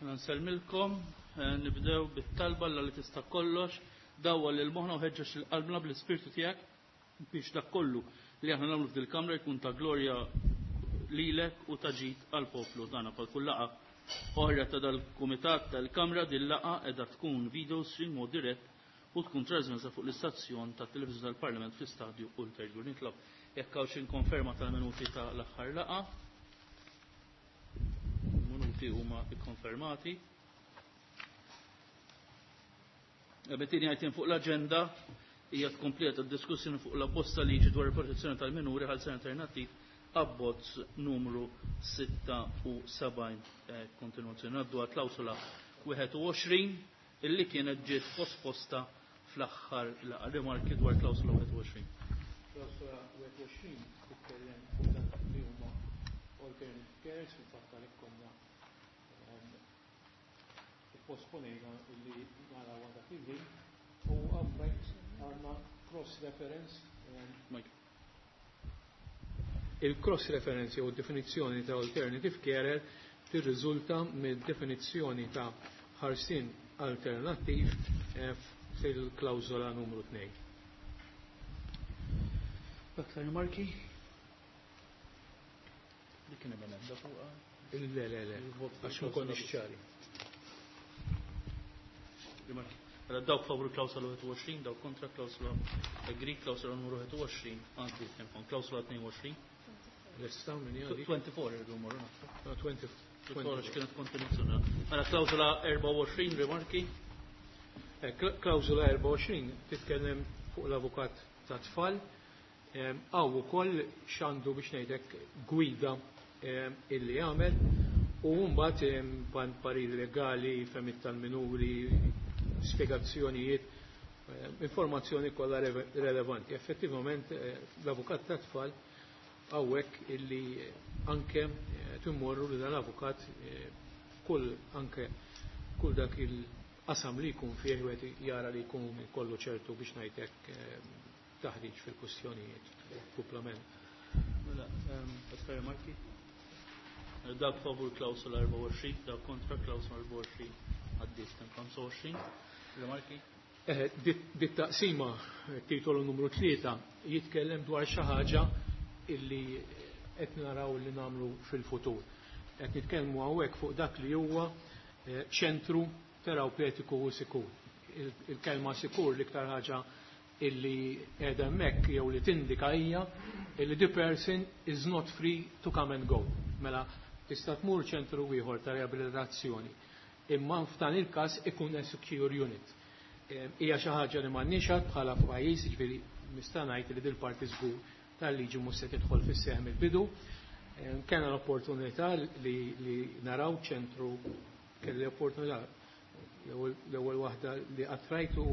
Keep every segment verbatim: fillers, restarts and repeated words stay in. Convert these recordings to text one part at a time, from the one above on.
Mela nsellmilkom, eh, nibdew bit-talba Alla li tista' kollox, dawwal lil moħħna u ħeġġeġ lil qalbna bl-ispirtu tiegħek biex dak kollu li aħna nagħmlu f'dil-kamra jkun ta' glorja lilek u ta' ġid għall-poplu tagħna. Bħal kull laqgħa oħra ta' dal-kumitat tal-kamra, din laqgħa qiegħda tkun video stream mod dirett u tkun trasmessa fuq l-istazzjon tat televiżjoni tal-Parlament fl-istadju ulterjur. Nitlob jekk hawn xi konferma tal-minuti ta' l-aħħar laqgħa. Il-minuti huma ikkonfermati. It-tieni item fuq l-aġenda hija tkomplija tad-diskussjoni fuq l-abbozz ta' liġi dwar il-protezzjoni tal-minuri, ħelsien alternattiv, abbozz numru sitta u sebgħin, eh, kontinuazzjoni. Ngħaddu għal klawsula wieħed u għoxrin illi kienet ġiet posposta fl-aħħar laqgħa. Rimarki dwar klawsula wieħed u għoxrin. Klawsula wieħed u għoxrin titkellem fuq dak li huma alternative carers. Fil-fatt għalhekk konna ehm, ipposponejna illi naraw dak il-ħin u hawnhekk għandna cross reference ehm, il-cross reference jew definizzjoni ta' alternative carer tirriżulta mid-definizzjoni ta' ħarsien alternattiv eh, fil-klawżola numru tnejn. Aktar rimarki? Dik kien hemm emenda fuqha? Le, le, le, għax ma konniex ċari. Rimarki. Mela dawk favur klawsola wieħed u għoxrin, dawk kontra. Klawsola agree, klawsola numru wieħed u għoxrin għandi tempo. Klawsola tnejn u għoxrin. Lesta minn għadi? twenty-four irridu mmorru naħseb. No, twenty. twenty-four kienet kontinuazzjoni. Mela klawsola erbgħa u għoxrin, rimarki. Eh, klawsola erbgħa u għoxrin titkellem fuq l-avukat ta' tfal. Hawn ukoll x'għandu, biex ngħidlek, gwida illi jagħmel u mbagħad pariri legali, fehmiet tal-minuri, spjegazzjonijiet, informazzjoni kollha relevanti. Effettivament eh, l-avukat ta' tfal hawnhekk illi anke eh, timmorru li dan l-avukat eh, kull anke kull dak il-qasam li jkun fih wieħed jara li jkun kollu ċertu, biex ngħidlek, taħriġ fil-kwistjonijiet kumplament. Mela, aktar rimarki? Dak favur klawsola erbgħa u għoxrin, dak kontra. Klawsola erbgħa u għoxrin għaddiet. ħamsa u għoxrin, rimarki? Eh, dit taqsima, titolu numru tlieta, jitkellem dwar xi ħaġa illi qed naraw li nagħmlu fil-futur. Qed nitkellmu hawnhekk fuq dak li huwa eh, ċentru terapeutiku u sikur. Il-kelma sikur, l-iktar ħaġa illi qiegħda hemmhekk jew li tindika hija illi the person is not free to come and go. Mela tista' tmur ċentru ieħor ta' riabilitazzjoni. Imma f'dan il-każ ikun a secure unit. Eh, hija xi ħaġa li m'għandniex bħala pajjiż, jiġifieri nista' ngħid li dil-parti żgur tal-liġi mhux se tidħol fis-seħħ mill-bidu. Eh, kellna l-opportunità li, li naraw ċentru, kelli opportunità l-ewwel waħda li qatt rajtu,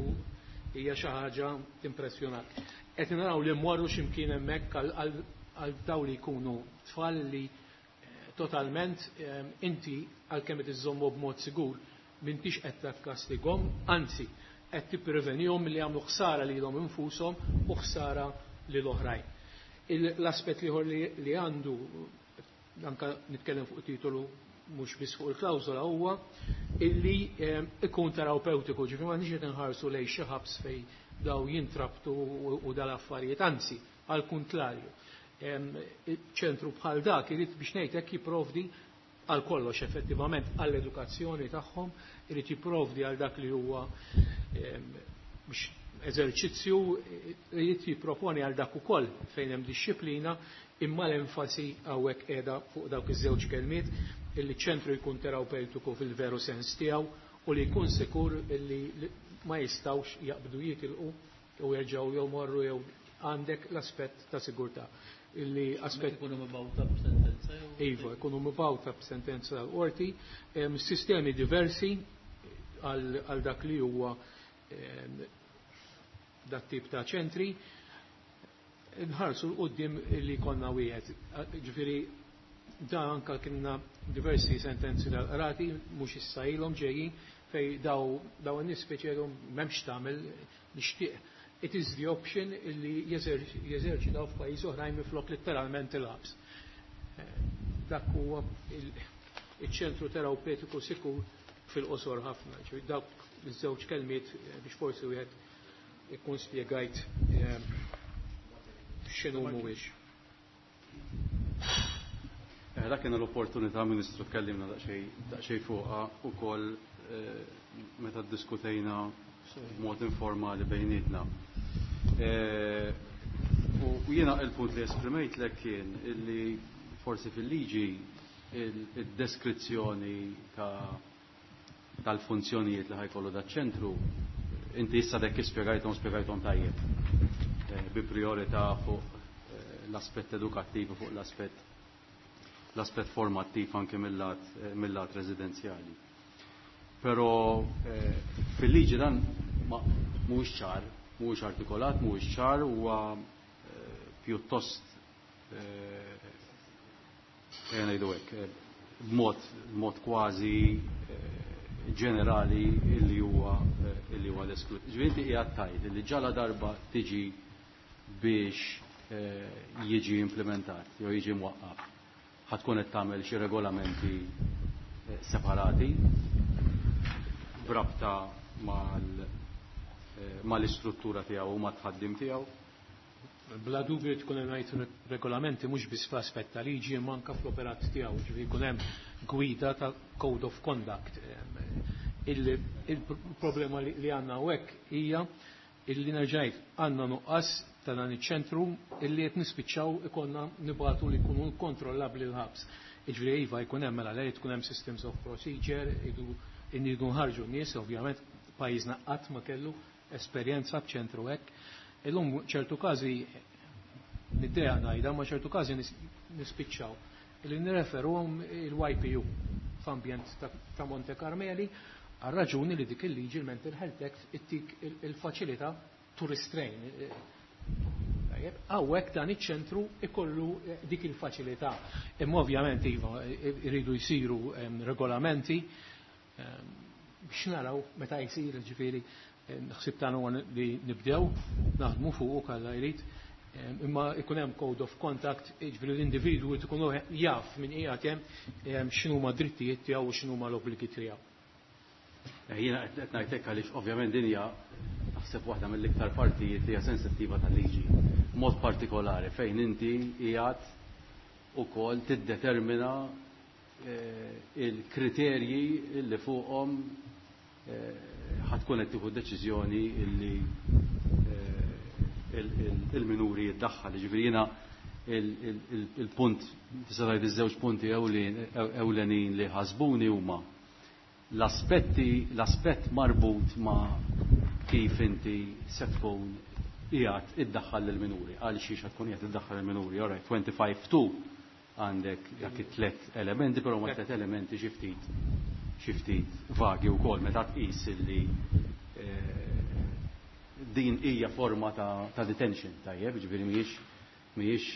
hija xi ħaġa timpressjonak. Qed naraw li mmorru x'imkien hemmhekk għal daw li jkunu tfal li eh, totalment eh, inti għalkemm qed iżommu b'mod sigur m'intix qed takkastigahom, anzi qed tipprevenihom li jagħmlu ħsara lilhom infushom u ħsara lil oħrajn. L-aspett ieħor li għandu, anka nitkellem fuq titolu mhux biss fuq il-klawżola, huwa illi eh, ikun terapeutiku, ġifieri ma nix qed inħarsu lejn xi ħabs fej daw jintrabtu u dal-affarijiet, anzi għal kuntrarju. Ċentru bħal dak irid, biex ngħidlek, jipprovdi għal kollox effettivament, għall-edukazzjoni tagħhom, irid jipprovdi għal dak li huwa biex eżerċizzju, irid jipproponi għal dak ukoll fejn hemm dixxiplina, imma l-enfasi hawnhekk qiegħda fuq dawk iż-żewġ kelmiet, illi ċentru jkun terapeutiku fil-veru sens tiegħu u li jkun sikur, illi ma jistawx jaqbdu jitilqu u jerġgħu jew morru jew għandek l-aspett ta' sigurtà. Illi aspett ikunu mibgħuta b'sentenza jew Iva, ikunu mibgħuta b'sentenza tal-qorti, sistemi diversi għal dak li huwa dat tip ta' ċentri, nħarsu 'l quddiem li konna wieħed. Ġifieri da anka kienna diversi sentenzi tal-qrati, mhux issa ilhom ġejjin, fej daw daw n-nies speċjalhom m'hemmx tagħmel nixtieq. It is the option illi jeżerċitaw f'pajjiż oħrajn minflok letteralment il-ħabs. Eh, dak huwa iċ-ċentru terapeutiku sikur. fil-qosor ħafna. Ġifieri dawk iż-żewġ kelmiet biex forsi wieħed ikun spjegajt x'inhu mhuwiex. Dak kien l-opportunità, Ministru, tkellimna daqsxejn fuqha ukoll meta ddiskutejna b'mod informali bejnietna. U jiena il-punt li esprimejtlek kien illi forsi fil-liġi il-deskrizzjoni tal-funzjonijiet li ħa jkollu daċ-ċentru, inti issa dek spjegajthom spjegajthom tajjeb bi priorità fuq l-aspett edukattiv u fuq l-aspett l-aspett formattiv anke mill-lat residenzjali. Però fil-liġi dan mhuwiex ċar, mhuwiex artikolat, mhuwiex ċar, huwa pjuttost ngħidu hekk b'mod b'mod kważi ġenerali illi huwa illi huwa l-esklud. Ġifieri inti qiegħed tgħid li ġala darba tiġi biex jiġi implementat jew jiġi mwaqqaf, ħa tkun qed tagħmel xi regolamenti separati b'rabta mal-istruttura tiegħu u mat-tħaddim tiegħu. Bla dubju tkun hemm ngħid regolamenti mhux biss fl-aspett ta' liġi imma anke fl-operat tiegħu, ġifieri jkun hemm gwida ta' code of conduct. Il-problema li għandna hawnhekk hija illi nerġajt għandna nuqqas ta' dan iċ-ċentru illi qed nispiċċaw ikollna nibgħatu li jkunu kontrollabbli l-ħabs. Jiġifieri iva jkun hemm mela lejn tkun hemm systems of procedure, iridu nħarġu n-nies, ovvjament pajjiżna qatt ma kellu esperjenza b'ċentru hekk. Illum ċertu każi niddeja ngħidha, ma ċertu każi nispiċċaw illi nirreferuhom il-Y P U f'ambjent ta' Monte Carmeli għal raġuni li dik il-liġi, il-Mental Health Act, ittik il-faċilità to restrain. Hawnhekk dan iċ-ċentru ikollu dik il-faċilità. Imma ovvjament iva iridu jsiru regolamenti biex naraw meta jsir, ġifieri ħsib tagħna huwa li nibdew naħdmu fuq Alla jrid, imma ikun hemm code of conduct, jiġifieri l-individwu tkun jaf min qiegħed hemm, x'inhuma drittijiet tiegħu u x'inhuma l-obbligi tiegħu. Jiena qed ngħidlek għaliex ovvjament din hija naħseb waħda mill-iktar partijiet li hija sensittiva tal-liġi. Mod partikolari fejn inti qiegħed ukoll tiddetermina il-kriterji li fuqhom ħa tkun qed tieħu deċiżjoni illi il-minuri jiddaħħal. Ġifieri jiena il-punt, tista' tgħid iż-żewġ punti ewlenin li ħasbuni huma l-aspetti, l-aspett marbut ma' kif inti se tkun qiegħed iddaħħal lill-minuri, għal xiex tkun qiegħed iddaħħal lill-minuri. All right, twenty-five two għandek dak it-tlet elementi, però ma tlet elementi xi ftit xi ftit vagi wkoll meta tqis illi din hija forma ta', ta detention, tajjeb, ġifieri mhijiex mhijiex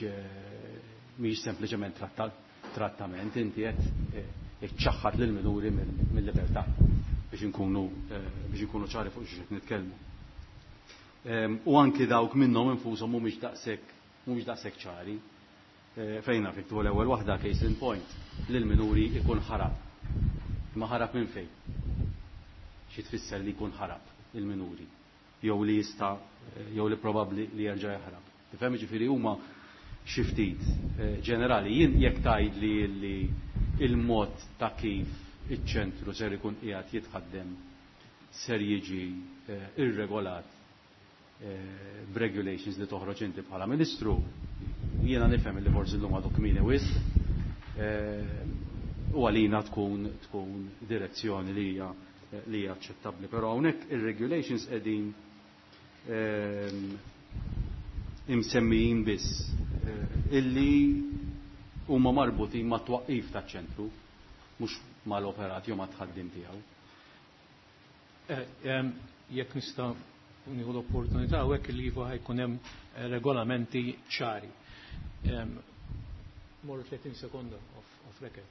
mhijiex sempliċement trattament, inti qed iċċaħħad lill-minuri mill-libertà biex inkunu biex inkunu ċari fuq xi qed nitkellmu. U anki dawk minnhom infushom mhumiex daqshekk mhumiex daqshekk ċari. Fejn naf tu l-ewwel waħda, case in point, li l-minuri ikun ħarab. Ma ħarab minn fejn? Xi tfisser li jkun ħarab il-minuri? Jew li jista' jew li probabbli li jerġa' jaħrab. Tifhem, ġifieri huma xi ftit ġenerali. Jien jekk tgħid li li il-mod ta' kif iċ-ċentru ser ikun qiegħed jitħaddem ser jiġi irregolat b'regulations li toħroġ inti bħala ministru, jiena nifhem li forsi llum għadu kmieni wisq, u għalina tkun tkun direzzjoni li hija li hija aċċettabbli. Però hawnhekk ir-regulations qegħdin imsemmijin biss illi huma marbutin ma' twaqqif taċ-ċentru, mhux mal-operat jew mat-tħaddim tiegħu. Jekk nista' nieħu l-opportunità hawnhekk li iva ħa jkun hemm regolamenti ċari. Morru thirty sekonda off, off record.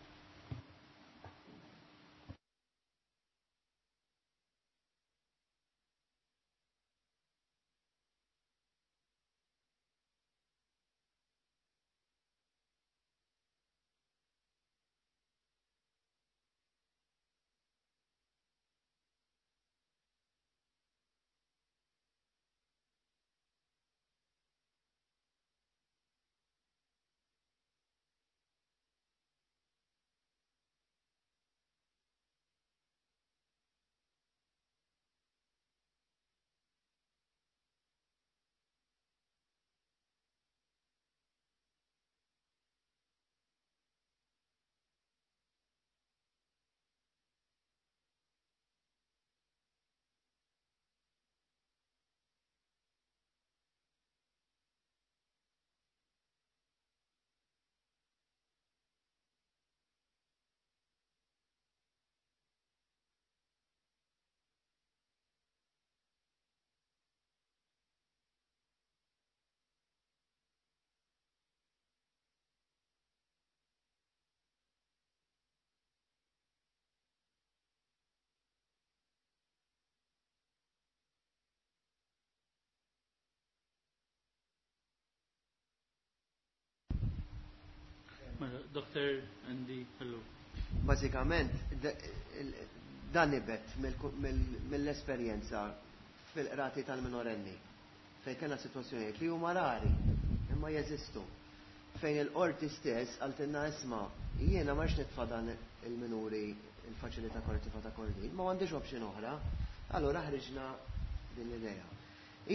Doctor Andy, hello. Bażikament, dan nibet mill-esperjenza fil-qrati tal-minorenni, fejn kellna sitwazzjonijiet li huma rari, imma jeżistu. Fejn il-qorti stess qaltilna isma' jiena ma nitfa' dan il-minuri il-faċilità korrettiva ta' Kordin, ma m'għandix option oħra, allura ħriġna din l-idea.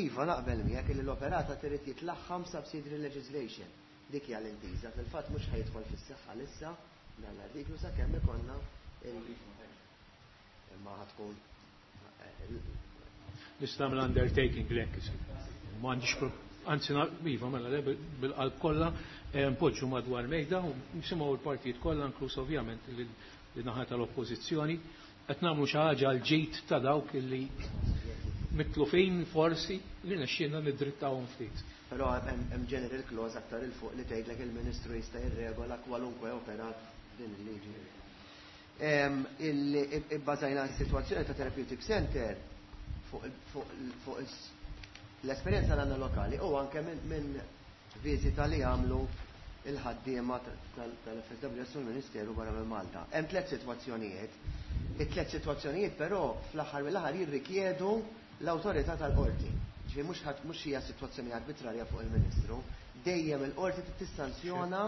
Iva, naqbel miegħek li l-operat trid jitlaħħam subsidiary legislation. Dik hija l-intiża, fil-fatt mhux ħa jidħol fis-seħħ issa dan l-artiklu sakemm ikollna il- imma ħa tkun Nista' nagħmel undertaking lek. M'għandix anzi iva mela le bil-qalb kollha npoġġu madwar mejda u nisimgħu l-partijiet kollha, inkluż ovvjament li naħa tal-oppożizzjoni, qed nagħmlu xi ħaġa għal ġid ta' dawk illi mitlufin forsi li nexxielna nidrittawhom ftit. Però hemm general clause aktar 'il fuq li tgħidlek il-Ministru jista' jirregola kwalunkwe operat din il-liġi. Ibbażajna s-sitwazzjoni ta' Therapeutic Center fuq l-esperjenza l-għandna lokali u anke minn viżita li għamlu il-ħaddiema tal-F S W S u l-Ministeru barra minn Malta. Hemm tliet sitwazzjonijiet. It-tliet sitwazzjonijiet però fl-aħħar mill-aħħar jirrikjedu l-awtorità tal-qorti. Ġifieri mhux mhux hija sitwazzjoni arbitrarja fuq il-Ministru, dejjem il-qorti tissanzjona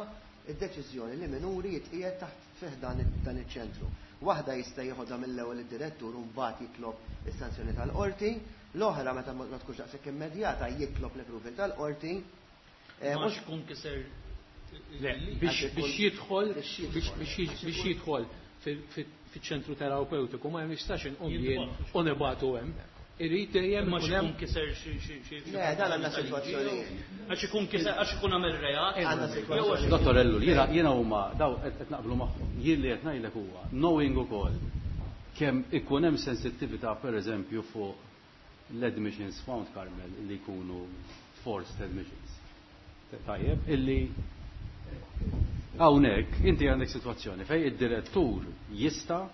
id-deċiżjoni li minuri jitqiegħed taħt fih dan iċ-ċentru. Waħda jista' jieħodha mill-ewwel id-direttur u mbagħad jitlob is-sanzjoni tal-qorti, l-oħra meta ma tkunx daqshekk immedjata jitlob l-approval tal-qorti. Mhux kun kiser biex jidħol biex jidħol fiċ-ċentru terapeutiku ma jistax inqum jien u nibagħtu hemm. Irid dejjem Ma ikun kiser xi xi Le, dan għandna sitwazzjoni. Għax ikun kiser, għax ikun għamel reat. Għandna sitwazzjoni. Dottor Ellul, jiena jiena huma daw qed naqblu magħhom. Jien li qed ngħidlek huwa knowing ukoll kemm ikun hemm sensittività, pereżempju, fuq l-admissions Mount Carmel li jkunu forced admissions. Tajjeb, illi hawnhekk inti għandek sitwazzjoni fejn id-direttur jista'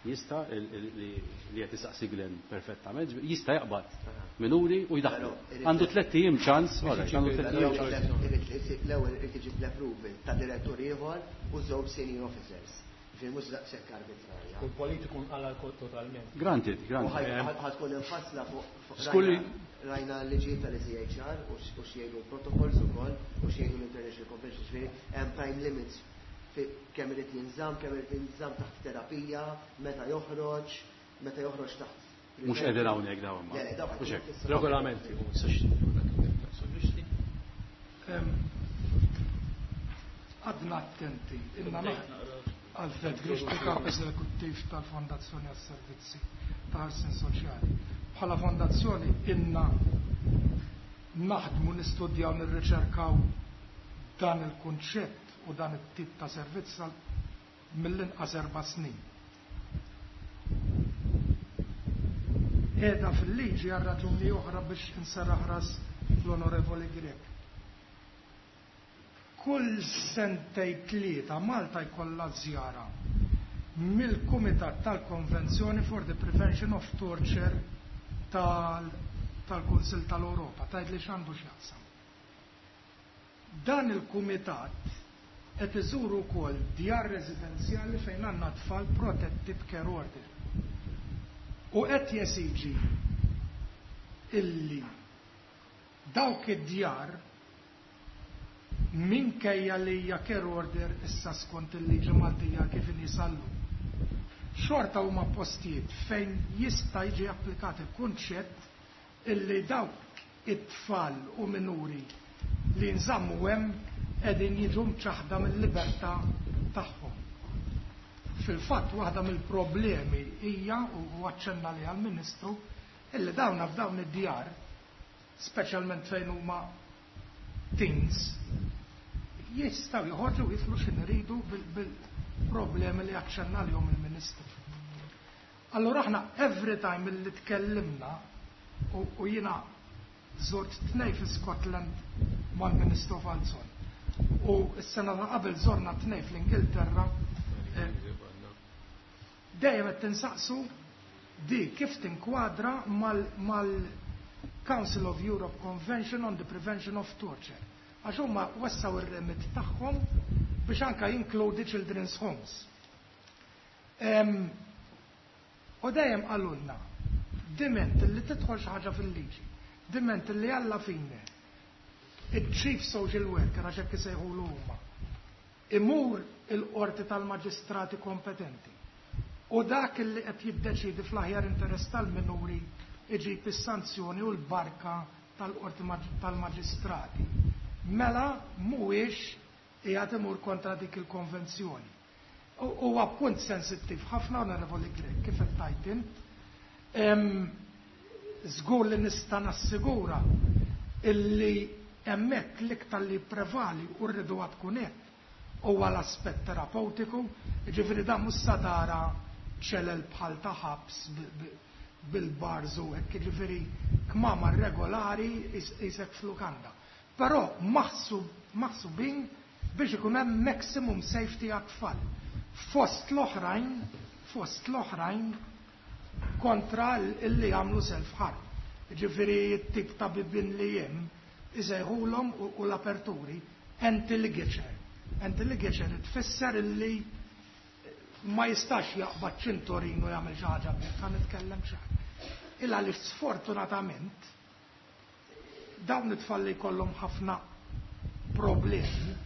jista' li qed isaqsi Glenn perfettament, jista' jaqbad minuri u jdaħlu. Għandu tlett ijiem ċans, għandu tlett ijiem ċans. L-ewwel irid iġib l-approval ta' direttur ieħor u żewġ senior officers. Ġifieri mhux daqshekk arbitrarja. U l-politiku nqala totalment. Granted, granted. Ħa tkun infassla fuq rajna l-liġijiet tal-E C H R u x'jgħidu protocols ukoll u x'jgħidu l-International Convention, ġifieri hemm time limits kemm irid jinżamm, kemm irid jinżamm taħt terapija, meta joħroġ, meta joħroġ taħt. Mhux qegħdin hawnhekk dawn ma. Mhux hekk. Regolamenti. Em, Għadna attenti, inna Alfred Grixti, kap eżekuttiv tal-Fondazzjoni għas-Servizzi ta' Ħarsien Soċjali. Bħala fondazzjoni inna naħdmu, nistudjaw, nirriċerkaw dan il-kunċett u dan it-tip ta' servizz għal mill-inqas erba' snin. Qiegħda fil-liġi għal raġuni oħra biex inserraħ ras l-Onorevoli Grech. Kull sentej tlieta Malta jkollha żjara mill-Kumitat tal-Konvenzjoni for the Prevention of Torture tal-Kunsil tal-Europa, tgħid li x'għandu x'jaqsam. Dan il-Kumitat qed iżuru wkoll djar residenzjali fejn għandna tfal protetti b'care order. U qed jesiġi illi dawk id-djar, minkejja li hija care order issa skont il-liġi Maltija kif inhi sal-lum, xorta huma postijiet fejn jista' jiġi applikat il-kunċett illi dawk it-tfal u minuri li nżammu hemm qegħdin jiġu mċaħda mill-libertà tagħhom. Fil-fatt, waħda mill-problemi hija, u aċċenna li għall-Ministru, illi dawna f'dawn id-djar, speċjalment fejn huma teens, jistgħu joħorġu jiflu x'in iridu bil-problemi li aċċenna lihom il-Ministru. Allora aħna every time li tkellimna u, u jiena żort tnej fi Scotland mal-Ministru Falzon u s-sena ta' qabel żorna tnej fl-Ingilterra, eh, dejjem qed tinsaqsu di kif tinkwadra mal-Council of Europe Convention on the Prevention of Torture. Għax huma wessaw ir-remit tagħhom biex anka jinkludi children's homes. U dejjem qalulna, diment li tidħol xi ħaġa fil-liġi, diment li alla fine, il-chief social worker, għax hekk isejħulu huma, imur il-qorti tal-maġistrati kompetenti u dak li qed jiddeċidi fl-aħjar interess tal-minuri iġib is-sanzjoni u l-barka tal-qorti tal-maġistrati. Mela mhuwiex qiegħed imur kontra dik il-konvenzjoni. Huwa punt sensittiv ħafna, Onorevoli Grech, kif qed tgħid int. Żgur li nista' nassigura illi hemmhekk l-iktar li prevali u rridu tkun hekk huwa l-aspett terapeutiku, jiġifieri dan mhux sa tara ċelel bħal ta' ħabs bil-bars u hekk, jiġifieri kmamar regolari isek f'lukanda. Però maħsubin biex ikun hemm maximum safety għat-tfal. Fost l-oħrajn, fost l-oħrajn kontra illi jagħmlu self-harm. Jiġifieri t-tip ta' bibien li hemm isejħulhom u l-aperturi anti-ligature. Anti-ligature tfisser illi ma jistax jaqbad ċintorin u jagħmel xi ħaġa bih, ħa nitkellem xi ħaġa. Illa li sfortunatament dawn it-tfal li jkollhom ħafna problemi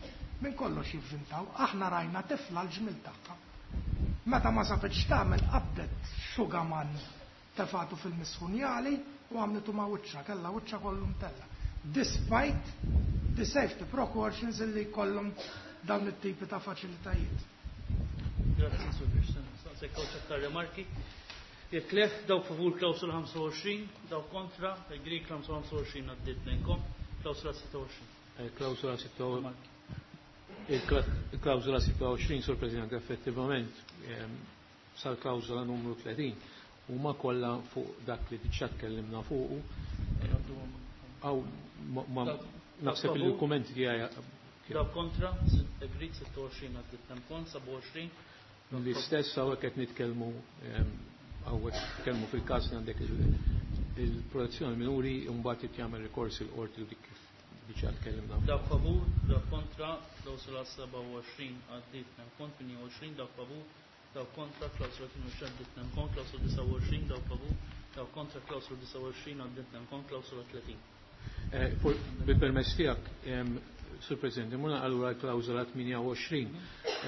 minn kollox jivvintaw. Aħna rajna tifla l-ġmil tagħha. Meta ma sabitx tagħmel qabdet xugaman tefatu fil-misħunjali u għamlitu ma' wiċċha, kellha wiċċha kollu mtella. Despite the safety precautions illi jkollhom dawn it-tipi ta' faċilitajiet. Grazie, Sur Christian. Saqsek kawċa remarki. Jekk le, dawk favur klawsula ħamsa u għoxrin, dawk kontra, il-Greek ħamsa u għoxrin għaddit nejnkom, klawsula sitta u għoxrin. Klawsula sitta u il-klawsula sitta u għoxrin, Sur President, effettivament sal-klawsula numru tletin huma kollha fuq dak li diġà tkellimna fuqu. Aw naħseb li l-kummenti tiegħi. Dawk kontra, agreed sitta u għoxrin għaddit nemkon, seba' u għoxrin. L-istess hawnhekk qed nitkellmu hawnhekk nitkellmu fil-każ li għandek il-protezzjoni minuri u mbagħad irid jagħmel rikors il-qorti u dik kif diġà tkellimna. Dawk favur, dawk kontra, klawsula seba' u għoxrin għaddit nemkon, tmienja u għoxrin, dawk favur, dawk kontra, klawsula tmienja u għoxrin għaddit nemkon, klawsula disa' u għoxrin, dawk favur, dawk kontra, klawsula disa' u għoxrin għaddit nemkon, klawsula tletin. Bil-permess tiegħek, Sur President, imuna allura l-klawżola tmienja u għoxrin,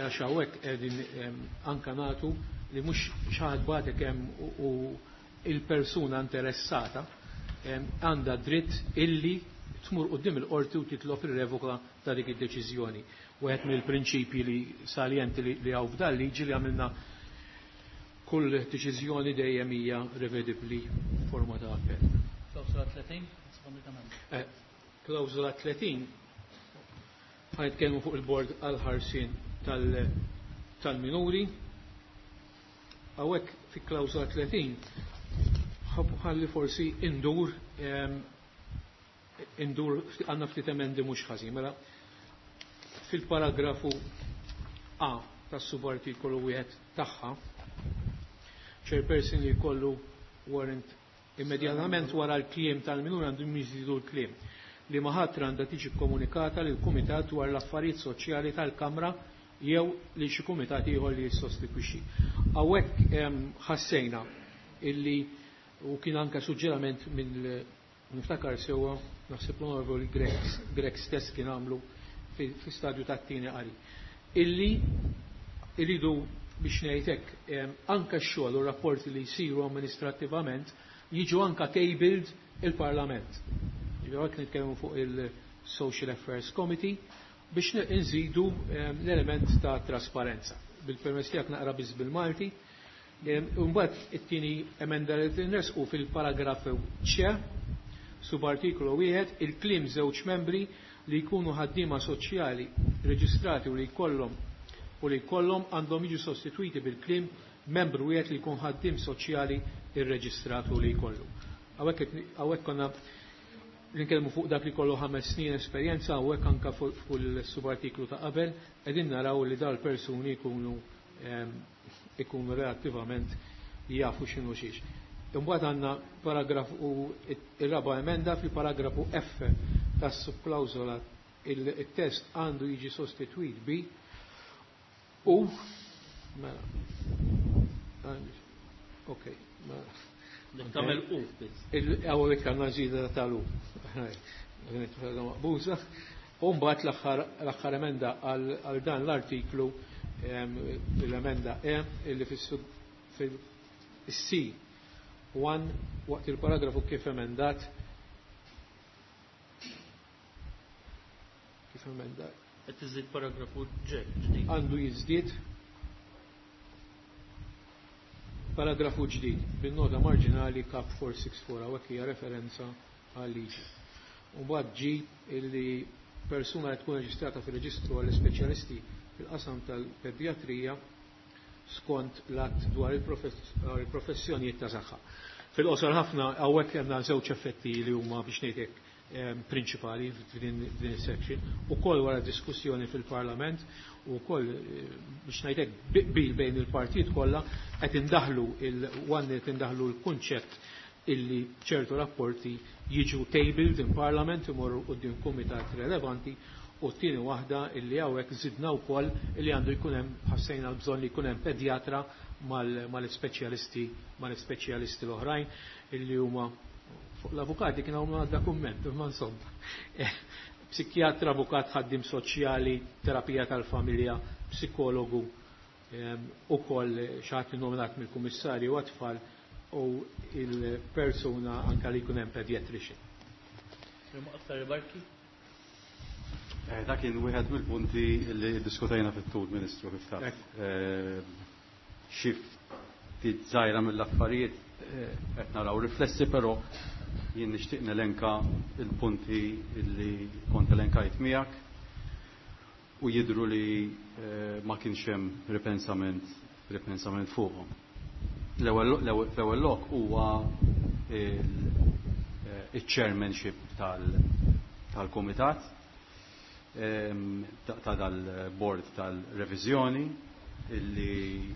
għax hawnhekk qegħdin anka nagħtu li mhux xi ħadd bagħtek hemm u il-persuna interessata għandha dritt illi tmur quddiem il-qorti u titlob ir-revoka ta' dik id-deċiżjoni. Wieħed mill-prinċipji li saljenti li hawn f'dan liġi li għamilna kull deċiżjoni dejjem hija revedibbli forma ta' appell. Klawżola tletin? Klawżola tletin ħa nitkellmu fuq il-bord għal-ħarsien tal-minuri. Hawnhekk fi klawżola tletin ħalli forsi indur indur għandna ftit emendi mhux ħażin. Mela fil-paragrafu A tas-subartikolu wieħed tagħha, chairperson li jkollu warrant immedjatament wara l-kliem tal-minur għandu jiżidu l-kliem li maħatra għandha tiġi komunikata lil kumitat dwar l-affarijiet soċjali tal-Kamra jew li xi kumitat ieħor li jissostitwixxi. Hawnhekk ħassejna illi u kien anke suġġerament minn niftakar sewwa naħseb l-Onorevoli Grech stess kien għamlu fi stadju tat-tieni qari. Illi iridu biex ngħid hekk anke x-xogħol u rapporti li jsiru amministrattivament jiġu anke tabled il-Parlament. Ġifieri nitkellmu fuq il-Social Affairs Committee biex nżidu l-element ta' trasparenza. Bil-permess tiegħek naqra biss bil-Malti. Imbagħad it-tieni emenda li tinresqu fil-paragrafu C, subartikolu wieħed, il-kliem żewġ membri li jkunu ħaddiema soċjali reġistrati u li jkollhom u li jkollhom għandhom jiġu sostitwiti bil-kliem membru wieħed li jkun ħaddiem soċjali irreġistrat u li jkollu. Hawnhekk konna nitkellmu fuq dak li kollu ħames snin esperjenza, hawnhekk anke fuq il-subartiklu ta' qabel qegħdin naraw li dal persuni jkunu ikunu relattivament jafu x'inhu xiex. Imbagħad għandna paragrafu ir-raba' emenda fil-paragrafu F tas-subklawżola il-test għandu jiġi sostitwit bi U mela. Ok, mela. Tagħmel U biss. Hawnhekk għandna żieda tal-U. Maqbuża. U mbagħad l-aħħar emenda għal dan l-artiklu, l-emenda E, illi fil-C one waqt il-paragrafu kif emendat kif emendat Qed iżid paragrafu ġdid. Għandu jiżdied paragrafu ġdid bin-nota marġinali kap four six four, hawnhekk hija referenza għal liġi. U mbagħad ġi illi persuna li tkun reġistrata fir-reġistru għall-ispeċjalisti fil-qasam tal-pedjatrija skont l-att dwar il-professjonijiet ta' saħħa. Fil-qosor ħafna hawnhekk għandna żewġ effetti li huma biex ngħidlek prinċipali f'din is-section, ukoll wara diskussjoni fil-Parlament u wkoll biex ngħidlek qbil bejn il-partijiet kollha qed indaħlu il-one qed indaħlu l-kunċett illi ċertu rapporti jiġu tabled in Parliament imorru quddiem kumitat relevanti, u t-tieni waħda illi hawnhekk żidna wkoll illi għandu jkun hemm, ħassejna l-bżonn li jkun hemm pedjatra mal-ispeċjalisti, mal-ispeċjalisti l-oħrajn illi huma fuq l-avukati kien hawn għadda kumment, imma insomma. Psikjatra, avukat, ħaddim soċjali, terapija tal-familja, psikologu, ukoll xi ħadd nominat mill-kummissarju għat-tfal u il-persuna anka li jkun hemm pediatrician. Aktar rimarki? Eh, dak kien wieħed mill-punti li diskutajna fit-tul, Ministru, kif taf. Ekk. Xi ftit żgħira mill-affarijiet, eh, qed naraw riflessi, però jien nixtieq nelenka il-punti li kont elenkajt miegħek u jidhru li, eh, ma kienx hemm ripensament, ripensament fuqhom. L-ewwel lok huwa il-, eh, il-chairmanship tal-, tal-komitat, ehm, ta', ta' dal-board tal-reviżjoni illi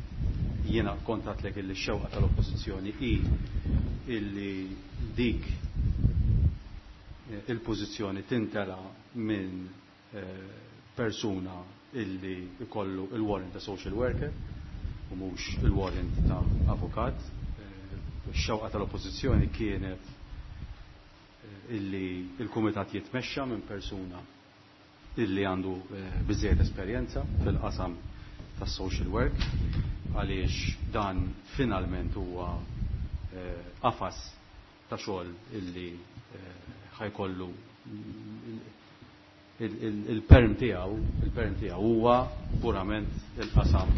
jiena kontatlek illi x-xewqa tal-oppożizzjoni hi illi dik, eh, il-pożizzjoni tintela minn, eh, persuna illi ikollu il-warrant ta' social worker u mhux il-warrant ta' avukat. Eh, ix-xewqa tal-oppożizzjoni kienet, eh, illi il-kumitat jitmexxa minn persuna illi għandu, eh, biżejjed esperjenza fil-qasam tas-social work, għaliex dan finalment huwa, eh, qafas ta' xogħol illi, eh, ħajkollu il-, il-, il-perm tiegħu, il-perm tiegħu huwa purament il-qasam,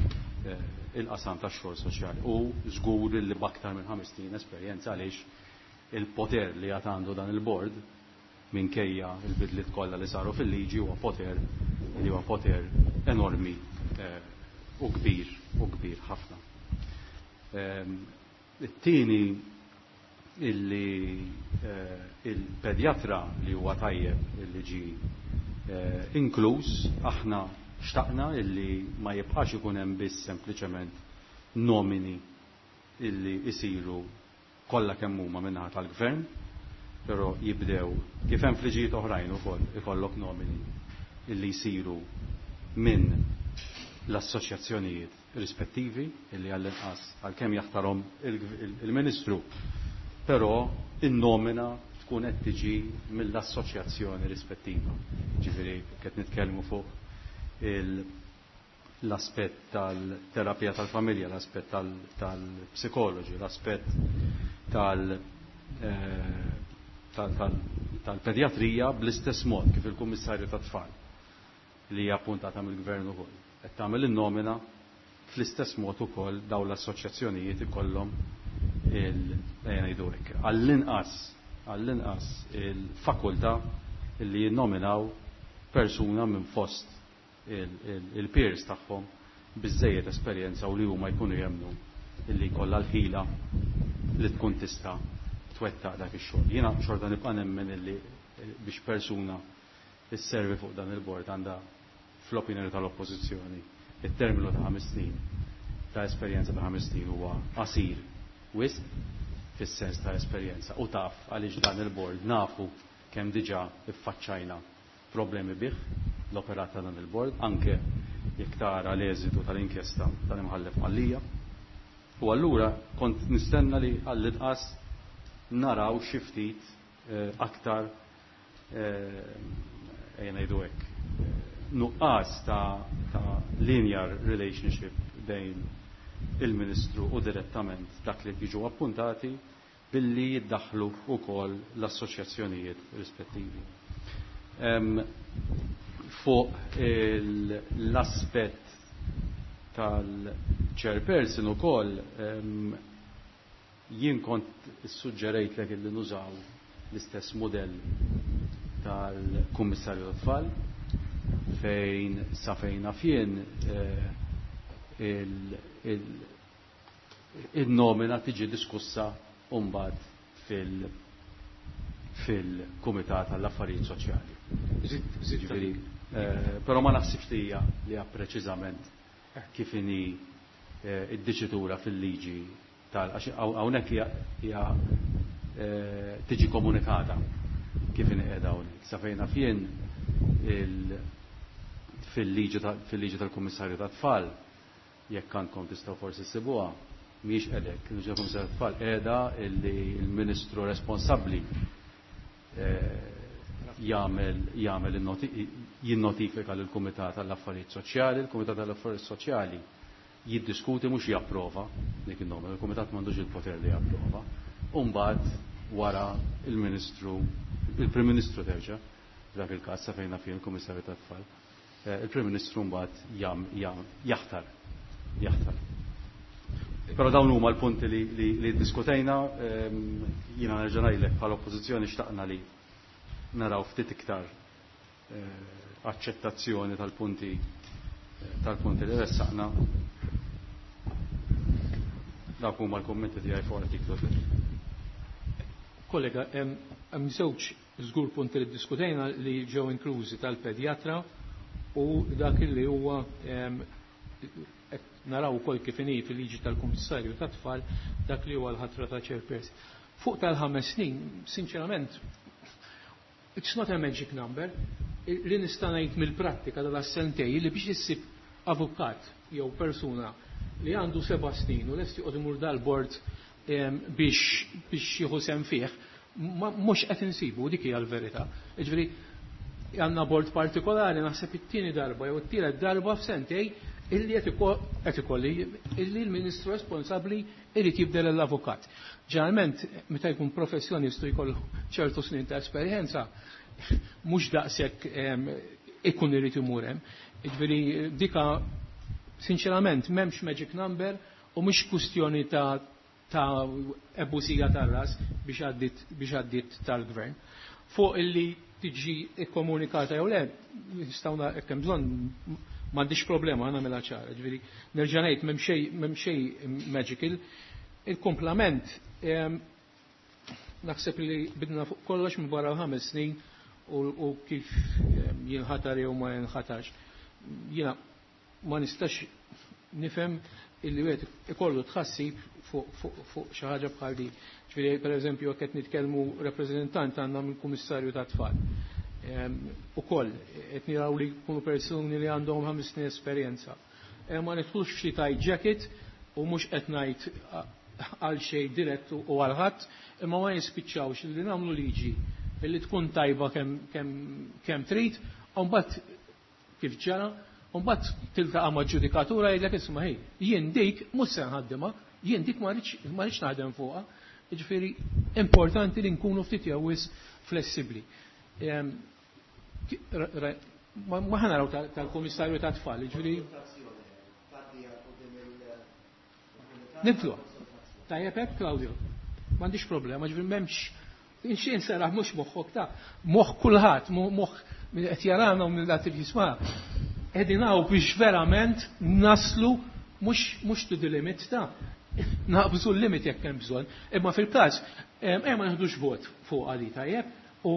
eh, il-qasam tax-xogħol soċjali. U żgur li b'aktar minn ħames snin esperjenza, għaliex il-poter li għad għandu dan il-bord minkejja il-bidliet kollha li saru fil-liġi huwa poter li huwa poter enormi, eh, u kbir, u kbir ħafna. Ehm, it-tieni illi, eh, il-pedjatra li huwa tajjeb illi ġi, eh, inkluż, aħna xtaqna illi ma jibqax ikun hemm biss sempliċement nomini illi isiru kollha kemm huma min-naħa tal-gvern, però jibdew kif hemm fliġijiet oħrajn ukoll ikollok nomini illi jsiru minn l-assoċjazzjonijiet rispettivi illi għall-inqas għalkemm jaħtarhom il-, il-Ministru, però in-nomina tkun qed tiġi mill-assoċjazzjoni rispettiva. Ġifieri qed nitkellmu fuq il-, l-aspett tal-terapija tal-familja, l-aspett tal-, tal-psikoloġi, l-aspett tal-, eh, tal-, tal-, tal-pedjatrija bl-istess mod kif il-Kummissarju tat-Tfal li hija appuntata mill-Gvern ukoll. Qed tagħmel in-nomina fl-istess mod ukoll dawn l-assoċjazzjonijiet ikollhom il-, ejja ngħidu hekk, għall-inqas, għall-inqas il-fakultà li jinnominaw persuna minn fost il-, il-, il-peers tagħhom biżżejjed esperjenza u li huma jkunu jemmnu illi jkollha l-ħila li tkun tista' twettaq dak ix-xogħol. Jiena xorta nibqa' nemmen illi biex persuna isservi fuq dan il-bord għandha fl-opinjoni tal-oppożizzjoni it-terminu ta' ħames snin ta' esperjenza ta' ħames snin huwa qasir wisq fis-sens ta' esperjenza u taf għaliex dan il-bord nafu kemm diġà iffaċċajna problemi bih l-operat ta' dan il-bord, anke jekk tara l-eżitu tal-inkjesta tal-imħallef Mallia. U allura kont nistenna li għall-inqas naraw xi ftit eh, aktar eh, ejja ngħidu hekk nuqqas ta', ta' linear relationship bejn il-Ministru u direttament dak li jiġu appuntati billi jiddaħlu wkoll l-assoċjazzjonijiet rispettivi. Um, fuq l-aspett tal-chairperson ukoll um, jien kont suġġerejt li nużaw l-istess modell tal-Kummissarju tat-Tfal fejn sa fejn jien eh, il-nomina tiġi diskussa mbagħad fil- fil-Kumitat għall-Affarijiet Soċjali. Ġifieri, eh, però ma naħsibx li hija li hija preċiżament kif inhi eh, id-diċitura fil-liġi tal għax hawnhekk hija hija eh, tiġi komunikata kif inhi qiegħda hawnhekk. Sa fejn naf jien fil-liġi fil-liġi tal-Kummissarju tat-Tfal jekk għandkom tistgħu forsi ssibuha mhijiex qedek. Il-liġi tal-Kummissarju tat-Tfal qiegħda illi l-Ministru responsabbli jagħmel jagħmel jinnotifika lill-Kumitat għall-Affarijiet Soċjali, il-Kumitat għall-Affarijiet Soċjali jiddiskuti mhux japprova dik in-nomina, il-Kumitat m'għandux il-poter li japprova. U mbagħad wara il-Ministru, il-Prim Ministru terġa' f'dak il-każ sa fejn fih il-Kummissarju tat-Tfal, il-Prim Ministru mbagħad jaħtar jaħtar. Però dawn huma l-punti li, li, li diskutejna, jiena nerġa' ngħidlek bħala oppożizzjoni xtaqna li naraw ftit iktar aċċettazzjoni tal-punti tal-punti li ressaqna. Dawk huma l-kummenti tiegħi fuq artiklu tlieta. Kollega, hemm żewġ żgur punti li diskutejna li ġew inklużi tal-pedjatra u dak li huwa naraw ukoll kif inhi fil-liġi tal-Kummissarju tat-Tfal dak li huwa l-ħatra ta' chairperson. Fuq tal-ħames snin, sinċerament, it's not a magic number. Li nista' ngħid mill-prattika tal-sentej li biex issib avukat jew persuna li għandu seba' snin u lest joqgħod imur dal-bord biex biex jieħu sehem fih, mhux qed insibu dik hija l-verità. Jiġifieri għandna bord partikolari naħseb it-tieni darba jew it-tielet darba f'sentej illi qed ikolli illi l-Ministru responsabbli irid jibdel l-avukat. Ġeneralment meta jkun professjonistu jkollu ċertu snin ta' esperjenza mhux daqshekk ikun irid imur hemm. Jiġifieri dika sinċerament m'hemmx magic number u mhux kwistjoni ta' ta' ebusija tar-ras biex għaddit biex għaddit tal-gvern. Fuq illi tiġi ikkomunikata jew le, nistgħu hekk hemm bżonn m'għandix problema nagħmilha ċara. Ġifieri nerġa' ngħid m'hemm xejn m'hemm xejn magical. Il-komplament naħseb li bidna fuq kollox minn barra ħames snin u kif jinħatar jew ma jinħatarx. Jiena ma nistax nifhem illi wieħed ikollu tħassib fuq xi ħaġa bħal din. Ġifieri pereżempju jekk qed nitkellmu rappreżentant għandna mill-Kummissarju tat-Tfal. Ukoll qed niraw li jkunu persuni li għandhom ħames snin esperjenza. Ma nidħlux f'xi tight jacket u mhux qed ngħid għal xejn dirett u għal ħadd, imma ma jispiċċawx li nagħmlu liġi illi tkun tajba kemm trid, u mbagħad kif ġara, u mbagħad tiltaqa' ma' ġudikatura jgħidlek isma' ħej, jien dik mhux se nħaddimha, jien dik ma rridx naħdem fuqha. Jiġifieri importanti li nkunu ftit jew wisq flessibbli. Ma ħa naraw tal-Kummissarju tat-Tfal, jiġifieri nibdlu. Tajjeb hekk, Claudio. M'għandix problema, ġifieri m'hemmx Inxin seraħ mhux moħħok ta' moħħ kulħadd, moħħ min qed jarana u minn dak li jisma'. Qegħdin hawn biex verament naslu mhux mhux to the limit ta' naqbżu l-limit jekk hemm bżonn. Imma fil-każ hemm ma nieħdux vot fuq għali tajjeb u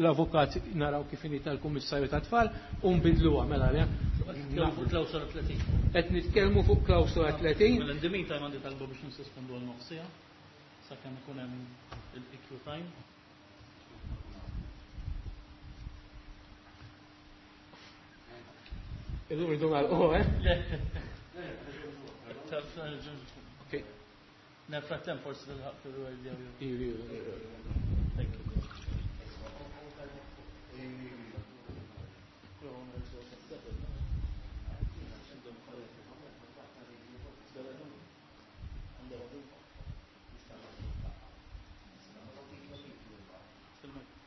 l-avukat naraw kif inhi tal-Kummissarju tat-Tfal u nbidluha mela le. Fuq klawsola tletin. Qed nitkellmu fuq klawsola tletin. Mela in the meantime għandi talba biex nissospendu għal nofsija sakemm ikun hemm il-E Q time. Illum irridu nagħlqu, eh? Okay. Nel frattempo forsi tilħaq fil-word jew. Iva, iva. Thank you.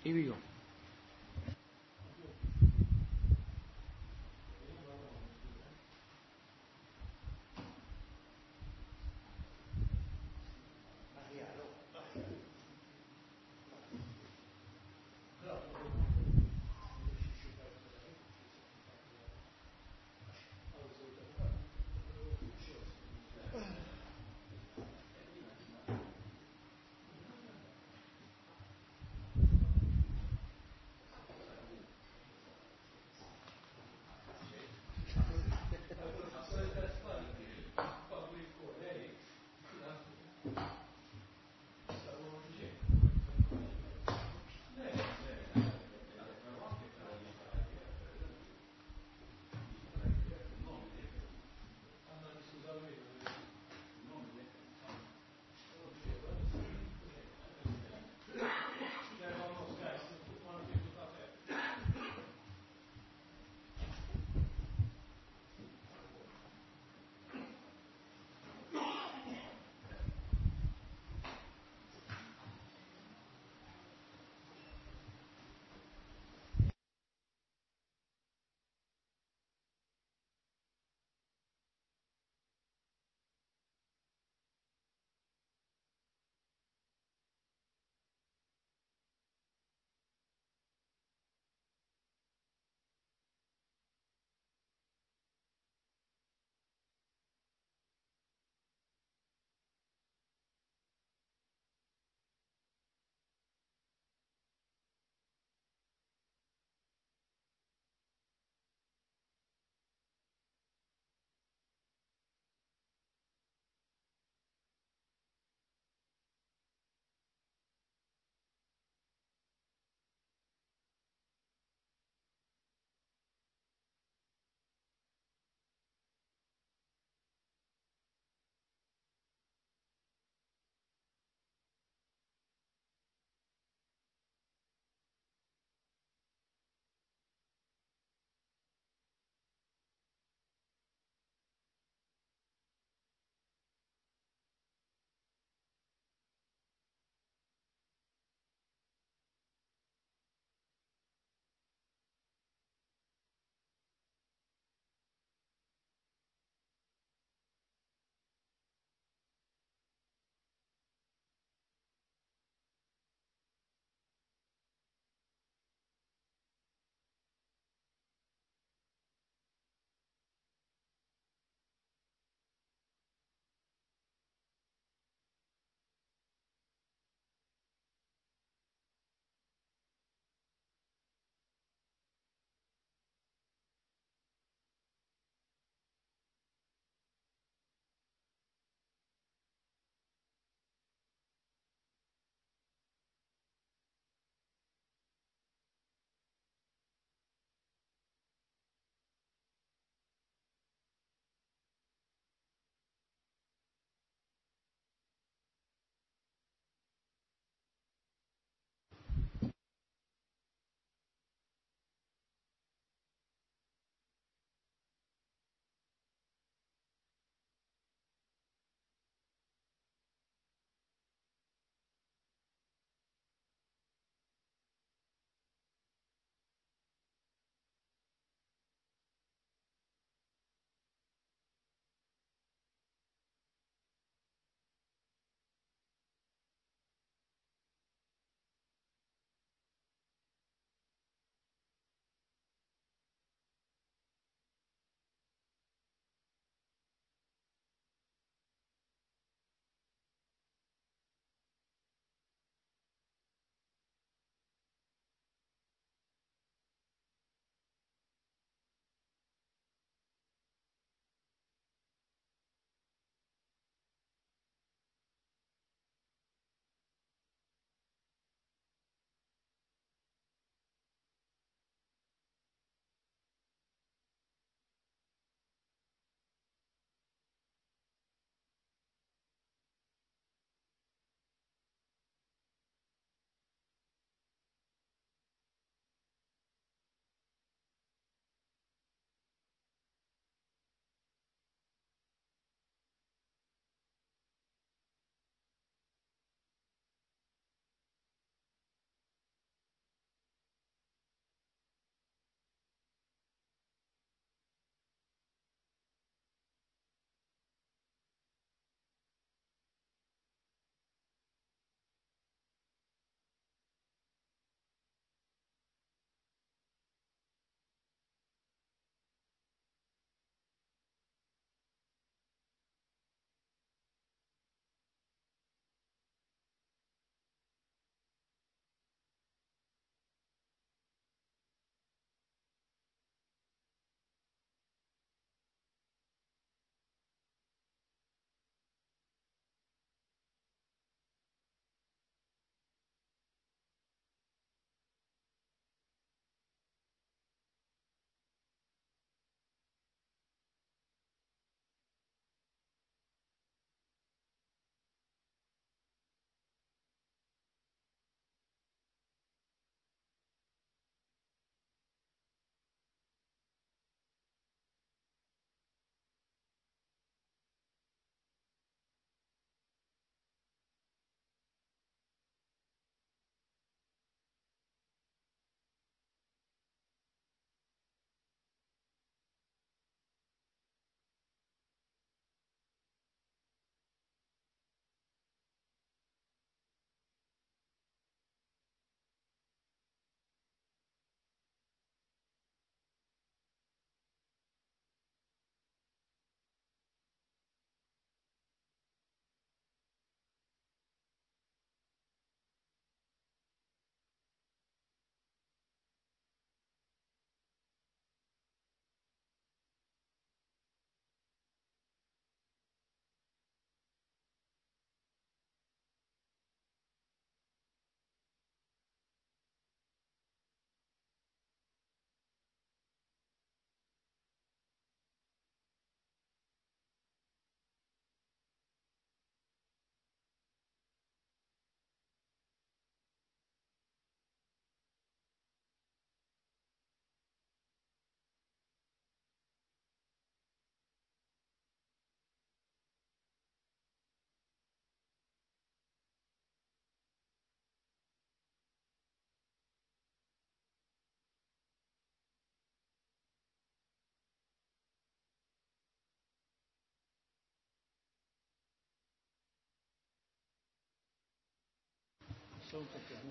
Here we go.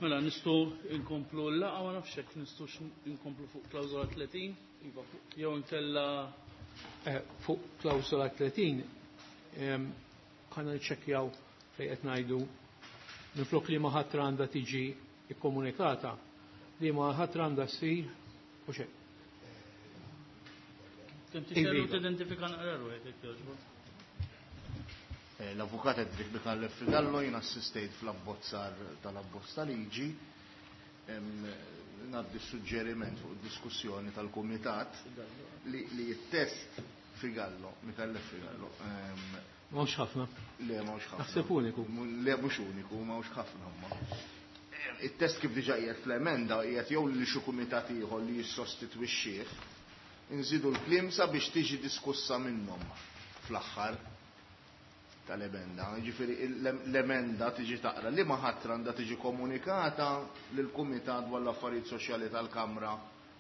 Mela nistgħu nkomplu l-laqgħa, ma nafx hekk nistgħux inkomplu fuq klawżola tletin jew inkella fuq klawżola tletin ħana niċċekkjaw fejn qed ngħidu minflok li ma ħatra għandha tiġi ikkomunikata li ma ħatra għandha ssir u xejn. Kemm tixtieq tidentifika naqra ruħek jekk jogħġbok. L-avukat Edric Micallef Figallo, jien assistejt fl-abbozzar tal-abbozz ta' liġi. Ngħaddi suġġeriment fuq diskussjoni tal-kumitat li t-test Figallo, Micallef Figallo. M'hawnx ħafna. Le, m'hawnx ħafna. Naħseb uniku. Le, mhux uniku, m'hawnx ħafna imma. It-test kif diġà qiegħed fl-emenda qiegħed jew li xi kumitat ieħor li jissostitwixxih, inżidu l-kliem sabiex tiġi diskussa minnhom fl-aħħar tal-emenda. Ġifieri l-emenda tiġi taqra li ma ħatra għandha tiġi komunikata lill-Kumitat dwar l-Affarijiet Soċjali tal-Kamra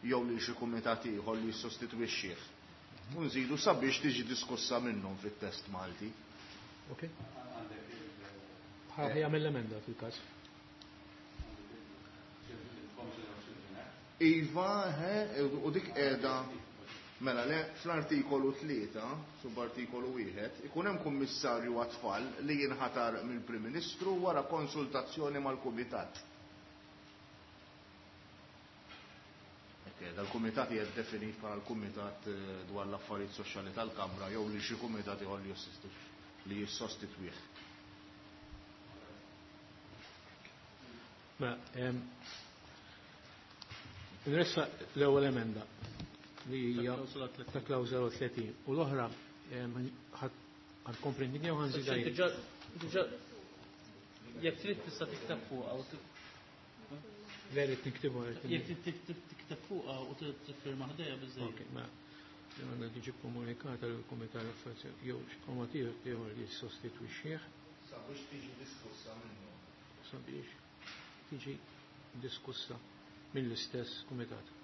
jew lil xi kumitat ieħor li jissostitwixxih. U nżidu sabiex tiġi diskussa minnhom fit-test Malti. Ok. Ħa jagħmel l-emenda fil-każ. Iva, he, u dik qiegħda mela le fl-artikolu tlieta, subartikolu wieħed, ikun hemm kummissarju għat-tfal li jinħatar mill-Prim Ministru wara konsultazzjoni mal-Kumitat. Dal-Kumitat hija definit bħala l-Kumitat dwar l-Affarijiet Soċjali tal-Kamra jew li xi kumitat ieħor li jissostitwih. Mela, nressa l-ewwel emenda li hija ta' klawżola tletin u l-oħra ħankompli jew ħanżidha jien. Diġà jekk trid tista' tikteb fuqha u Le, rrid niktibu, jekk trid tikteb fuqha u tiffirma ħdejha biżżejjed. Ok, mela għandha tiġi komunikata lill-Kumitat l-Affarijiet jew xi kumitat ieħor li jissostitwixxih. Sabiex tiġi diskussa minnu. Sabiex tiġi diskussa mill-istess kumitat.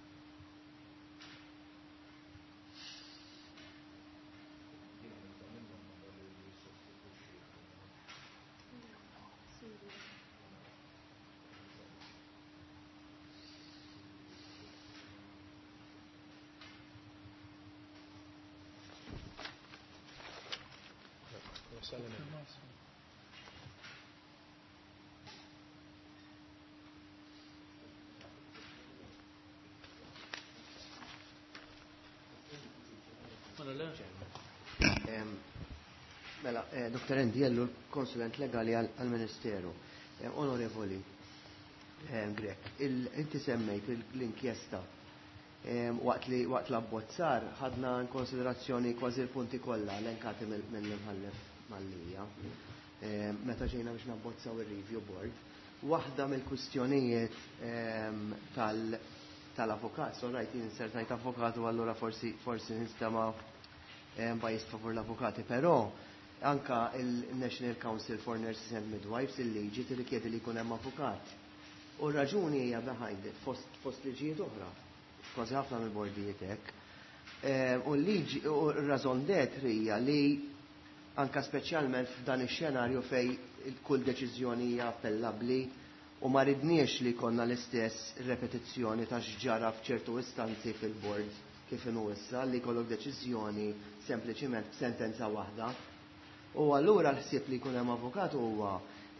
Mela, Doktor Andy Ellul, konsulent legali għal-Ministeru. Onorevoli Grech, inti semmejt l-inkjesta waqt li waqt l-abbozzar ħadna in konsiderazzjoni kważi l-punti kollha elenkati mill-imħallef Mallia. Meta ġejna biex nabbozzaw ir-review board, waħda mill-kwistjonijiet tal-avukat, so rajt jien insertajt avukat u allura forsi forsi nistema' bajist favur l-avukati, però anka il-National Council for Nurses and Midwives il-liġi tirrikjedi li jkun hemm avukat. U r-raġuni hija behind it, fost, fost liġijiet oħra, kważi ħafna mill-bordijiet hekk. U l-liġi u r-rażon d'être hija li anka speċjalment f'dan ix-xenarju fej kull deċiżjoni hija appellabbli u ma ridniex li konna l-istess repetizzjoni ta' x'ġara f'ċertu istanzi fil-bord kif inhu issa li jkollok deċiżjoni sempliċiment b'sentenza waħda. U allura l-ħsieb li jkun hemm avukat huwa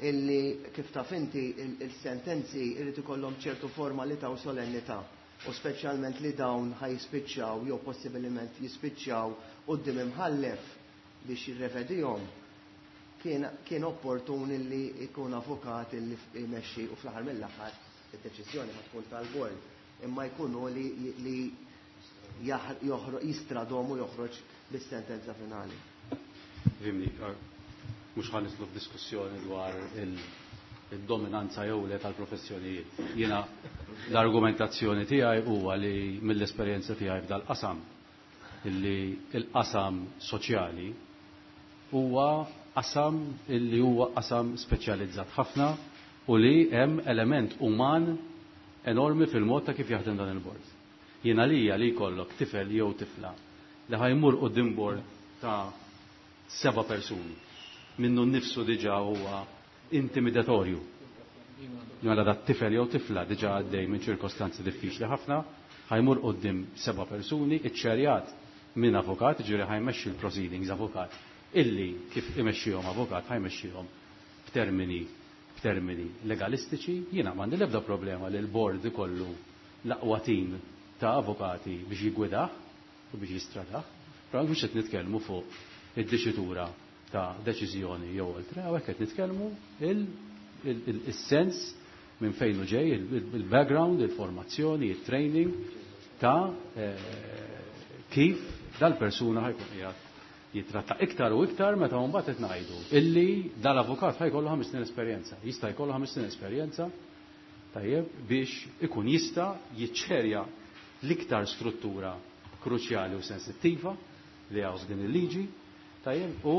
illi kif taf inti il-sentenzi irid ikollhom ċertu formalità u solennità u speċjalment li dawn ħajspiċċaw jew possibilment jispiċċaw quddiem imħallef biex jirrevedihom, kien, kien opportun illi jkun avukat illi jmexxi u fl-aħħar mill-aħħar id-deċiżjoni ma tkun tal-bord imma jkunu li, li jistradom u joħroġ bis-sentenza finali. Vimni, mhux ħa nidħlu f'diskussjoni dwar il-dominanza jew le tal-professjonijiet. Jiena l-argumentazzjoni tiegħi huwa li mill-esperjenza tiegħi f'dal-qasam illi il-qasam soċjali huwa qasam illi huwa qasam speċjalizzat ħafna u li hemm element uman enormi fil-mod ta' kif jaħdem dan il-bord. Jiena lija li jkollok tifel jew tifla li ħajmur quddiem bord ta' seba' persuni minnu nnifsu diġà huwa intimidatorju. Mela dat tifel jew tifla diġà għaddej minn ċirkostanzi diffiċli ħafna, ħa jmur quddiem seba' persuni, iċċerjat minn avukat, ġifieri ħa jmexxi l-proceedings avukat, illi kif imexxihom avukat ħa jmexxihom b'termini b'termini legalistiċi. Jiena m'għandi l-ebda problema li l-board ikollu l-aqwa tim ta' avukati biex jiggwidah u biex jistradah, però mhux qed nitkellmu fuq id-diċitura ta' deċiżjoni jew oltre, hawnhekk qed nitkellmu il-sens minn fejn hu ġej, il-background, il-formazzjoni, il-training ta' kif dal-persuna ħa jkun qiegħed jitratta iktar u iktar meta mbagħad qed ngħidu illi dal-avukat ħa jkollu ħames snin esperjenza, jista' jkollu ħames snin esperjenza, tajjeb, biex ikun jista' jiċċerja l-iktar struttura kruċjali u sensittiva li hawn f'din il-liġi, tajjeb, u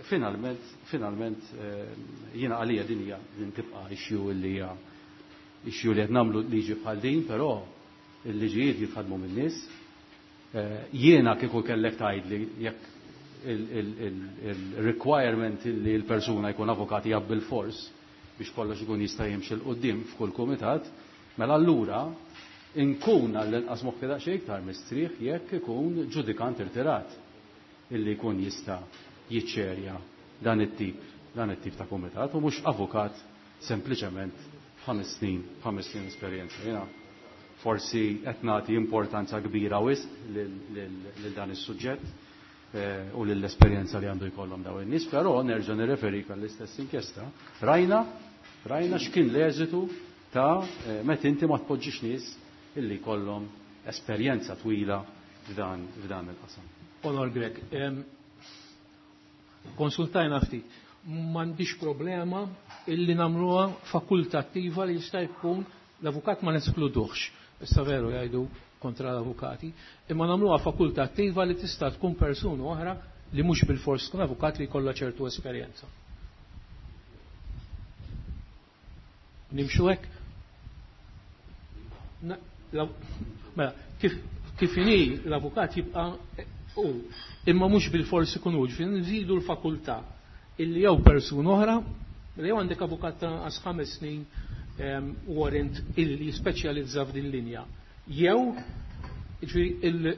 finalment, finalment jiena għalija din hija din tibqa' issue li hija issue li qed nagħmlu liġi bħal din, però il-liġijiet jitħadmu min-nies. Jiena kieku kellek tgħidli jekk il-requirement li l-persuna jkun avukat hija bil-fors biex kollox ikun jista' jimxi 'l quddiem f'kull kumitat, mela allura inkun għall-inqas moħħi daqsxejn iktar mistrieħ jekk ikun ġudikant irtirat illi jkun jista' jiċċerja dan it-tip, dan it-tip ta' kumitat u mhux avukat sempliċement f'ħames snin, f'ħames snin esperjenza. Jiena forsi qed nagħti importanza kbira wisq lil dan is-suġġett u lill-esperjenza li għandu jkollhom dawn in-nies, però nerġa' nirreferik għall-istess inkjesta. Rajna, rajna x'kien l-eżitu ta' meta inti ma tpoġġix nies illi jkollhom esperjenza twila f'dan, f'dan il-qasam. Onor Grech, konsultajna ftit, m'għandix problema illi nagħmluha fakultattiva li jista' jkun l-avukat ma neskluduhx. Issa veru jgħidu kontra l-avukati, imma nagħmluha fakultattiva li tista' tkun persuna oħra li mhux bil-fors tkun avukat li jkollha ċertu esperjenza. Nimxu hekk? Mela, kif, kif inhi l-avukat jibqa' u imma mhux bil-fors ikun hu, ġifieri nżidu l-fakultà illi jew persuna oħra, li jew għandek avukat ta' anqas ħames snin warrant illi jispeċjalizza f'din linja. Jew, ġifieri,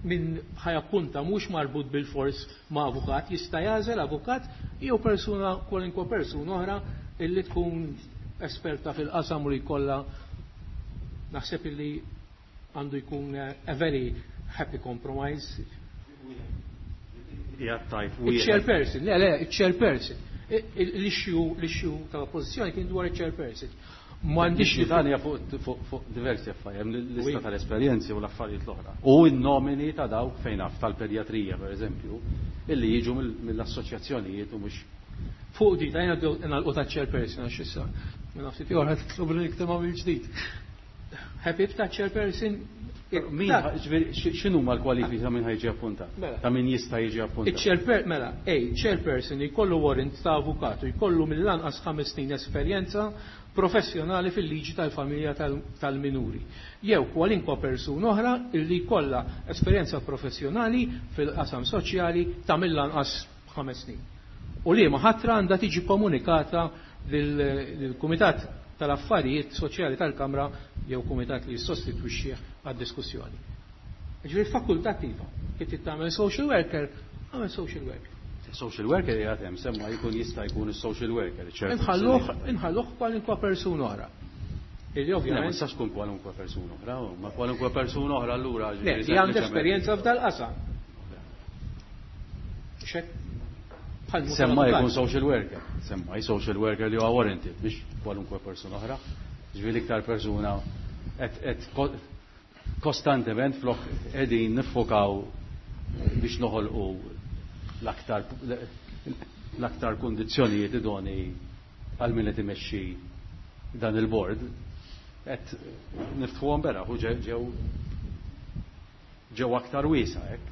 min ħajappunta mhux marbut bil-fors ma' avukat, jista' jagħżel avukat jew persuna, kwalinkwa persuna oħra illi tkun esperta fil-qasam u li jkollha, naħseb illi għandu jkun a very happy compromise. Il-chairperson, le, le, il-chairperson. L-issue, l-issue tal-oppożizzjoni kien dwar il-chairperson. M'għandix li dan hija fuq diversi affarijiet, hemm l-lista tal-esperjenzi u l-affarijiet l-oħra. U n-nomini ta' dawk fejn naf tal-pedjatrija, per eżempju, illi jiġu mill-assoċjazzjonijiet u mhux fuq di, ta' jena nagħlqu ta' chairperson għax issa. Minn nafsi tiegħu ħadd titlob li niktema mill-ġdid. Happy ta' chairperson? Min, x'inhuma l-kwalifiki ta' min ħajġi appuntat? Ta' min jista' jiġi appuntat? Il-chairper, mela, ej, chairperson jkollu warrant ta' avukatu, jkollu mill-anqas ħames snin esperjenza professjonali fil-liġi tal-familja tal-minuri. Jew kwalinkwa persuna oħra illi jkollha esperjenza professjonali fil-qasam soċjali ta' mill-anqas ħames snin. U li ma ħatra għandha tiġi komunikata lill-Kumitat tal-Affarijiet Soċjali tal-Kamra jew kumitat li jissostitwixxih għad-diskussjoni. Ġifieri fakultattiva, kif trid tagħmel social worker, għamel social worker. Social worker jgħid hemm semma jkun jista' jkun is-social worker, ċertu. Inħalluh, inħalluh kwalunkwa persuna oħra. Illi ovvjament Ma tistax tkun kwalunkwa persuna oħra, ma kwalunkwa persuna oħra allura Le, li għandha esperjenza f'dal-qasam. Xek? Semma jkun social worker, semma social worker li huwa warranted, biex kwalunkwe persuna oħra. Ġifieri iktar persuna qed kostantement flok qegħdin niffokaw biex noħolqu l-aktar l-aktar kundizzjonijiet idoni għal min qed imexxi dan il-board, qed niftħuhom beraħ u ġew ġew aktar wiesa' hekk.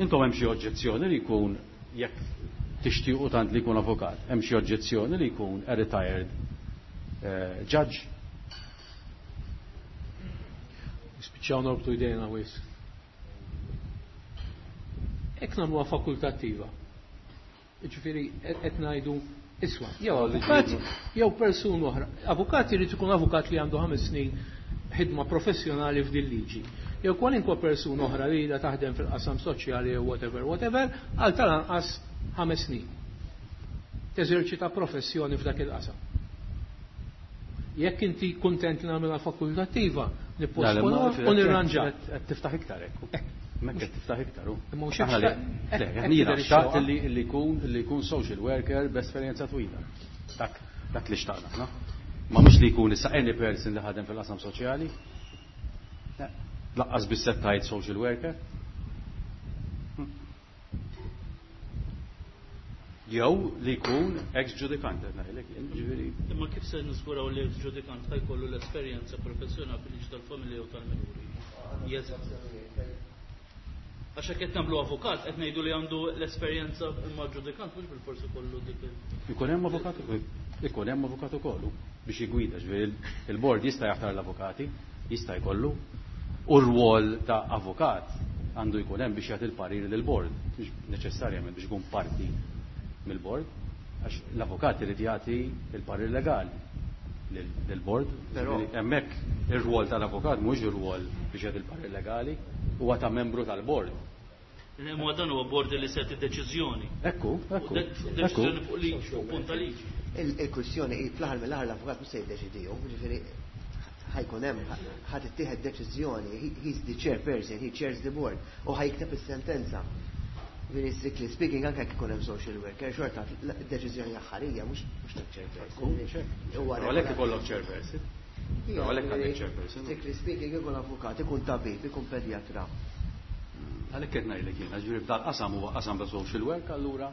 Intom hemm xi oġġezzjoni li jkun jekk tixtiequ tant li jkun avukat, hemm xi oġġezzjoni li jkun a retired, eh, judge? Nispiċċaw norbtu jdejna wis. Hekk nagħmluha fakultattiva. Jiġifieri qed ngħidu Iswa, jew avukat, jew persuna oħra. Avukat irid ikun avukat li għandu ħames snin ħidma professjonali f'din liġi. Jew kwalinkwa persuna oħra li ilha taħdem fil-qasam soċjali jew whatever, whatever, għal tal-anqas ħames snin. Teżerċita professjoni f'dak il-qasam. Jekk inti kuntent li nagħmilha fakultattiva, nipposponuha u nirranġa. Qed tiftaħ iktar hekk. Hemmhekk qed tiftaħ iktar hu. Imma mhux Aħna li- hekk le, hekk jiena tidher xtaqt ix-xewqa. li li jkun li jkun social worker b'esperjenza twila. Dak dak li xtaqna, no? Ma mhux li jkun issa any person li ħadem fil-qasam soċjali. Le, Laqqas biss qed tgħid social worker. Hm. Jew li jkun ex-ġudikant, qed ngħidlek, ġifieri Imma kif se niżguraw li l-ġudikant ħa jkollu l-esperjenza professjonali fil-liġi tal-familja u tal-minuri? Jeżist. Għax hekk qed nagħmlu avukat qed ngħidu li għandu l-esperjenza imma ġudikant mhux bilfors ikollu dik il- Ikun hemm avukat, ikun hemm avukat ukoll biex jigwida, ġifieri il-bord jista' jaħtar l-avukati, jista' jkollu, u r-rwol ta' avukat għandu jkun hemm biex jagħti l-parir lill-bord, mhux neċessarjament biex ikun parti mill-bord, għax l-avukat irid jagħti l-parir legali lill-bord. Però- Ġifieri hemmhekk ir-rwol tal-avukat mhux ir-rwol biex jagħti l-parir legali, huwa ta' membru tal-bord. Imma dan huwa bord li se deċiżjoni. Ekku, ekku, De- ekku. Deċiżjoni fuq liġi, fuq punt ta' liġi. Il-kwistjoni hi fl-aħħar mill-aħħar l-avukat mhux se jiddeċidiju, ġifieri ħa jkun hemm ħa tittieħed deċiżjoni, he- he's the chairperson, he chairs the board u ħa jikteb is-sentenza. Ġifieri strictly speaking anke jekk ikun hemm social worker, xorta d-deċiżjoni aħħarija mhux mhux ta' chairperson. Huwa Għalhekk ikollok chairperson. Ija, Għalhekk għandek ġifieri, chairperson. Strictly speaking ikun avukat, ikun tabib, ikun pedjatra. Għalhekk qed ngħidlek jiena, ġifieri f'dal qasam huwa qasam ta' social work, allura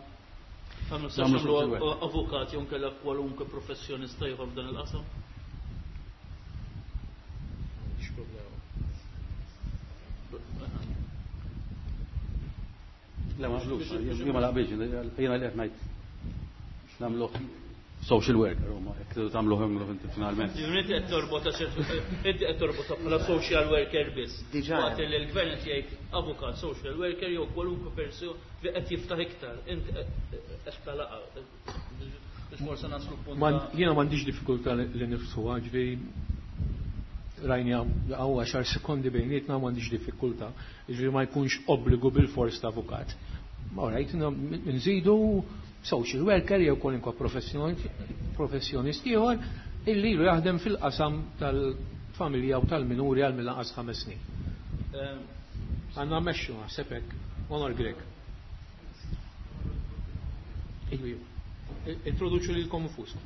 Ma nistax Nagħmlu nagħmlu social work. avukat jew nkella kwalunkwe professjonista ieħor f'dan il-qasam. M'għandix problema. Le ma naqblux, jien ma naqbilx, jiena li qed ngħid nagħmluh social worker huma jekk tridu tagħmluh agħmluh inti finalment. Inti qed torbota inti qed torbota bħala social worker biss. Diġà. Waqt li l-gvern qed jgħid avukat, social worker jew kwalunkwe person li qed jiftaħ iktar. Inti qed talaqa. Biex forse naslu punt. Man- Jiena m'għandix diffikultà li li niftħuha, ġifieri rajna għaw għaxar sekondi bejnietna m'għandix diffikultà, ġifieri ma jkunx obbligu bil-fors ta' avukat. Ma rajt nżidu social worker jew kwalinkwa professjonist ieħor illi ilu jaħdem fil-qasam tal-familja u tal-minuri għal mill-anqas ħames snin. Għandna mmexxu naħseb hekk, Onor Grech. Ilu, ilu. Introduċu lilkom infuskom.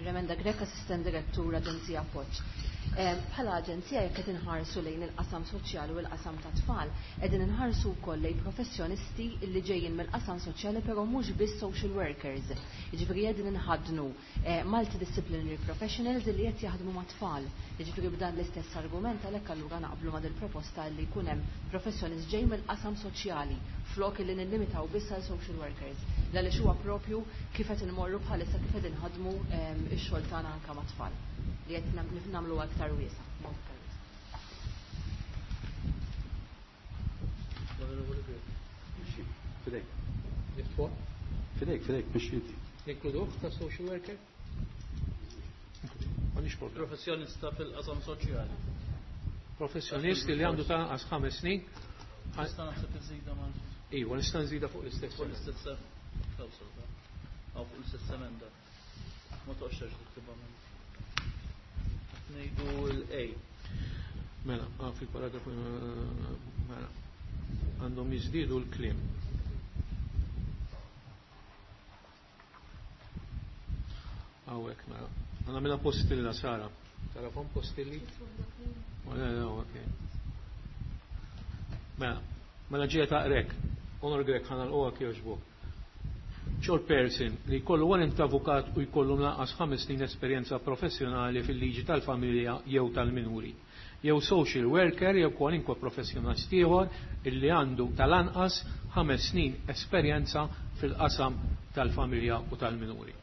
Remenda Grech, Assistent Direttur, Aġenzija Appoġġ. Bħala aġenzija jekk qed inħarsu lejn il-qasam soċjali u l-qasam ta' tfal, qegħdin inħarsu wkoll lejn professjonisti li ġejjin mill-qasam soċjali però mhux biss social workers. Jiġifieri qegħdin inħaddnu eh, multidisciplinary professionals li qed jaħdmu ma' tfal. Jiġifieri b'dan l-istess argument għalhekk allura naqblu ma' dil-proposta li jkun hemm professjonist ġej mill-qasam soċjali flok li nillimitaw biss għal social workers. Għaliex huwa propju kif qed inmorru bħalissa kif qed inħadmu ehm, ix-xogħol tagħna anke ma' tfal li qed nagħmlu aktar wiesa', mod aktar wiesa'. Fidejk, Niftħu? fidejk, fidejk, mhux inti. Ninkluduh ta' social worker? M'għandix problema. Professjonista fil-qasam soċjali. Professjonist li għandu ta' anqas ħames snin. Nista' naħseb iżida ma' Iva, nista' nżida fuq l-istess. fuq l-istess klawsola. Aw fuq l-istess emenda. Ma toqgħodx terġa' tiktibha minn. Ngħidu l-A. Mela, ah, fil-paragrafu, eh, mela, għandhom jiżdiedu l-kliem. Hawnhekk, mela. Għandna mela postilla, Sara. Tarafhom postilli? Oh, le, le, ok. Mela, mela ġeja ta' Grech. Onor Grech, ħa nagħlquha kjoġbok. Chairperson li jkollu warrant avukat u jkollu lanqas ħames snin esperjenza professjonali fil-liġi tal-familja jew tal-minuri. Jew social worker jew kwalinkwa professjonist ieħor illi għandu tal-anqas ħames snin esperjenza fil-qasam tal-familja u tal-minuri.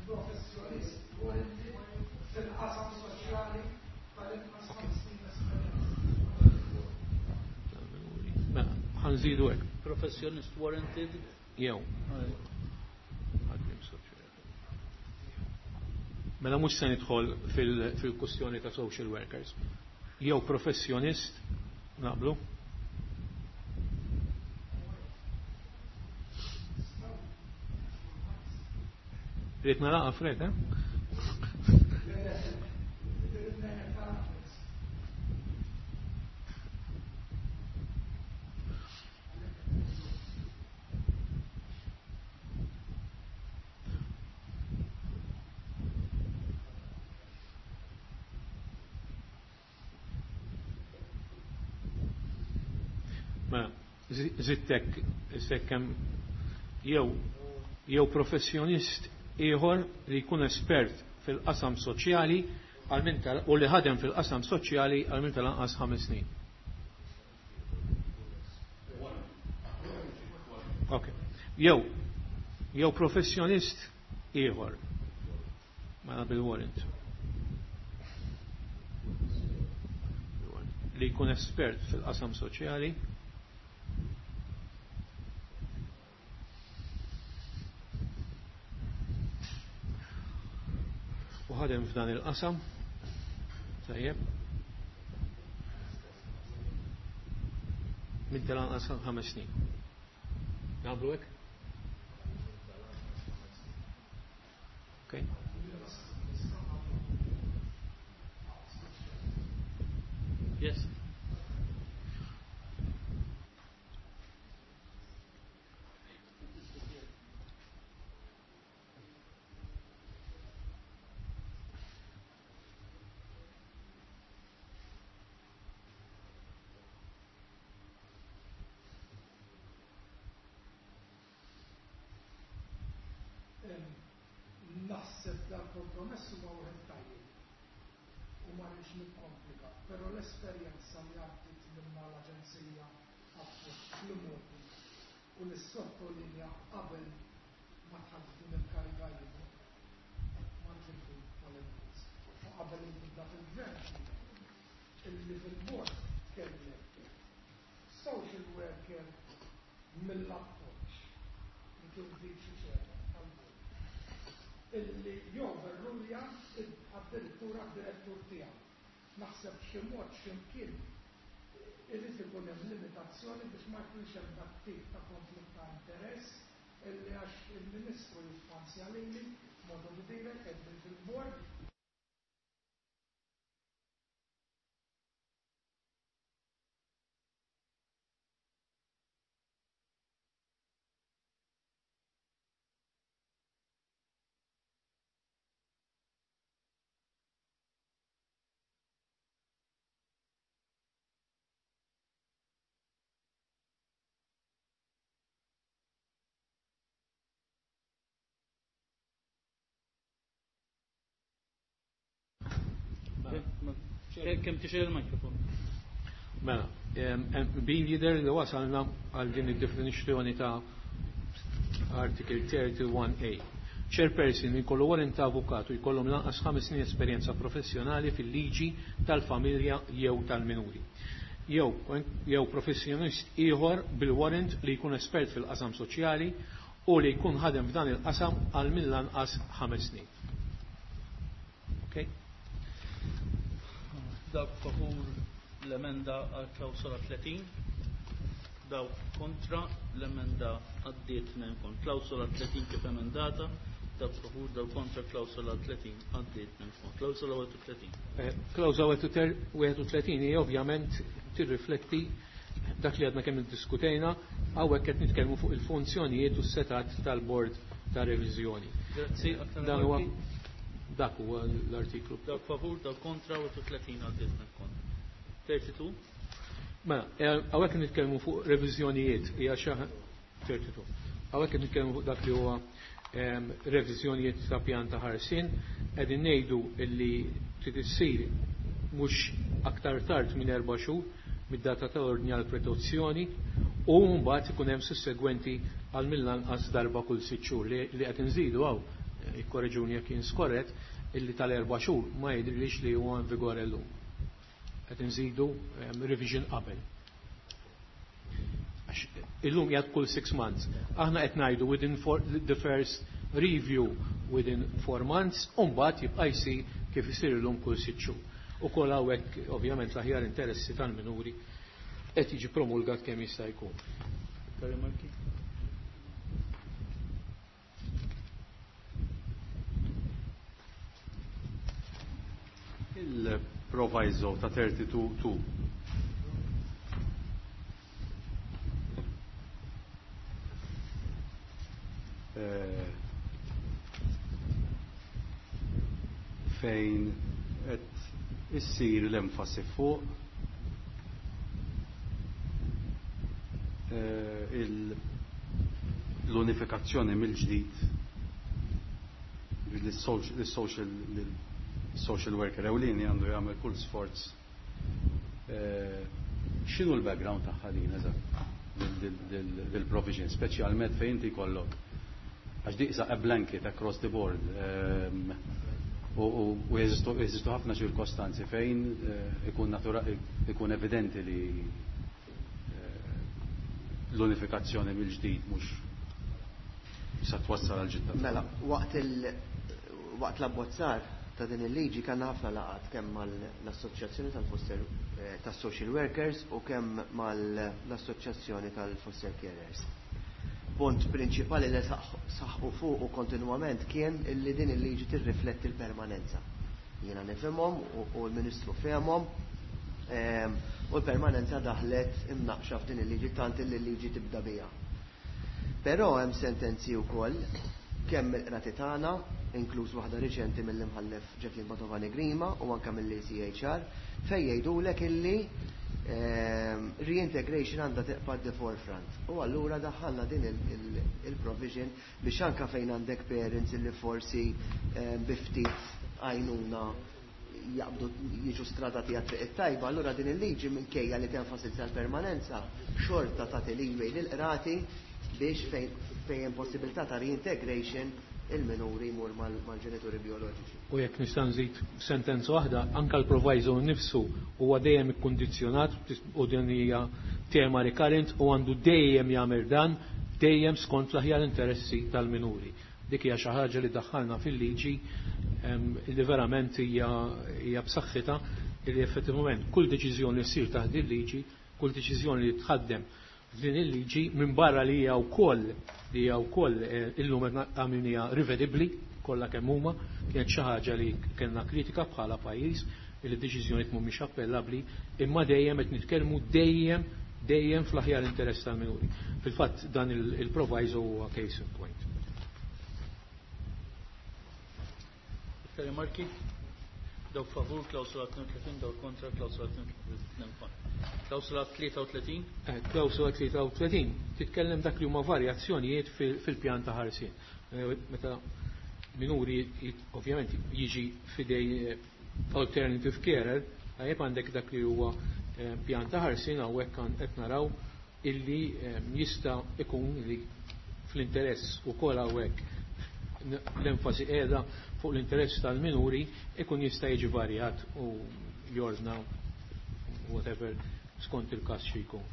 Professjonist fil-qasam soċjali tal-inqas ħames snin esperjenza. Mela, Ħa nżidu hekk. Professionist warranted. Jew. Ħaddiem soċjali. Mela mhux se nidħol fil-kwestjoni ta' social workers. Jew professjonist, naqblu? Rrid naraqa Fred, eh? Zittek, sekkem jew jew professjonist ieħor li jkun espert fil-qasam soċjali għal min tal u li ħadem fil-qasam soċjali għal min tal-anqas ħames snin. Ok. Jew jew professjonist ieħor mela bil-warrant li jkun espert fil-qasam soċjali u ħadem f'dan il-qasam. Tajjeb. Min tal-anqas ħames snin. Nagħmlu hekk? Okay. Yes. Naħseb dal-kompromess huwa wieħed tajjeb u ma rridx nikkomplika, però l-esperjenza li għaddiet minna l-Aġenzija Appoġġ fl-imgħoddi u li sottolinja qabel ma dħalt f'din il-kariga jien, ma rridx inkun polemikus, u qabel il-bidla fil-gvern illi fil-bord kellek social worker mill-appoġġ li kien viċi chairman tal-bord illi joverrulja addirittura d-direttur tiegħu. Naħseb xi mod x'imkien irid ikun hemm limitazzjoni biex ma jkunx hemm dak tip ta' konflitt ta' interess illi għax il-Ministru jiffanzja lili modu direk qegħdin fil-bord. Kemm tixel il-mikrofon? Mela, bil jidher li wasalna għal din id-definizzjoni ta' Article thirty-one A. Chairperson jkollu warrant ta' avukatu jkollhom lanqas ħames snin esperjenza professjonali fil-liġi tal-familja jew tal-minuri. Jew jew professjonist ieħor bil-warrant li jkun espert fil-qasam soċjali u li jkun ħadem f'dan il-qasam għal mill-anqas ħames snin. Okay? Dawk favur l-emenda għal klawsola tletin, dawk kontra l-emenda għaddiet minn kont. Klawsola tletin kif emendata, dawk favur, dawk kontra klawsola tletin għaddiet minn kont. Klawsola wieħed u tletin. Klawsola wieħed u tletin hija ovvjament tirrifletti dak li għadna kemm iddiskutejna, hawnhekk qed nitkellmu fuq il-funzjonijiet u s-setat tal-bord ta' reviżjoni. Grazzi, Dan huwa dak huwa l-artiklu. Dawk favur, dawk kontra, wieħed u tletin għaddiet minn kont. thirty-two. Mela, hawnhekk nitkellmu fuq reviżjonijiet, hija xi thirty-two. Hawnhekk nitkellmu fuq dak li huwa reviżjonijiet ta' pjan ta' ħarsien, qegħdin ngħidu li trid issir mhux aktar tard minn erba' xhur mid-data ta' ordni għal protezzjoni u mbagħad ikun hemm sussegwenti għal mill-anqas darba kull sitt xhur li qed inżidu hawn, ikkorreġuni jekk jien skorret, illi tal-erba' xhur ma jidhirlix li huwa in vigore llum. Qed inżidu revision qabel. Għax illum jgħad kull six months. Aħna qed ngħidu within four, the first review within four months, u mbagħad jibqa' jsir kif isir illum kull sitt xhur. Ukoll hawnhekk ovvjament l-aħjar interessi tal-minuri qed jiġi promulgat kemm jista' jkun. Rimarki? Il-proviso ta' thirty-two two. Eh, fejn qed issir l-enfasi fuq, eh, il-, l-unifikazzjoni mill-ġdid lis-social, social worker ewlieni għandu jagħmel kull sforz. Eh, x'inhu l-background tagħha din eżatt dil-provision, speċjalment fejn inti jkollok għax di issa a blanket across the board, ehm, u, u, u jeżistu, jeżistu ħafna ċirkostanzi fejn, eh, ikun natura-, ikun evidenti li, eh, l-unifikazzjoni mill-ġdid mhux sa twassal għal ġidda. Mela, waqt il-, waqt l-abbozzar ta' din il-liġi kellna ħafna laqgħat kemm mal-assoċjazzjoni tal-foster, eh, tas-social workers u kemm mal-assoċjazzjoni tal-foster carers. Punt prinċipali li saħqu fuq u kontinwament kien illi din il-liġi tirrifletti l-permanenza. Jiena nifhimhom u, u l-Ministru fehmhom, ehm, u l-permanenza daħlet imnaqxa f'din il-liġi tant illi l-liġi tibda biha. Però hemm sentenzi wkoll kemm mill-qrati tagħna, inkluż waħda riċenti mill-imħallef Jacqueline Padovani Grima u anke mill-A C H R, fejn jgħidulek illi, ehm, reintegration għandha tibqa' the forefront. U allura daħħalna din il-, il-, il-provision biex anke fejn għandek parents illi forsi, ehm, bi ftit għajnuna jaqbdu jiġu stradati għat-triq it-tajba, allura din il-liġi minkejja li tenfasizza l-permanenza xorta tagħti leeway lill-qrati biex fejn, fejn hemm possibilità ta' reintegration il-minuri jmur mal-, mal-ġenituri bioloġiċi. U jekk nista' nżid sentenza waħda, anke l-proviso nnifsu huwa dejjem ikkundizzjonat u din hija tema recurrent u għandu dejjem jagħmel dan dejjem skont l-aħjar interessi tal-minuri. Dik hija xi ħaġa li daħħalna fil-liġi, em, li verament hija, hija b'saħħitha li effettivament kull deċiżjoni li ssir taħt il-liġi, kull deċiżjoni li tħaddem f'din il-liġi minn barra li hija wkoll li hija wkoll, eh, illum qed għamilniha rivedibbli kollha kemm huma, kienet xi ħaġa li kellna kritika bħala pajjiż li d-deċiżjonijiet mhumiex appellabbli, imma dejjem qed nitkellmu dejjem, dejjem fl-aħjar interess tal-minuri. Fil-fatt dan il-, il-proviso huwa case in point. Iktar rimarki? Dawk favur klawsola tnejn u tletin, dawk kontra klawsola tnejn u tletin. Klawsola tlieta u tletin? Eh, klawsola tlieta u tletin titkellem dak li huma varjazzjonijiet fil-, fil-pjan ta' ħarsien. Eh, meta minuri jit-, ovvjament jiġi fidej, eh, alternative carer, tajjeb għandek dak li huwa, eh, pjan ta' ħarsien, hawnhekk għan-, qed naraw illi, eh, jista' ikun li fl-interess ukoll hawnhekk l-enfasi qiegħda fuq l-interess tal-minuri ikun jista' jiġi varjat u jordna whatever skont il-każ xi jkun.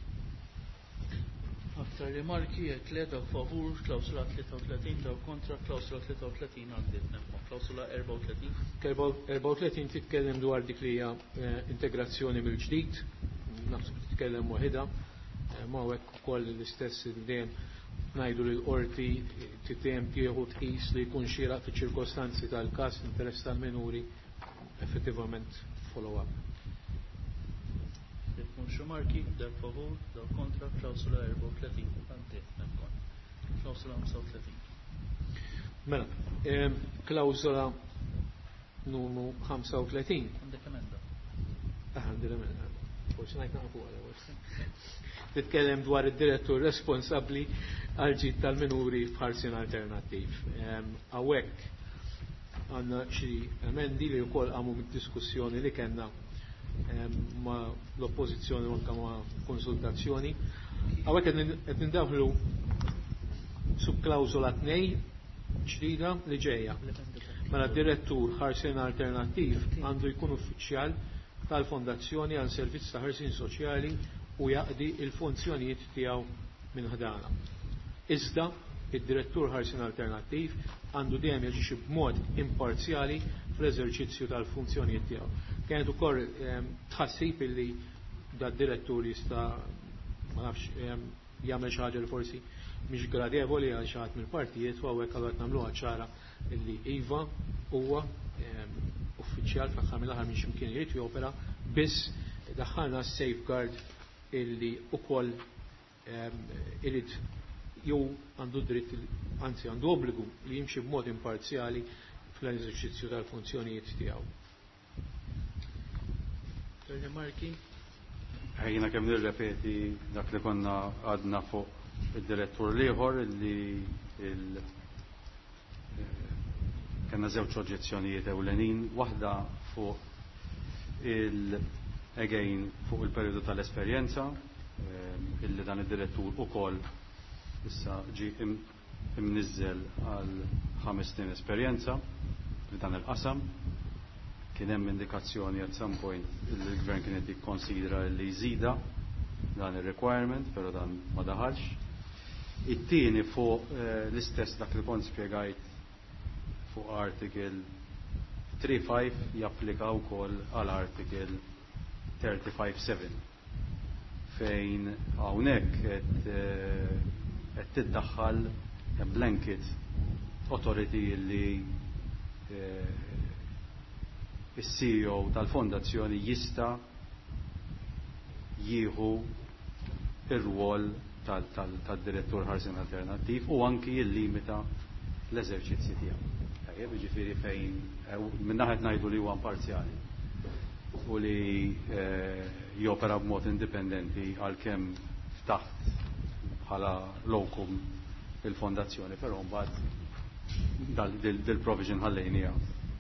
Aktar rimarki jekk le, dawk favur klawsula tlieta u tletin, dawk kontra klawsula tlieta u tletin għaddiet nemma. Klawsula erbgħa u tletin. Erbgħa u tletin titkellem dwar dik li hija, eh, integrazzjoni mill-ġdid, naħseb titkellem waħedha, eh, ma hekk ukoll l-istess dejjem ngħidu li l-qorti dejjem tieħu tqis li jkun xieraq fiċ-ċirkostanzi tal-każ interess tal-minuri effettivament follow up. Jekk mhux rimarki, dak favur, dak kontra, klawsula erbgħa u tletin, għaddiet nemma. Klawsula ħamsa u tletin. Mela, ehm, klawsula numru ħamsa u tletin. Għandek emenda. Ah, għandi l-emenda. Forsi ngħid naqfu għal ewwel. Titkellem dwar id-direttur responsabbli għal ġid tal-minuri f'ħarsien alternattiv. Ehm, hawnhekk għandna xi emendi li wkoll qamu mid-diskussjoni li kellna, ehm, ma' l-oppożizzjoni u anke ma' konsultazzjoni. Hawnhekk qed nin-, qed nindaħlu subklawżola tnejn ġdida li ġejja. Mela d-direttur ħarsien alternattiv għandu jkun uffiċjal tal-Fondazzjoni għal Servizz ta' Ħarsien Soċjali u jaqdi il-funzjonijiet tiegħu minn ħdana. Iżda id-direttur ħarsien alternattiv għandu dejjem jaġixxi b'mod imparzjali fl-eżerċizzju tal-funzjonijiet tiegħu. Kienet ukoll tħassib illi dad-direttur jista' ma nafx jagħmel xi ħaġa li forsi mhix gradevoli għal xi ħadd mill-partijiet, u hawnhekk allura qed nagħmluha ċara illi iva huwa uffiċjal fl-aħħar mill-aħħar minn x'imkien irid jopera, biss daħħalna safeguard illi ukoll irid jew għandu dritt, anzi għandu obbligu li jimxi b'mod imparzjali fl-eżerċizzju tal-funzjonijiet tiegħu. Rimarki? Ejjina kemm nirrepeti dak li konna għadna fuq id-direttur l-ieħor illi il kellna żewġ oġġezzjonijiet ewlenin, waħda fuq il again fuq il-perjodu tal-esperjenza illi dan id-direttur ukoll issa ġi imniżżel għal ħames snin esperjenza f'dan il-qasam. Kien hemm indikazzjoni at some point illi l-gvern kien qed jikkonsidra li jżida dan ir-requirement, però dan ma daħalx. It-tieni fuq l-istess dak li kont spjegajt fuq article thirty-five japplika wkoll għal article thirty-five seven fejn hawnhekk qed qed tiddaħħal blanket authority li is-C E O tal-fondazzjoni jista' jieħu ir-rwol tal-direttur ħarsien alternattiv u anki jillimita l-eżerċizzi tiegħu. Tajjeb, jiġifieri fejn minn naħa qed ngħidu li huwa imparzjali u li jopera b'mod indipendenti għalkemm taħt bħala locum il-fondazzjoni, però mbagħad dil-provision ħallejnija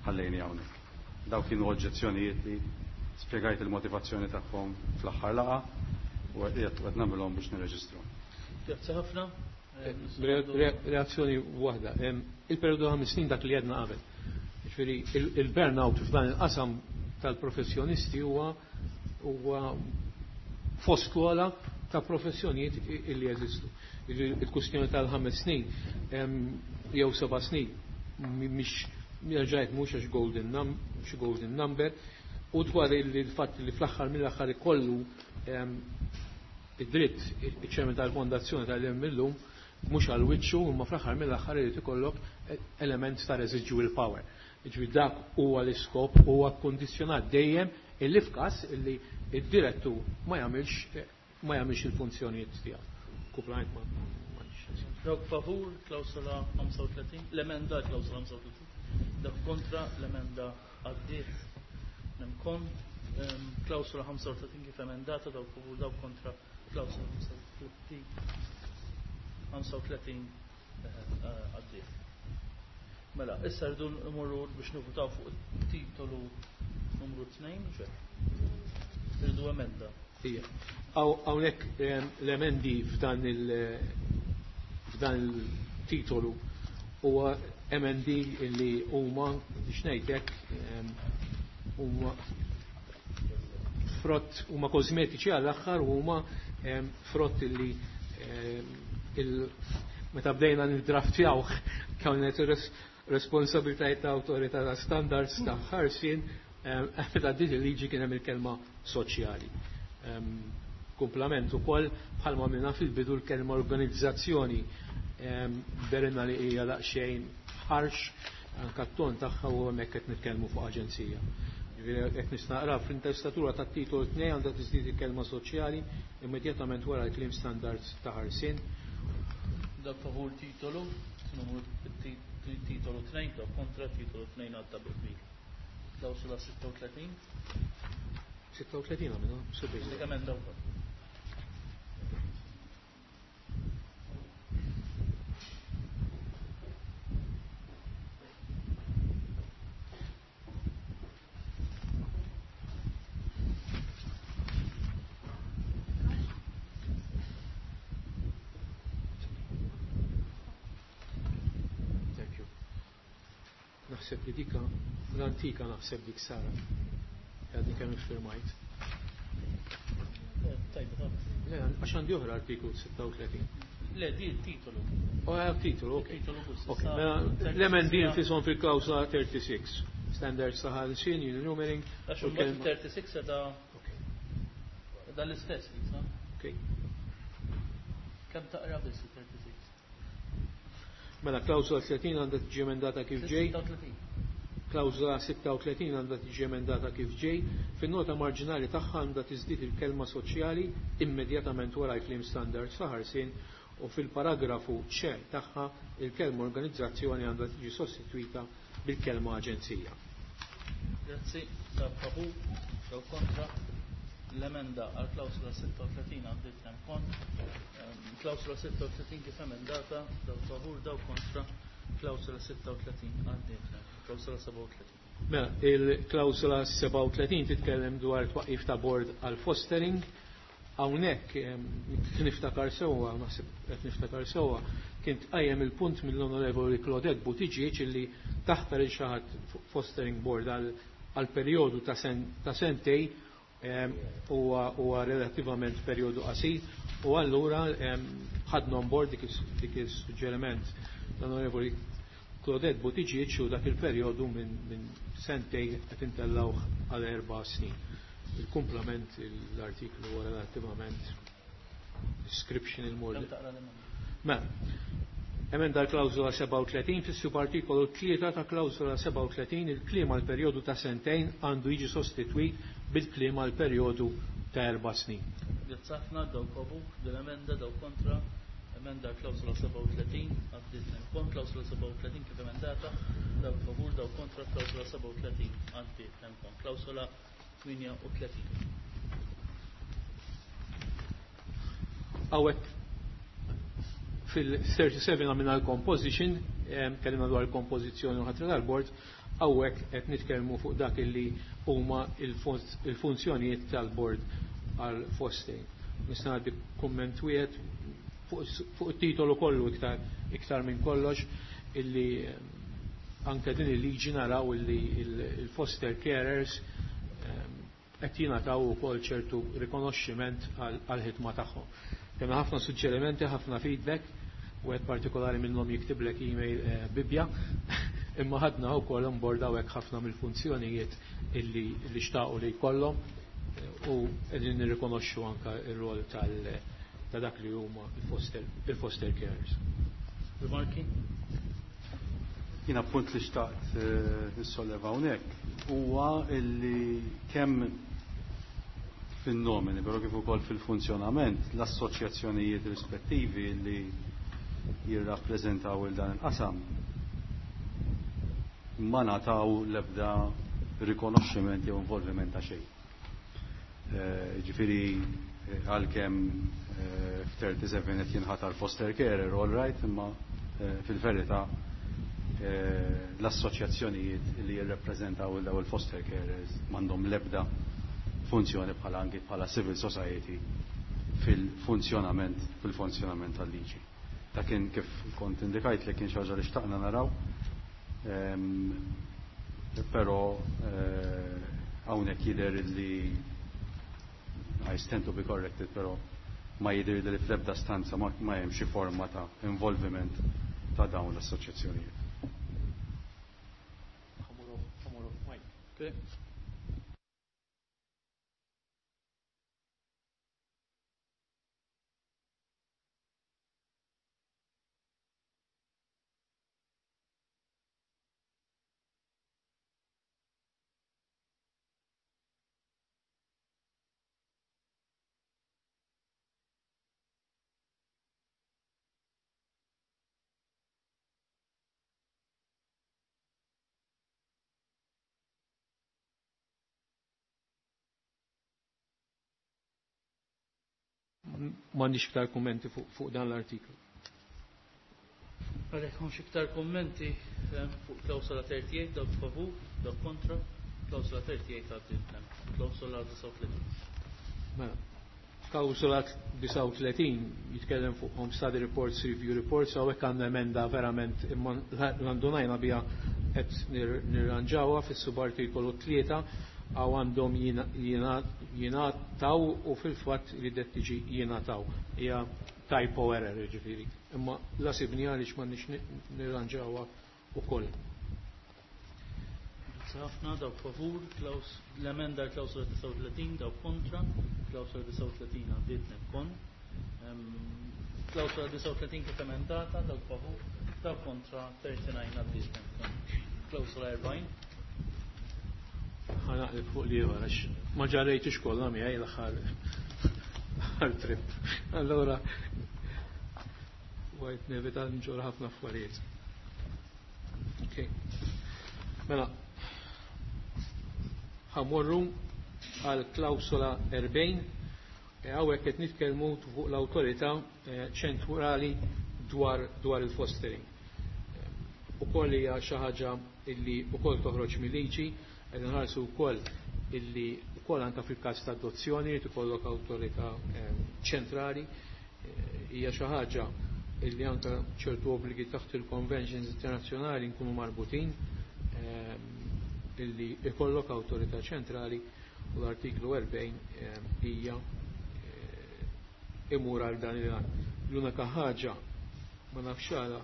ħallejnija hawnhekk. Dawk kienu oġġezzjonijiet li spjegajt il-motivazzjoni tagħhom fl-aħħar laqgħa u qed nagħmilhom biex nirreġistraw. Grazzi ħafna. Reazzjoni waħda. Il-perjodu ta' ħames snin dak li għedna qabel. Jiġifieri il-burnout f'dan il-qasam tal-professjonisti huwa huwa fost l-ogħla ta' professjonijiet illi jeżistu. Il-kwistjoni tal-ħames snin jew seba' snin mhix jerġgħet mhux għax golden num-, xi golden number, u dwar il-fatt li fl-aħħar mill-aħħar ikollu id-dritt iċ-ċermen tal-fondazzjoni tal-hemm illum mhux għal wiċċu, imma fl-aħħar mill-aħħar irid ikollok element ta' residual power. Jiġifieri dak huwa l-iskop, huwa kkondizzjonat dejjem illi f'każ illi id-direttur ma jagħmilx ma jagħmilx il-funzjonijiet tiegħu. Kumplament ma m'għandix. Dawk favur klawsola ħamsa u tletin, l-emenda klawsola ħamsa u tletin. Dak kontra l-emenda għaddiet. Nemkon klawsola ħamsa u tletin kif emendata, dawk favur, dawk kontra klawsola ħamsa u tletin. ħamsa u tletin għaddiet. Mela, issa rridu nmorru biex nivvutaw fuq it-titolu numru tnejn, u xejn. Rridu emenda. Ija. Hawnhekk l-emendi f'dan il-, f'dan il-titolu huwa emendi li huma biex ngħidlek huma frott, huma kosmetiċi għall-aħħar u huma frott li il-, meta bdejna niddraftjawh kienet responsabilitajiet ta' awtorità ta' standards ta' ħarsien, meta din il-liġi kien hemm il-kelma soċjali. Kumplament ukoll bħalma minna fil-bidu l-kelma organizzazzjoni berina li hija daqsxejn ħarx anke t-ton tagħha u hemmhekk qed nitkellmu fuq aġenzija. Jiġifieri qed nistaqra fl-intestatura tat-titolu tnejn għandha tiżdied il-kelma soċjali immedjatament wara l-kliem standards ta' ħarsien. Dak favur titolu numru titolu tnejn, dak kontra titolu tnejn għadda bi qbil. Klawsula sitta u tletin. Sitta u tletin għamilna, subejn. Dik emenda wkoll. Naħseb li dika l-antika naħseb dik Sara. Għadni kemm iffirmajt. Tajba, tajba. Le, għax għandi oħra artiklu sitta u tletin. Le, di titolu. Oh, titolu, ok. Titolu biss. Ok, Issa, mela, thirty-six l-emendi hija- nfishom fil-klawsola tlieta u tletin. Standards ta' ħarsien, union numbering. Għax u imbagħad l-kelma- thirty-six da Ok, da l-istess, Lisa. ok. Kemm taqra biss thirty-six? Mela, klawsola tletin għandha tiġi emendata kif ġej. sitta u tletin. Klawsola sitta u tletin għandha tiġi emendata kif ġej. Fin-nota marġinali tagħha għandha tiżdied il-kelma "soċjali" immedjatament wara l-kliem "standards ta' ħarsien" u fil-paragrafu C tagħha il-kelma "organizzazzjoni" għandha tiġi sostitwita bil-kelma "aġenzija". Grazzi, dawk favur, dawk kontra. L-emenda għal klawsola sitta u tletin għaddiet hemm kont. Ehm, Klawsola sitta u tletin kif emendata, dawk favur, dawk kontra. Klawsola sitta u tletin għaddiet hemm. Klawsola sebgħa u tletin. Mela, il-klawsola sebgħa u tletin titkellem dwar twaqif ta' board għal fostering. Hawnhekk em, niftakar sewwa, naħseb qed niftakar sewwa, kien tqajjem il-punt mill-Onorevoli Claudette Buttigieg illi taħtar il xi ħadd fostering board għal għal perjodu ta' sen, ta' sentej em, huwa huwa relattivament perjodu qasir u allura em, ħadna on board dik is- dik is-suġġeriment l-Onorevoli Claudette Buttigieg u dak il-perjodu minn min sentej qed intellawh għal erba' snin. Il-kumplament l-artiklu huwa relattivament description il-mord. Kemm taqra l-emenda? Mela, emenda l-klawżola sebgħa u tletin, fis-subartikolu tlieta ta' klawżola sebgħa u tletin il-kliem "għal perjodu ta' sentejn" għandu jiġi sostitwit bil-kliem "għal perjodu ta' erba' snin". Grazzi ħafna, dawk favur dell-emenda, dawk kontra. Emenda klawsola sebgħa u tletin għaddiet hemm kont. Klawsola sebgħa u tletin kif emendata, dawk favur, dawk kontra. Klawsola sebgħa u tletin għaddiet hemm kont. Klawsola tmienja u tletin. Hawnhekk fil-thirty-seven għamilna l-composition, em, kellimna dwar il-kompożizzjoni u ħatra tal-bord, hawnhekk qed nitkellmu fuq dak illi huma il-funzjonijiet tal-bord għal fostering. Nista' ngħaddi kumment wieħed fuq fuq it-titolu kollu iktar iktar minn kollox, illi em, anke din il-liġi naraw illi il-foster carers em, qed jingħataw ukoll ċertu rikonoxximent għal-ħidma tagħhom. Kemm ħafna suġġerimenti, ħafna feedback, u għed partikolari minnhom jiktiblek email eh, bibja, imma ħadna wkoll on board hawnhekk ħafna mill-funzjonijiet illi illi xtaqu li jkollhom eh, u qegħdin nirrikonoxxu anke ir-rol tal ta' dak li huma il-foster il-foster carers. Rimarki? Jiena punt li xtaqt eh, nissolleva hawnhekk huwa illi kemm fin-nomini, però kif ukoll fil-funzjonament, l-assoċjazzjonijiet rispettivi li jirrappreżentaw il dan il-qasam ma ngħataw l-ebda rikonoxximent jew involviment ta' xejn. Eh, Ġifieri eh, għalkemm eh, f'thirty-seven qed jinħatar foster carer, all right, imma fil-verità l-assoċjazzjonijiet li jirrappreżentaw il daw il-foster carers m'għandhom l-ebda funzjoni bħala anki bħala civil society fil-funzjonament fil-funzjonament tal-liġi. Ta' kien kif kont indikajt li kien xi ħaġa li xtaqna naraw, ehm, però eh, hawnhekk jidher li, I stand to be corrected, però ma jidher li fl-ebda stanza ma ma hemm xi forma ta' involviment ta' dawn l-assoċjazzjonijiet. Okay. M'għandix iktar kummenti fuq fuq dan l-artiklu. Għalhekk hawnx iktar kummenti eh, fuq klawsola tlieta u tletin, dawk favur, dawk kontra, klawsola tlieta u tletin għaddiet. Klawsola disgħa u tletin. Mela, klawsola disgħa u tletin jitkellem fuq home study reports, review reports, hawnhekk għandna emenda verament imma l-andunajna biha qed nirranġawha fis-subartikolu tlieta. Għaw għandhom jingħataw u fil-fatt li det tiġi jingħataw. Hija typo error ġifieri. Imma la sibni għaliex m'għandniex nirranġawha ukoll. Ħafna dawk favur, l-emenda klawsola disgħa u tletin, dawk kontra, klawsola disgħa u tletin għaddiet nemkon. Klawsola disgħa u tletin kif emendata, dawk favur, dawk kontra, thirty-nine għaddiet nemkon. Klawsola erbgħin. Ħa naqleb fuq li ieħor għax ma ġarrejtix kollha miegħi l-aħħar l-aħħar trip. Allura għajt nevita nġor ħafna affarijiet. Okay. Mela, ħamorru għal klawsola erbgħin, hawnhekk qed nitkellmu fuq l-awtorità ċentrali dwar, dwar il-fostering. Ukoll hija xi ħaġa illi ukoll toħroġ mill-liġi, qed nħarsu wkoll illi wkoll anke fil-każ ta' adozzjoni li tkollok awtorità ċentrali, hija xi ħaġa illi anke ċertu obbligi taħt il-conventions internazzjonali nkunu marbutin illi ikollok awtorità ċentrali u l-artiklu erbgħin hija imur għal dan il-għan. L-unika ħaġa ma nafx għala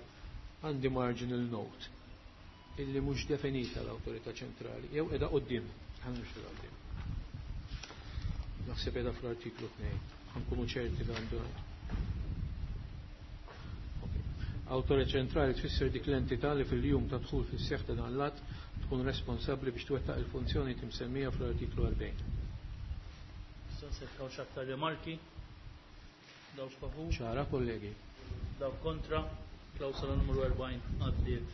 għandi marginal note illi mhux definita l-awtorità ċentrali, jew qiegħda quddiem, ħanux quddiem. Naħseb qiegħda fl-artiklu tnejn, ħankunu ċerti li għandu ngħid. Awtorità ċentrali tfisser dik l-entità li fil-jum ta' dħul fis-seħħ ta' dan l-att tkun responsabbli biex twettaq il-funzjoni timsemmija fl-artiklu erbgħin. Issa se tkaw aktar rimarki. Dawk favur. Ċara, kollegi. Dawk kontra. Klawsola numru erbgħin għaddiet.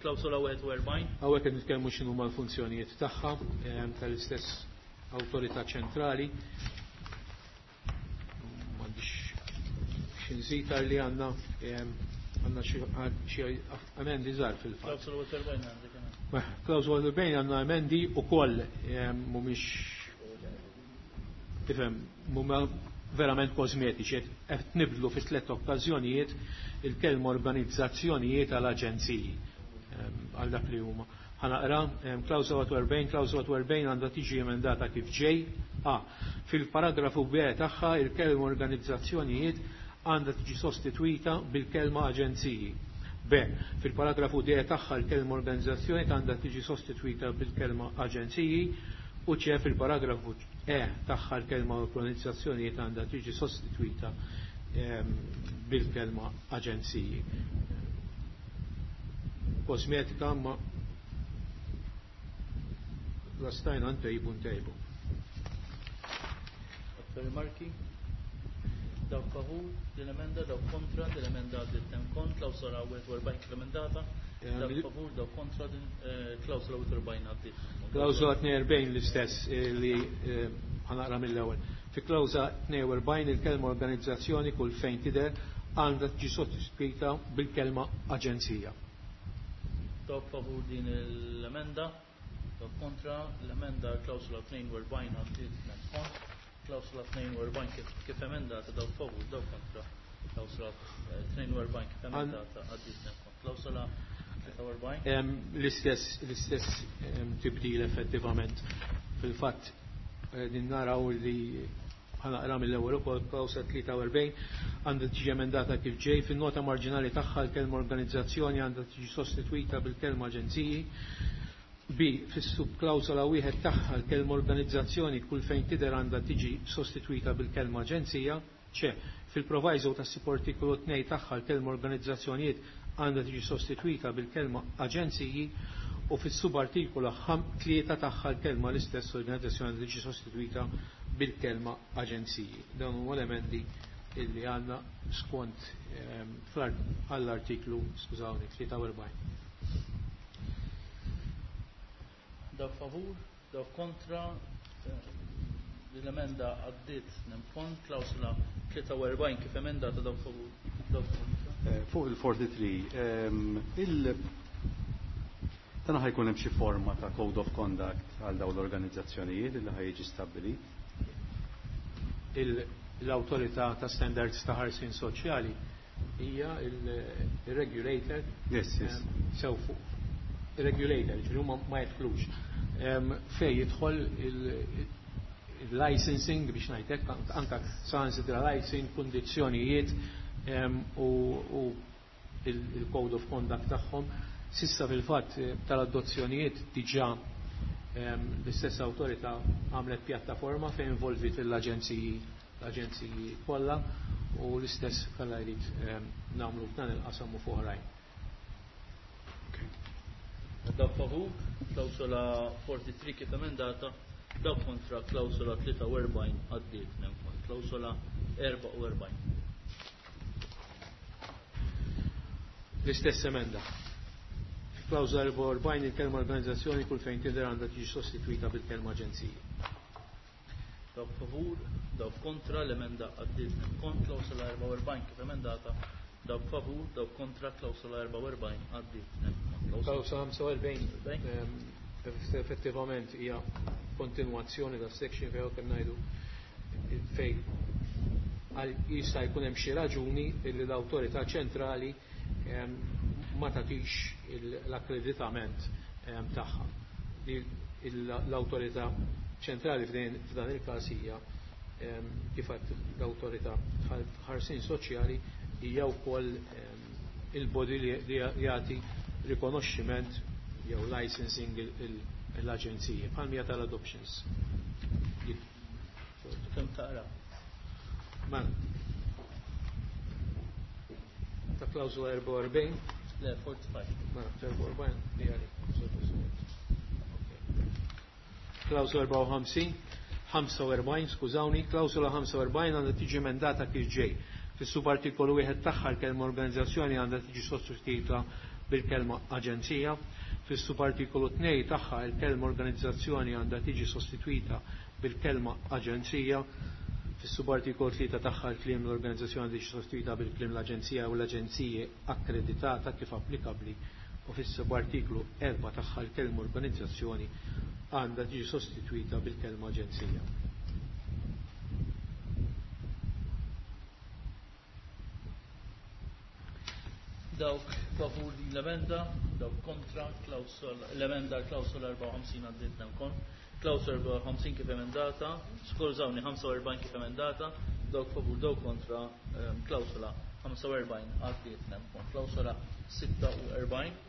Klawsola wieħed u erbgħin. Hawnhekk qed nitkellmu x'inhuma l-funzjonijiet tagħha tal-istess awtorità ċentrali. M'għandix xi nżid li għandna għandna xi emendi żgħar fil-fatt. Klawsola wieħed u erbgħin għandek emendi. Klawsola wieħed u erbgħin għandna emendi wkoll mhumiex tifhem huma verament kosmetiċi, qed nibdlu fi tliet okkażjonijiet il-kelma organizzazzjonijiet għal aġenziji għal dak li huma. Ħanaqra klawsola wieħed u erbgħin, klawsola wieħed u erbgħin għandha tiġi emendata kif ġej. A. Fil-paragrafu B tagħha il-kelma organizzazzjonijiet għandha tiġi sostitwita bil-kelma aġenziji. B. Fil-paragrafu D tagħha il-kelma organizzazzjoni għandha tiġi sostitwita bil-kelma aġenziji u C. Fil-paragrafu E tagħha l-kelma organizzazzjonijiet għandha tiġi sostitwita bil-kelma aġenziji. Kosmetika ma la stajna ntejbu ntejbu. Aktar rimarki? Dawk favur din emenda, dawk kontra din emenda għaddiet hemm kont, klawsola wieħed u erbgħin kif emendata, dawk favur, dawk kontra din klawsola wieħed u erbgħin għaddiet. Klawsola tnejn u erbgħin l-istess li ħanaqra mill-ewwel. Fi klawsola tnejn u erbgħin il-kelma organizzazzjoni kull fejn tidher għandha tiġi sottoscritta bil-kelma aġenzija. Dawk favur din l-emenda, dawk kontra l-emenda klawsola tnejn u erbgħin għaddiet hemm kont. Klawsola tnejn u erbgħin kif, kif emendata, dawk favur, dawk kontra. Klawsola tnejn u erbgħin kif emendata għaddiet hemm kont. Klawsola tlieta u erbgħin. L-istess, l-istess tibdil effettivament. Fil-fatt din naraw li ħanaqra mill-ewwel ukoll klawsola tlieta u erbgħin għandha tiġi emendata kif ġej. Fin-nota marġinali tagħha l-kelma organizzazzjoni għandha tiġi sostitwita bil-kelma aġenziji. B. Fis-subklawsola wieħed tagħha l-kelma organizzazzjoni kull fejn tidher għandha tiġi sostitwita bil-kelma aġenzija. C. Fil-proviso tas-subartikolu tnejn tagħha l-kelma organizzazzjonijiet għandha tiġi sostitwita bil-kelma aġenziji u fis-subartikolu tlieta tagħha l-kelma l-istess organizzazzjoni għandha tiġi sostitwita bil-kelma aġenziji. Dawn huma l-emendi illi għandna skont għall-artiklu, skużawni, tlieta u erbgħin. Dawk favur, dawk kontra, l-emenda għaddiet nemkont, klawsola tlieta u erbgħin kif emendata, dawk favur, dawk kontra. Fuq il-forty-three, il dan ħajkun hemm xi forma ta' code of conduct għal dawn l-organizzazzjonijiet li ħajjiġi stabbilit? L-awtorità ta' standards ta' ħarsien soċjali hija il-regulator Yes, yes. sew fuq Regulator, ġifieri huma ma jidħlux. Fejn jidħol il-licensing biex ngħidlek, anke saħansitra licensing, kundizzjonijiet u il-code of conduct tagħhom. Sissa fil-fatt tal-adozzjonijiet diġà l-istess awtorità għamlet pjattaforma fejn involvit l-aġenziji l-aġenziji kollha u l-istess kollha jrid nagħmlu f'dan il-qasam u f'oħrajn. Dawk favur, klawsola quaranta-tre kif emendata, dawk kontra klawsola tlieta u erbgħin għaddiet nemkon, klawsola erbgħa u erbgħin. L-istess emenda. Klawsola erbgħa u erbgħin il-kelma organizzazzjoni kull fejn tidher għandha tiġi sostitwita bil-kelma aġenziji. Dawk favur, dawk kontra, l-emenda għaddiet nemkon, klawsola erbgħa u erbgħin kif emendata, dawk favur, dawk kontra, klawsola erbgħa u erbgħin għaddiet nemkon. Klawsola ħamsa u erbgħin effettivament hija kontinwazzjoni ta' section fejn kemm ngħidu fejn jista' jkun hemm xi raġuni li l-awtorità ċentrali ma tagħtix l-akkreditament tagħha. L-awtorità ċentrali f'dan il-każ hija kif l-awtorità ħarsien soċjali hija wkoll il-body li jagħti rikonoxximent jew licensing l-aġenziji bħal tal-adoptions. Kemm taqra? Mela. Ta' klawżola erbgħa u erbgħin? Le, quaranta-cinque. Mela, erbgħa u erbgħin li għalik. Klawżola erbgħa u ħamsin, ħamsa u erbgħin, skużawni, klawżola ħamsa u erbgħin għandha tiġi emendata kif ġej. Fis-subartikolu wieħed tagħha l-kelma organizzazzjoni għandha tiġi sostituita bil-kelma aġenzija. Fis-subartikolu tnejn tagħha l-kelma organizzazzjoni għandha tiġi sostituita bil-kelma aġenzija. Fis-subartikolu tlieta tagħha l-kliem l-organizzazzjoni tiġi sostituita bil-kliem l-aġenzija u l-aġenziji akkreditata kif applikabbli, u fis-subartikolu erba' tagħha l-kelma organizzazzjoni għandha tiġi sostituita bil-kelma aġenzija. Dawk favur din l-emenda, dawk kontra, l-emenda klawsola erbgħa u ħamsin għaddiet nemkon, klawsola erbgħa u ħamsin kif emendata, skużawni ħamsa u erbgħin kif emendata, dawk favur, dawk kontra, klawsola ħamsa u erbgħin għaddiet nemkon, klawsola sitta u erbgħin.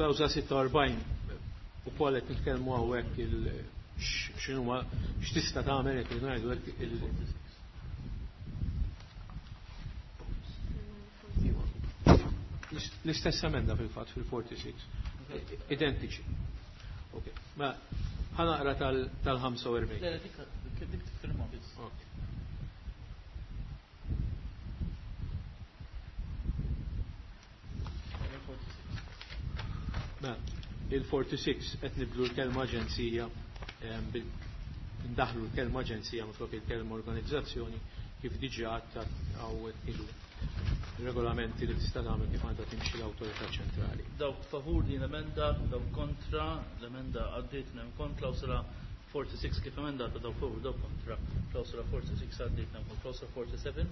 Klawsola sitta u erbgħin u koll qed nitkellmu hawnhekk il x'inhuma x'tista' tagħmel qed ngħidu hekk il l-istess emenda fil-fatt fil-quaranta-sei. Identiċi. Ok. Ma ħanaqra tal-ħamsa u erbgħin. Le, dik dik tiffirma biss. Ok. Ma il-quaranta-sei qed nibdlu l-kelma aġenzija ndaħlu l-kelma aġenzija minflok il-kelma organizzazzjoni kif diġà hawn ilu regolamenti li tista' tagħmel kif għandha timxi l-awtorità ċentrali. Dawk favur din l-emenda, dawk kontra, l-emenda għaddiet nemkon, klawsola quaranta-sei kif emendata, dawk favur, dawk kontra, klawsola quaranta-sei għaddiet nemkon, klawsola quarantasette.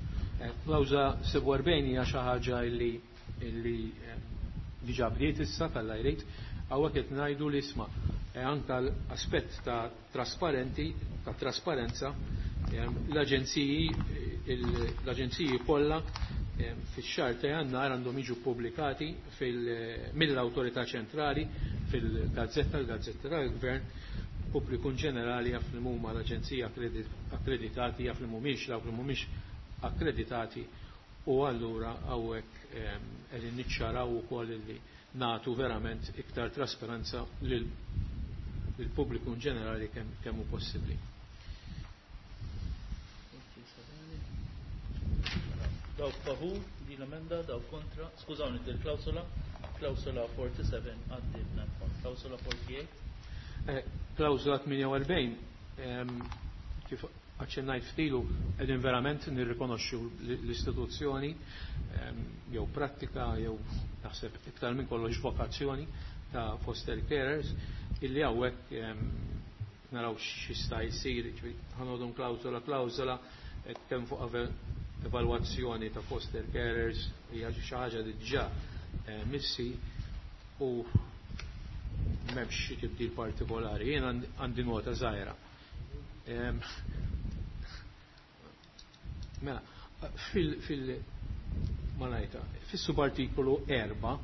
Klawsola sebgħa u erbgħin hija xi ħaġa illi illi diġà bdiet issa tal-lajrejt, hawnhekk qed ngħidu li isma' anke l-aspett ta' trasparenti, ta' trasparenza, l-aġenziji l-aġenziji kollha fix-xahar ta' Jannar għandhom jiġu pubblikati mill-awtorità ċentrali fil-gazzetta, l-gazzetta tal-Gvern, pubbliku ġenerali jaf li huma l-aġenziji akkreditati, jaf li mhumiex dawk li mhumiex akkreditati, u allura hawnhekk qegħdin niċċaraw ukoll li nagħtu verament iktar trasparenza lill-pubbliku ġenerali kemm hu possibbli. Dawk favur din l-emenda, dawk kontra, skużawni din klawsola, klawsola quarantasette għaddiet nemkon, klawsola quarantotto. Klawsola tmienja u erbgħin, kif aċċennajt ftilu, qegħdin verament nirrikonoxxu l-istituzzjoni jew prattika jew naħseb iktar minn kollox vokazzjoni ta' foster carers illi hawnhekk naraw x'jista' jsir, ħanodhom klawsola klawsola kemm fuq evalwazzjoni ta' foster carers hija xi ħaġa li diġà missi u M'hemmx xi tibdil partikolari, jien għandi nota żgħira. Mela, fil fil malajta, fis-subartikolu erba'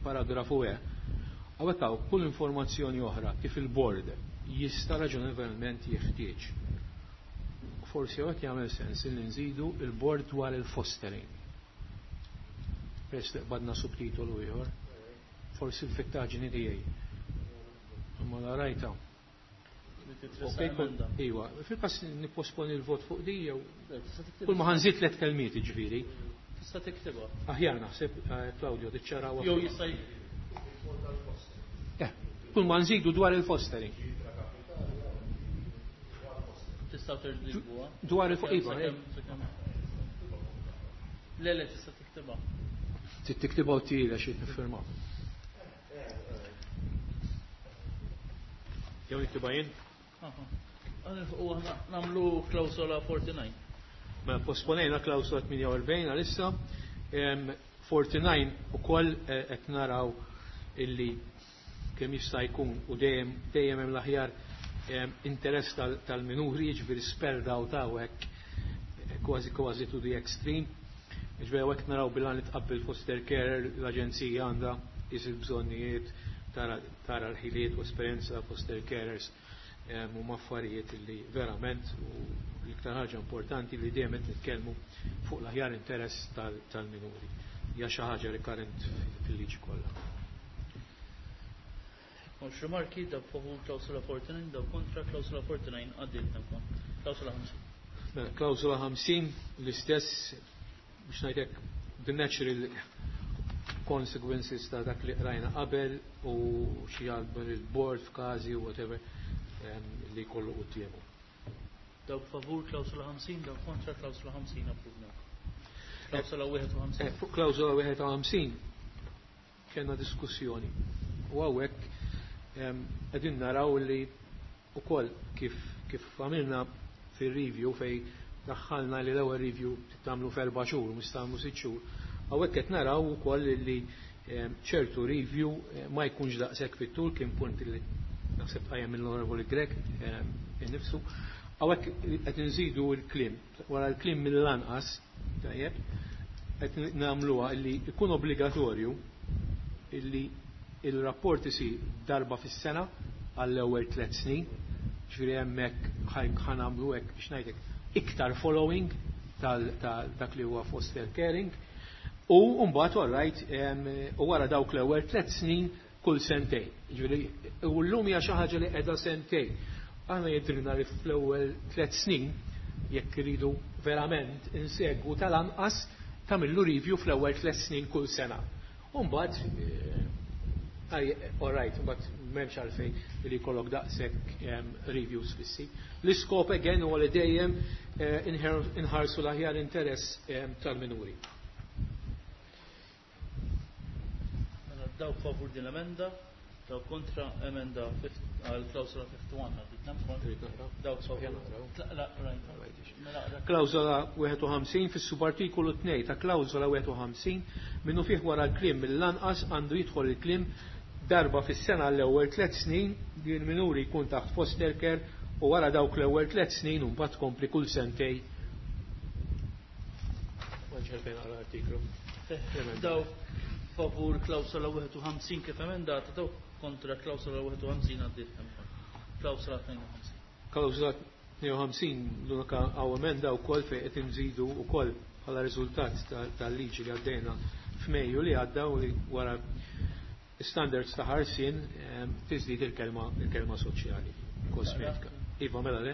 paragrafu E, hawnhekk hawn kull informazzjoni oħra kif il-bord jista' raġonevolment jeħtieġ. Forsi hawnhekk jagħmel sens li nżidu il-bord dwar il-fostering. Peress li qbadna subtitolu ieħor, forsi l-fittaġni tiegħi. Imma la rajta. Iwa, fil-każ nipposponi l-vot fuq di jew kull ma ħanżid tliet kelmiet jiġifieri. Tista' tiktibha. Aħjar naħseb, Claudio, tiċċaraw. Jew jista' Eh, kull ma nżidu dwar il-fostering. Tista' terġa'. Dwar il-fostering. Le, le, tista' tiktibha. Trid tiktibha u tira xi tiffirma. Jew niktibha jien? U aħna nagħmlu klawsola quarantanove. Mela posponejna klawsola tmienja u erbgħin għalissa. Quarantanove ukoll qed naraw illi kemm jista' jkun u dejjem dejjem hemm l-aħjar interess tal-minuri, jiġifieri spelled out hawnhekk kważi kważi to the extreme. Jiġifieri hawnhekk naraw bil-għan li tqabbel foster care, l-aġenzija għandha tqis il-bżonnijiet, tara l-ħiliet u esperjenza foster carers huma affarijiet li verament u l-iktar ħaġa importanti li dejjem qed nitkellmu fuq l-aħjar interess tal-minuri. Hija xi ħaġa rikurrent fil-liġi kollha. Mhux rimarki, dawk favur klawsola quarantanove, dawk kontra klawsola quarantanove għaddiet nemkon. Klawsola ħamsin. Mela, klawsola ħamsin l-istess biex ngħidlek the natural consequences ta' dak li qrajna qabel u xi jgħalbu il-board f'każi u whatever li jkollu quddiemu. Dawk favur klawsola ħamsin, dawk kontra klawsola ħamsin approvna. Klawsola wieħed u ħamsin. Fuq klawsola wieħed u ħamsin kellna diskussjoni. U hawnhekk qegħdin naraw li wkoll kif kif għamilna fir-review fej daħħalna li l-ewwel review tagħmlu f'erba' xhur u mhux tagħmlu sitt xhur. Hawnhekk qed naraw ukoll li ċertu review ma jkunx daqshekk fit-tul, kien punt li naħseb tqajjem mill-Onorevoli Grech innifsu. Hawnhekk qed inżidu l-kliem, wara l-kliem mill-lanqas, tajjeb, qed nagħmluha li jkun obbligatorju illi il-rapport isir darba fis-sena għall-ewwel tliet snin, ġifieri hemmhekk ħanamlu hekk biex ngħidlek iktar following tal dak li huwa foster caring. U mbagħad all right, u wara dawk l-ewwel tliet snin kull sentejn. Ġifieri u llum hija xi ħaġa li qiegħda sentejn. Aħna jidhrilna li fl-ewwel tliet snin jekk iridu verament insegwu tal-anqas tagħmillu review fl-ewwel tliet snin kull sena. U mbagħad all right, mbagħad m'hemmx għalfejn li jkollok daqshekk reviews fissi. L-iskop again huwa li dejjem inħarsu l-aħjar interess tal-minuri. Dawk favur din l-emenda, dawk kontra emenda għal klawsola ħamsa u wieħed għaddit nemkon. Dawk favur. Klawsola wieħed u ħamsin fis-subartikolu tnejn ta' klawsola wieħed u ħamsin minnu fih wara l-kliem mill-lanqas għandu jidħol il-kliem darba fis-sena l-ewwel tliet snin li l-minuri jkun taħt foster care u wara dawk l-ewwel tliet snin u mbagħad tkompli kull sentej. L-artiklu. Dawk favur klawsola wieħed u ħamsin kif emendata, dawk kontra klawsola wieħed u ħamsin għaddiet nemkon. Klawsola tnejn u ħamsin. Klawsola tnejn u ħamsin l-unika hawn emenda wkoll fejn qed inżidu wkoll bħala riżultat tal-liġi li għaddejna f'Mejju li għadda u li wara standards ta' ħarsien tiżdid il-kelma il-kelma soċjali kosmetika. Iva, mela le.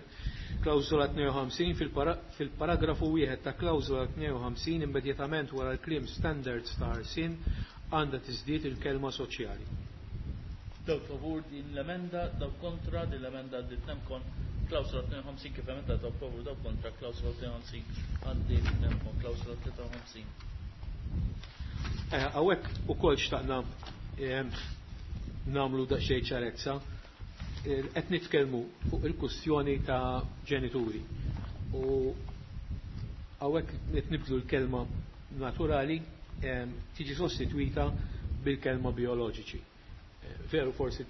Klawsola tnejn u ħamsin fil-paragrafu wieħed ta' klawsola tnejn u ħamsin immedjatament wara l-kliem standards ta' ħarsien għandha tiżdied il-kelma soċjali. Dawk favur din l-emenda, dawk kontra din l-emenda għaddiet nemkon. Klawsola tnejn u ħamsin kif emenda, dawk favur, dawk kontra klawsola tnejn u ħamsin għaddiet nemkon. Klawsola tlieta u ħamsin. Hawnhekk ukoll xtaqna nagħmlu daqsxejn ċarezza. Qed nitkellmu fuq il-kwistjoni ta' ġenituri. U hawnhekk qed nibdlu l-kelma naturali tiġi sostitwita bil-kelma bioloġiċi. Veru forsi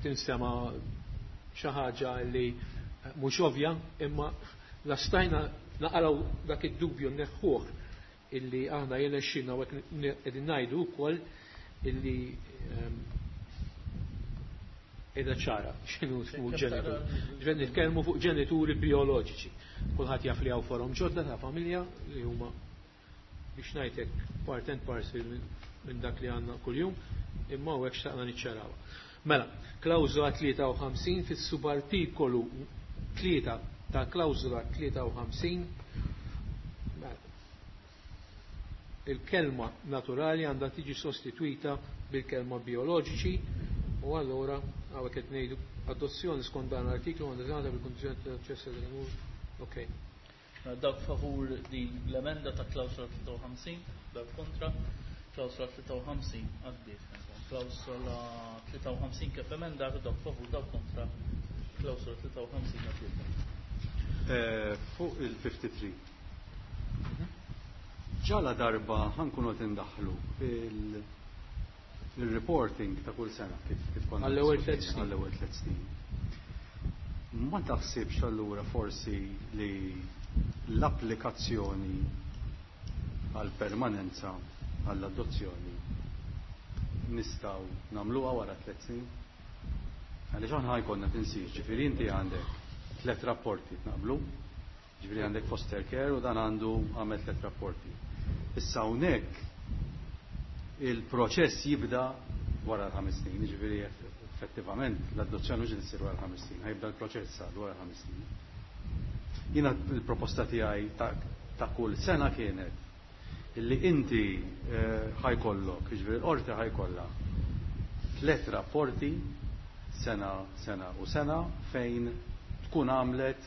tinsema xi ħaġa li mhux ovvja, imma la stajna naqraw dak id-dubju neħħuh illi aħna jirnexxilna u hekk qegħdin ngħidu wkoll illi qiegħda ċara x'inhu ġenitur. Ġifieri nitkellmu fuq ġenituri bioloġiċi. Kulħadd jaf li hawn forom ġodda ta' familja li huma biex ngħidlek part and parcel minn dak li għandna kuljum, imma hawnhekk xtaqna niċċarawha. Mela, klawżola tlieta u ħamsin, fis-subartikolu tlieta ta' klawżola tlieta u ħamsin, mela, il-kelma naturali għandha tiġi sostituita bil-kelma bioloġiċi u allura hawnhekk qed ngħidu adozzjoni skont dan l-artiklu għandha tingħata bil-kundizzjoni ta' aċċess għal. Okej. Dawk favur din l-emenda ta' klawsola tlieta u ħamsin, dawk kontra, klawsola tlieta u ħamsin għaddiet. Klawsola tlieta u ħamsin kif emenda, dawk favur, dawk kontra, klawsola tlieta u ħamsin għaddiet. Eh, fuq il-ħamsa u ħamsin. Ġala darba ħa nkunu qed indaħħlu il-reporting ta' kull sena kif kif konna għall-ewwel tliet snin. Għall-ewwel tliet snin. Ma taħsibx allura forsi li l-applikazzjoni għal permanenza għall-adozzjoni nistgħu nagħmluha wara tliet snin? Għaliex aħna ħa jkollna tinsiex, ġifieri inti għandek tliet rapporti naqblu, ġifieri għandek foster care u dan għandu għamel tliet rapporti. Issa hawnhekk il-proċess jibda wara l-ħames snin, ġifieri effettivament l-adozzjoni mhux issir wara l-ħames snin, ħa jibda l-proċess għal wara l-ħames snin. Jiena il-proposta tiegħi ta', ta kull sena kienet illi inti eh, ħa jkollok, ġifieri l-qorti ħa jkollha tliet rapporti sena, sena u sena fejn tkun għamlet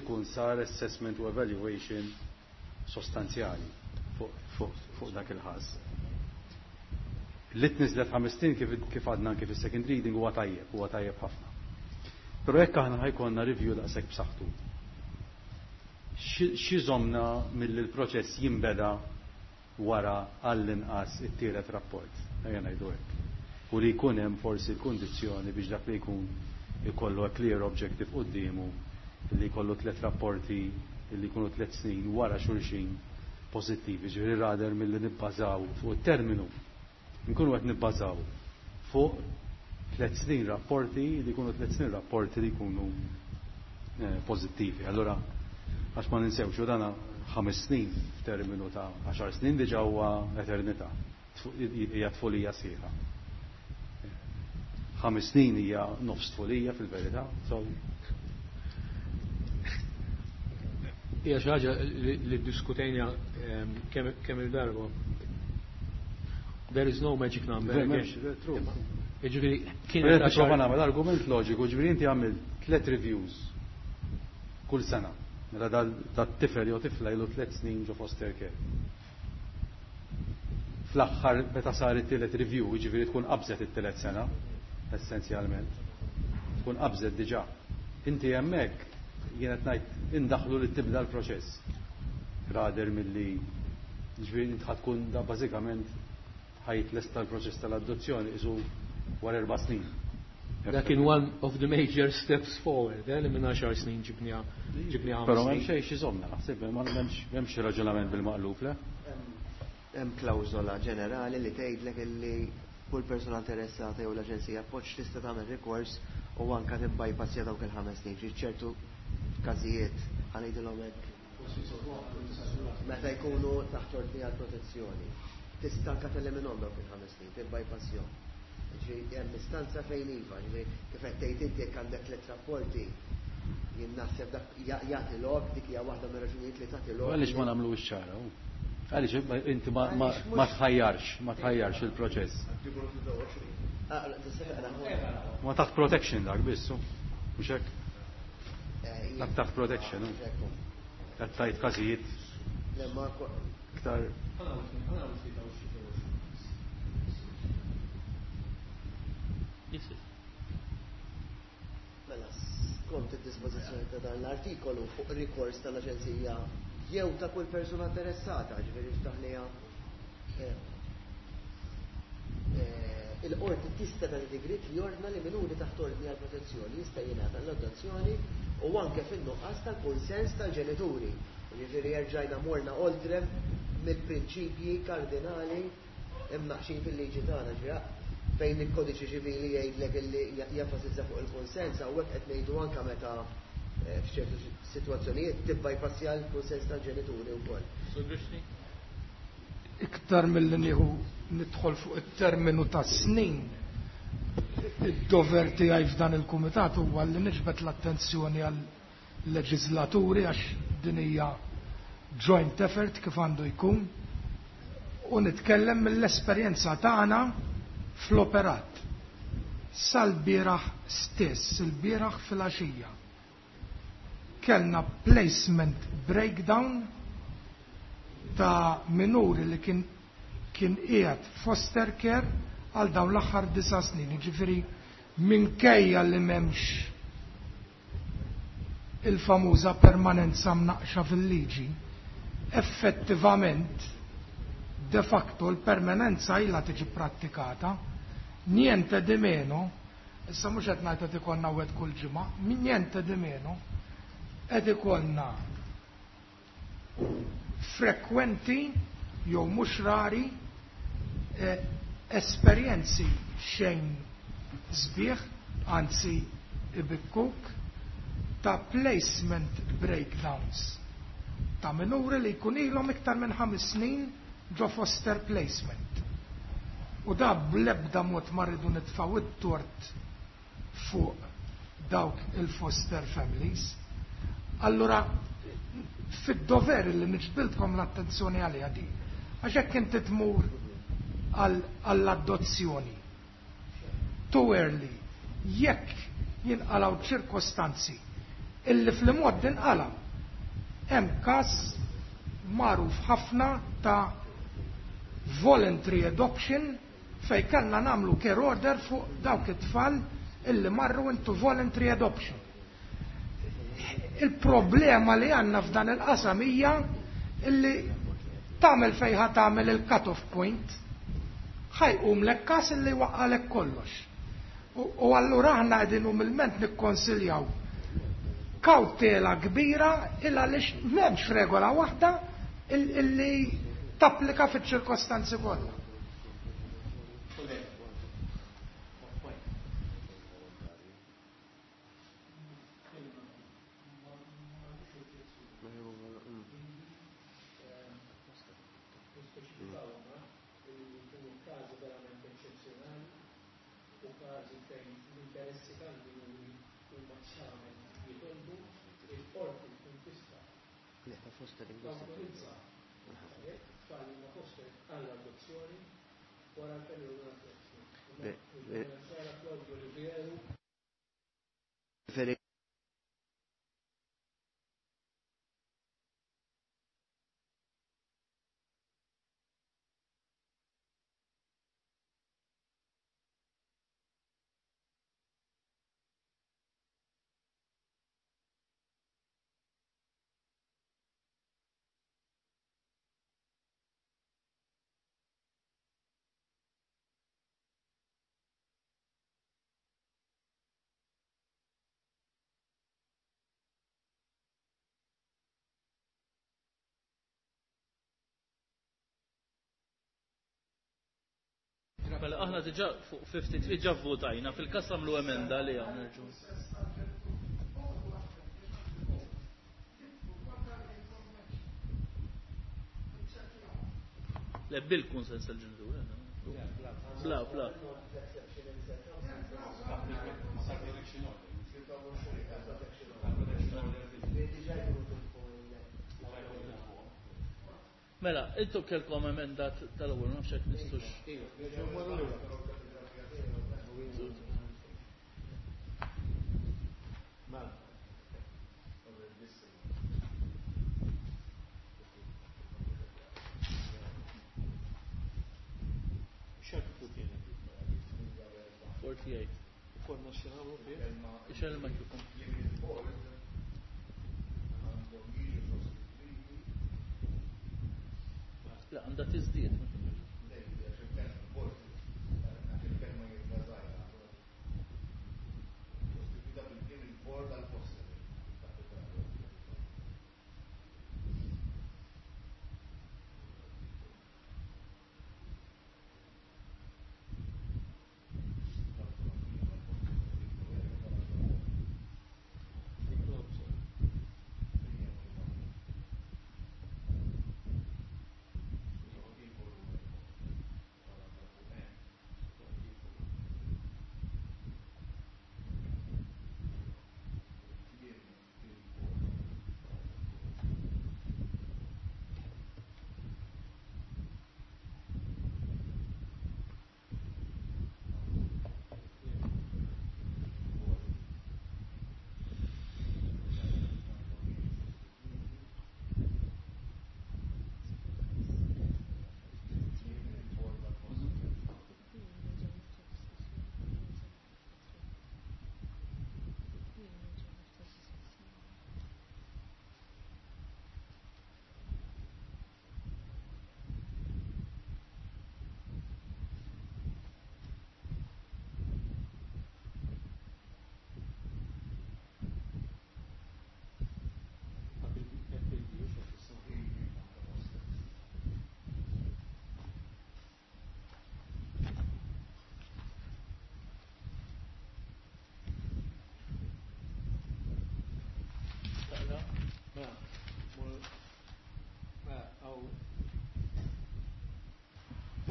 ikun sar assessment u evaluation sostanzjali fuq fu, fu dak il-ħaż. Li tniżlet ħames snin kif, kif għadna kif is-second reading huwa tajjeb, huwa tajjeb ħafna. Però jekk aħna ħa jkollna review daqshekk b'saħħtu. X'iżommna milli l-proċess jinbeda wara għall-inqas it-tielet rapport, ejja ngħidu hekk. U li jkun hemm forsi l-kundizzjoni biex dak li jkun ikollu a clear objective quddiemu li jkollu tliet rapporti li jkunu tliet snin wara xulxin pożittivi, ġifieri rather milli nibbażaw fuq it-terminu. Nkunu qed nibbażaw fuq tliet snin rapporti li jkunu tliet snin rapporti li jkunu eh, pożittivi. Allora, għax ma ninsewx u dana ħames snin f'terminu ta' għaxar snin diġà huwa eternità. Hija tfulija sħiħa. Ħames snin hija nofs tfulija fil-verità. So, Hija xi ħaġa li, li diskutejna ehm, kemm kemm il-darba. There is no magic number. M'hemmx, true. Jiġifieri Kienet kienet nipprova nagħmel argument loġiku, ġifieri inti għamil tliet reviews kull sena. Mela dat-tifel jew tifla ilu tliet snin ġo foster care. Fl-aħħar meta sar it-tielet review, jiġifieri tkun qabżet it-tielet sena, essenzjalment. Tkun qabżet diġà. Inti hemmhekk jien qed ngħid indaħlu li tibda l-proċess. Rather milli ġifieri int ħa tkun da bażikament ħa jitlesta l-proċess tal-adozzjoni isu wara erba' snin. Dak kien one of the major steps forward, eh, li minn għaxar snin ġibniha ġibniha Però ħames m'hemm snin. xejn x'iżommna, naħseb ma m'hemmx m'hemmx raġunament bil-maqlub, le? Hemm klawżola ġenerali li tgħidlek illi kull persuna interessata jew l-aġenzija appoġġ tista' tagħmel rikors u anke tibbypassja dawk il-ħames snin. Ġi ċertu każijiet, ħa ngħidilhom hekk, meta jkunu taħt ordni għal protezzjoni. Tista' anke teliminhom dawk il-ħames snin, tibbypassjahom. Ġifieri hemm istanza fejn iva, ġifieri kif qed tgħid inti, jekk għandek tliet rapporti, jien naħseb dak jagħti lok, dik hija waħda mir-raġunijiet li tagħti lok. Għaliex ma nagħmlu ċara? Għaliex inti ma, ma, ma tħajjarx, ma tħajjarx il-proċess. Ah, tista' taqra. Ma taħt protection dak biss, mhux hekk? Eh, Dak taħt protection, hu. Ekku. Qed tgħid każijiet Le, ma ko- iktar. Yes, yes. Mela, skont id-dispożizzjoni ta' dan l-artikolu, fuq rikors tal-Aġenzija jew ta' kull persuna interessata, ġifieri ftaħnija eh, eh, Il-qorti tista' tagħti digriet li jordna li minuri taħt ordni għal protezzjoni jista' jingħata l-adozzjoni u anke fin-nuqqas tal-kunsens tal-ġenituri. Jiġifieri erġajna morna oltre mill-prinċipji kardinali imnaqxin fil-liġi tagħna, ġifieri fejn il-kodiċi ċivili jgħidlek illi jenfasizza fuq il-kunsens, hawnhekk qed ngħidu anke meta eh, f'ċertu sitwazzjonijiet tibbypassja l-kunsens tal-ġenituri wkoll. Iktar milli nieħu nidħol fuq it-terminu ta' snin, id-dover tiegħi f'dan il-kumitat huwa li niġbed l-attenzjoni għal leġislaturi għax din hija joint effort kif għandu jkun u nitkellem mill-esperjenza tagħna fl-operat. Sal-bieraħ stess, il-bieraħ fil-għaxija, kellna placement breakdown ta' minuri li kien kien qiegħed foster care għal dawn l-aħħar disa' snin. Jiġifieri minkejja li m'hemmx il-famuża permanenza mnaqxa fil-liġi, effettivament de facto l-permanenza ilha tiġi prattikata, niente di meno, issa mhux qed ngħid qed ikollna wieħed kull ġimgħa, niente di meno, qed ikollna frekwenti jew mhux rari eh, esperjenzi xejn sbieħ, anzi ibikkuk, ta' placement breakdowns ta' minuri li jkun ilhom iktar minn ħames snin ġo foster placement. U da bl-ebda mod ma rridu nitfgħu it-tort fuq dawk il-foster families. Allura, fid-dover li niġbidilkom l-attenzjoni għaliha di, għax hekk inti tmur għall-adozzjoni too early, jekk jinqalgħu ċirkostanzi illi fl-mod inqalgħu, hemm każ magħruf ħafna ta' voluntary adoption fej kellna nagħmlu care order fuq dawk it-tfal illi marru into voluntary adoption. Il-problema li għandna f'dan il-qasam hija illi tagħmel fejn tagħmel il-cut-off point, ħa jqumlek każ illi waqqalek kollox. U allura aħna qegħdin umilment nikkonsiljaw kawtela kbira illa għaliex m'hemmx regola waħda illi tapplika fiċ-ċirkostanzi kollha. Mela aħna diġà fuq fifty-three ġa votajna fil-każ għamlu emenda li nerġgħu. Le bil-kunsens tal-ġenituri. Bla, bla. Mela, intom kellkom emenda tal-ewwel, ma nafx hekk nistux. forty-eight. Konna x'nagħmlu fih? Ixgħel il-mikrofon. La, għandha tiżdied. Il-bord għal-fostering.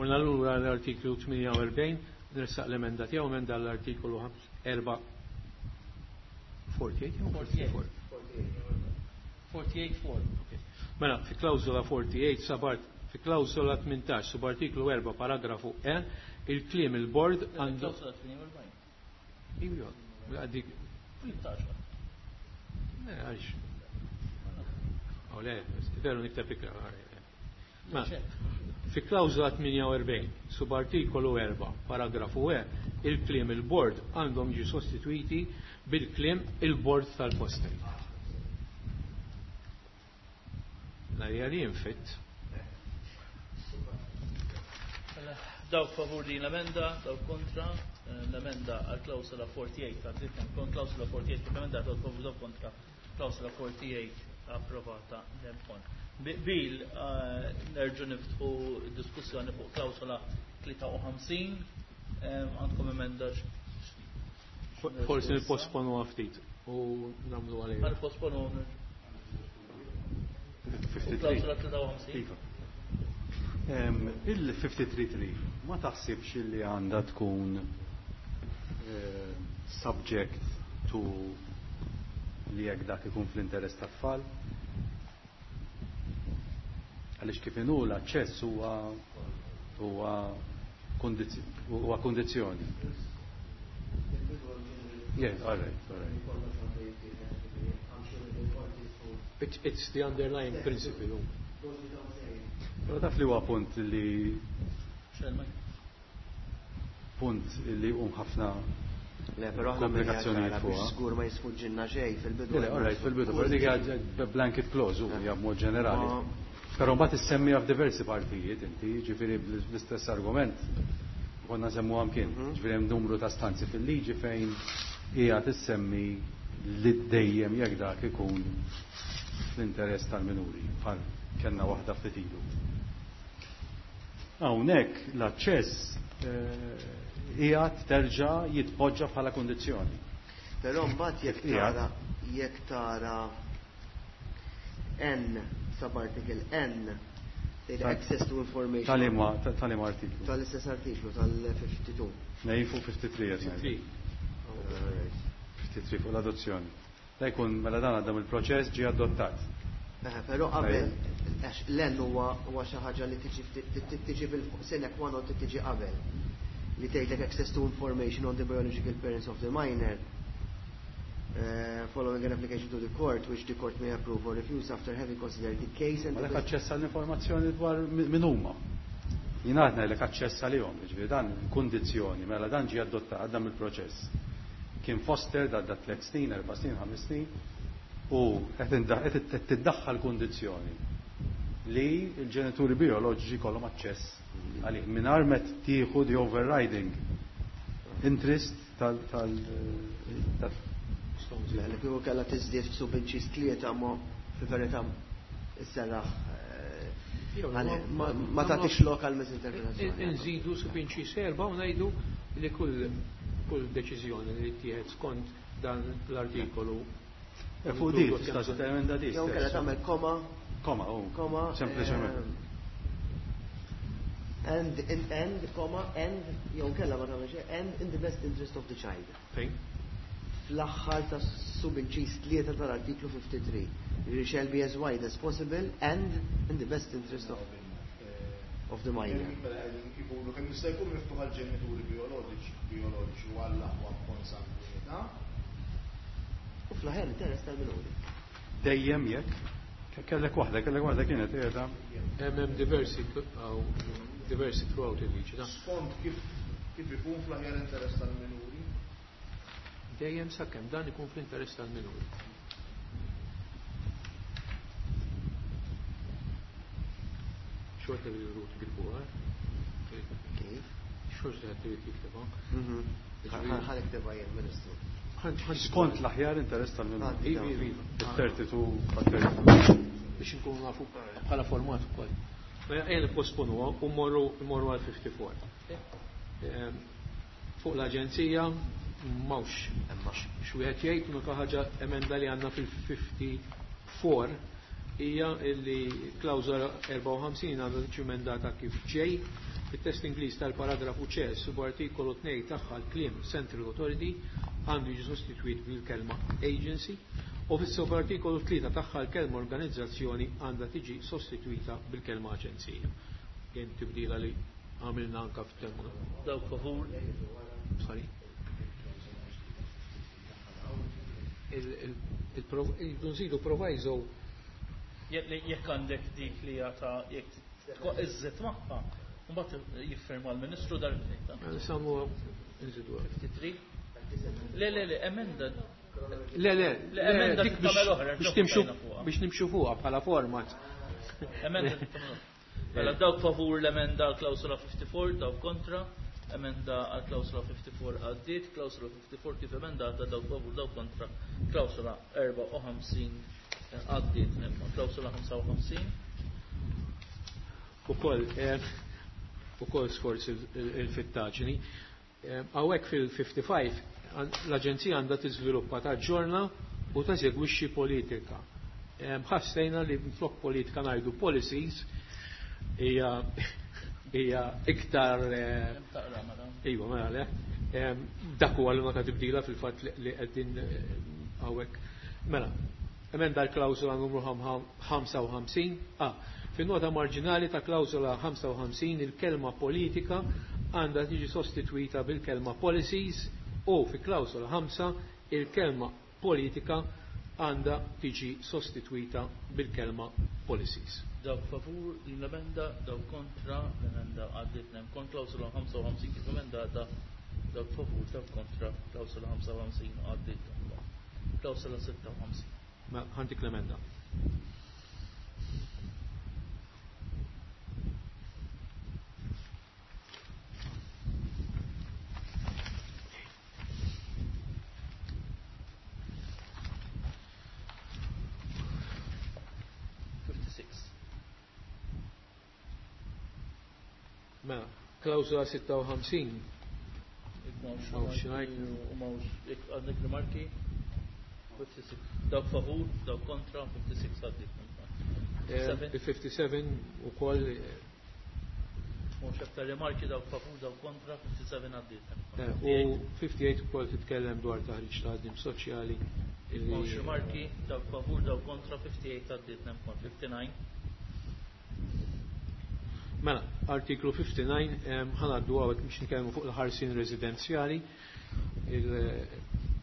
Morna lura l-artiklu tmienja u erbgħin, nressaq l-emenda tiegħu, emenda l-artikolu erbgħa forty-eight. forty-eight four. Mela, fi klawżola forty-eight, subart, fi klawżola tmintax, subartiklu erbgħa, paragrafu E, il-kliem il-bord għandu. Klawsola tmienja u erbgħin. Iva, għaddik. tmintax. Le, għalix. Oh, le, veru nikteb ikra. Ma, fi klawżola tmienja u erbgħin, subartikolu erbgħa, paragrafu E, il-kliem il-bord għandhom jiġu sostituiti bil-kliem il-bord tal-fostering. Narja li jinfit. Mela, dawk favur din l-emenda, dawk kontra, eh, l-emenda għal klawsola forty-eight, għal kon klawsola forty-eight kif emenda, dawk favur, dawk kontra, klawsola forty-eight approvata nempon. Bil, eh, nerġu niftħu diskussjoni fuq klawsola tlieta u ħamsin, eh, għandkom emenda? Forsi nipposponu ftit u nagħmlu għalih. Nipposponu klawsola tlieta u ħamsin. Iva. Il-fifty-three three ma taħsibx li għandha tkun eh, subject to li jekk dak ikun fl-interess tat-tfal? Għaliex kif inhu l-aċċess huwa huwa huwa kondizzjoni. Yeah, all right, all right. It's, it's the underlying principle. Però taf li huwa punt li punt li hum ħafna Le, però aħna komplikazzjonijiet biex fuqha. Żgur ma jisfuġġilna xejn fil-bidu. Le, all right, fil-bidu, però dik hija blanket clause u hija b'mod ġenerali. Ma- Però mbagħad issemmija f'diversi partijiet inti, ġifieri bl-istess argument konna semmu kien. Ġifieri hemm numru ta' stanzi fil-liġi fejn hija tissemmi li dejjem jekk dak ikun fl-interess tal-minuri, bħal kellna waħda ftit ilu. Hawnhekk l-aċċess eh, qiegħed terġa' jitpoġġa bħala kondizzjoni. Però mbagħad jekk Qiegħed. tara jekk tara N subarticle N tgħid Tal- access to information. Tal-ima tal-ima artiklu. Tal-istess artiklu tal-fifty-two. Nej, fuq fifty-three qed ngħidu. Alright. fifty-three fuq l-adozzjoni. Da jkun mela dan għaddam il-proċess ġie adottat. Eh, Però qabel, għax l-N huwa huwa xi ħaġa li tiġi tiġi fil sine qua non tiġi qabel. Li tgħidlek access to information on the biological parents of the minor uh, following an application to the court, which the court may approve or refuse after having considered the case and Ma the lek aċċess għall-informazzjoni dwar min huma. Jien għadna lek aċċess għalihom, jiġifieri dan kundizzjoni, mela dan ġie adottat għaddam il-proċess. Kien foster għadda tliet snin, erba' snin, ħames snin, u qed qed tiddaħħal kundizzjoni li l-ġenituri bioloġiċi kollhom aċċess għalih mingħajr ma tieħu the overriding interest tal tal tal Nistgħu nżidu. Mela kieku kellha tiżdied f'subinċis tlieta ma fil-verità isserraħ eh, ma tagħtix lokal misinterpretazzjoni. Nżidu subinċis erba' u ngħidu li kull kull deċiżjoni li tieħed skont dan l-artikolu. Fuq di, tista' temenda di. Jew kellha tagħmel koma. Koma, oh. Koma. Sempliċement. And, and, and, comma, and, jew kellha ma tagħmel and in the best interest of the child. Fejn? Fl-aħħar ta' subinċis tlieta tal-artiklu fifty-three. It shall be as wide as possible and in the best interest of, of the minor. Mela qegħdin ikunu kemm jista' jkun miftuħ għall-ġenituri bioloġiċi, bioloġiċi u għall-aħwa b'konsangwinità. U fl-aħħar interess tal-minuri. Dejjem jekk kellek waħda, kellek waħda kienet qiegħda. Hemm diversi diversi throughout il-liġi. Skont kif kif ikun fl-aħjar interess tal-minuri. Dejjem sakemm dan ikun fl-interess tal-minuri. Xorta li jridu tikbuha. Kif? Xorta li jridu tiktibha. Ħa niktibha jien, Ministru. Skont l-aħjar interess tal-minuri. Iva, iva, iva. thirty-two, thirty-two. Biex inkunu nafu bħala format ukoll. Mela ejja nipposponuha u mmorru mmorru għal fifty-four. Fuq l-aġenzija m'hawnx x'wieħed jgħid, l-unika ħaġa emenda li għandna fil-fifty-four hija li klawżola erbgħa u ħamsin għandha tiġi emendata kif ġej. Fit-test Ingliż tal-paragrafu C subartikolu tnejn tagħha l-kliem Central Authority għandu jiġi sostitwit bil-kelma Agency u fis-subartikolu tlieta tagħha l-kelma organizzazzjoni għandha tiġi sostitwita bil-kelma aġenzija. Kien tibdila li għamilna anka f'terminu. Dawk favur. Sorry. Il-nżidu proviso. Jekk għandek dik li jata jekk iżżid magħha, mbagħad jiffirma l-Ministru darbtejn. Nsammu nżidu. fifty-three. Le, le, le, emenda. Le, le, Le, emenda dik tagħmel oħra, biex ġob timxu tajna fuqha. biex nimxu fuqha bħala format. Emenda tagħmel oħra. Mela dawk favur l-emenda għal klawsola fifty-four, dawk kontra, emenda għal klawsola fifty-four għaddiet, klawsola fifty-four kif emendata, dawk favur, dawk kontra, klawsola erbgħa u ħamsin għaddiet, imma klawsola ħamsa u ħamsin. Ukoll, eh, ukoll sforz il-fittaġni. Hawnhekk fil-fifty-five l-Aġenzija għandha tiżviluppa taġġorna u teżegwixxi politika. Ħassejna li flok politika ngħidu policies hija hija iktar, eh, iva, mela le. Dak huwa l-unika tibdila fil-fatt li qegħdin hawnhekk. Mela, emenda l-klawsola numru ħamsa u ħamsin. Ah, fin-nota marġinali ta' klawsola ħamsa u ħamsin il-kelma politika għandha tiġi sostitwita bil-kelma policies u fi klawsola ħamsa il-kelma politika għandha tiġi sostitwita bil-kelma policies. Dawk favur din l-emenda, dawk kontra l-emenda għaddiet nem kont klawsola ħamsa u ħamsin kif emendata, dawk favur, dawk kontra klawsola ħamsa u ħamsin għaddiet. Klawsola sitta u ħamsin. Ma ħantik l-emenda. Mela, klawsola sitta u ħamsin. Mawx u mawx, għandek rimarki? fifty-six. Dawk favur, dawk kontra, fifty-six għaddit. Eh, fifty-seven u koll. Mawx aktar rimarki, dawk favur, dawk kontra, fifty-seven għaddit. Eh, u fifty-eight u koll titkellem dwar taħriġ ta' ħaddiem soċjali. Mawx rimarki, dawk favur, dawk kontra, fifty-eight għaddit, nemkon, fifty-nine. Mela, artiklu fifty-nine, ħanaddu għawek biex nitkellmu fuq il-ħarsien residenzjali.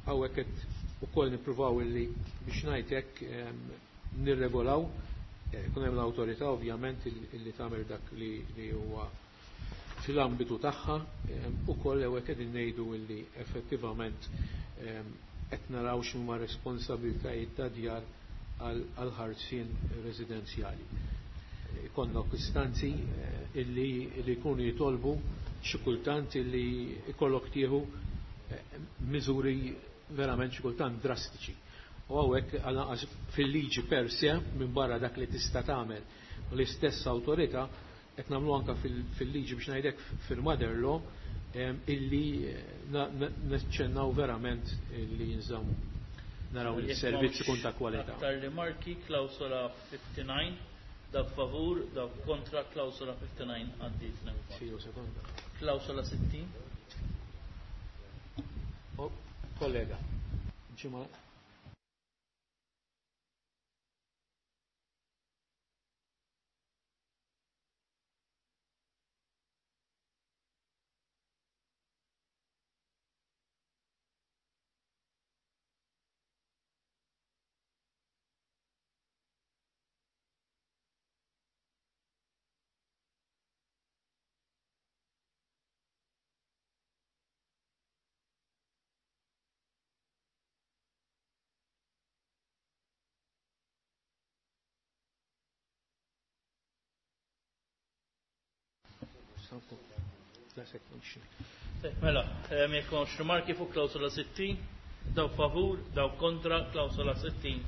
Hawnhekk qed ukoll nippruvaw illi biex ngħid hekk nirregolaw, ikun hemm l-awtorità ovvjament illi tagħmel dak li, li huwa fil-ambitu tagħha, ukoll hawnhekk qegħdin ngħidu illi effettivament qed naraw x'huma responsabilitajiet ta' djar għal ħarsien residenzjali. Ikonna istanzi illi, illi jkunu jitolbu xi kultant illi ikollok tieħu miżuri verament xi kultant drastiċi. U hawnhekk għal fil-liġi per se minn barra dak li tista' tagħmel l-istess awtorità qed nagħmlu anke fil-liġi biex ngħidlek fil-mother law illi naċċennaw verament li jinżammu naraw li s-servizz ikun ta' kwalità. Aktar rimarki klawsola fifty-nine, dak favur, dak kontra, klawsola fifty-nine għaddiet. Klawsola sittin. Oh, kollega. Ġimgħa. Mela, jekk m'hawnx rimarki fuq klawsola sittin, daw favur, daw kontra, klawsola sittin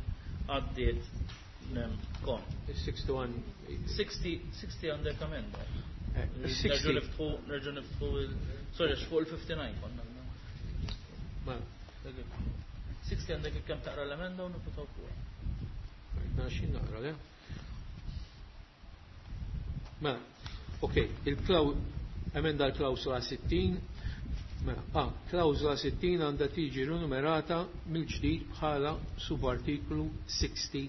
għaddiet kon. sixty-one. sixty, sixty għandek amenda. Nerġu niftħu, nerġu niftħu il, sorry, fuq il-fifty-nine konna. Mela. sixty għandek kemm taqra l-emenda u nifutaw fuqha. Naxin naqra, le? Mela, ok, il-klaw emenda l-klawsola sittin, mela, ah, klawsola sittin għandha tiġi rinumerata mill-ġdid bħala subartiklu sixty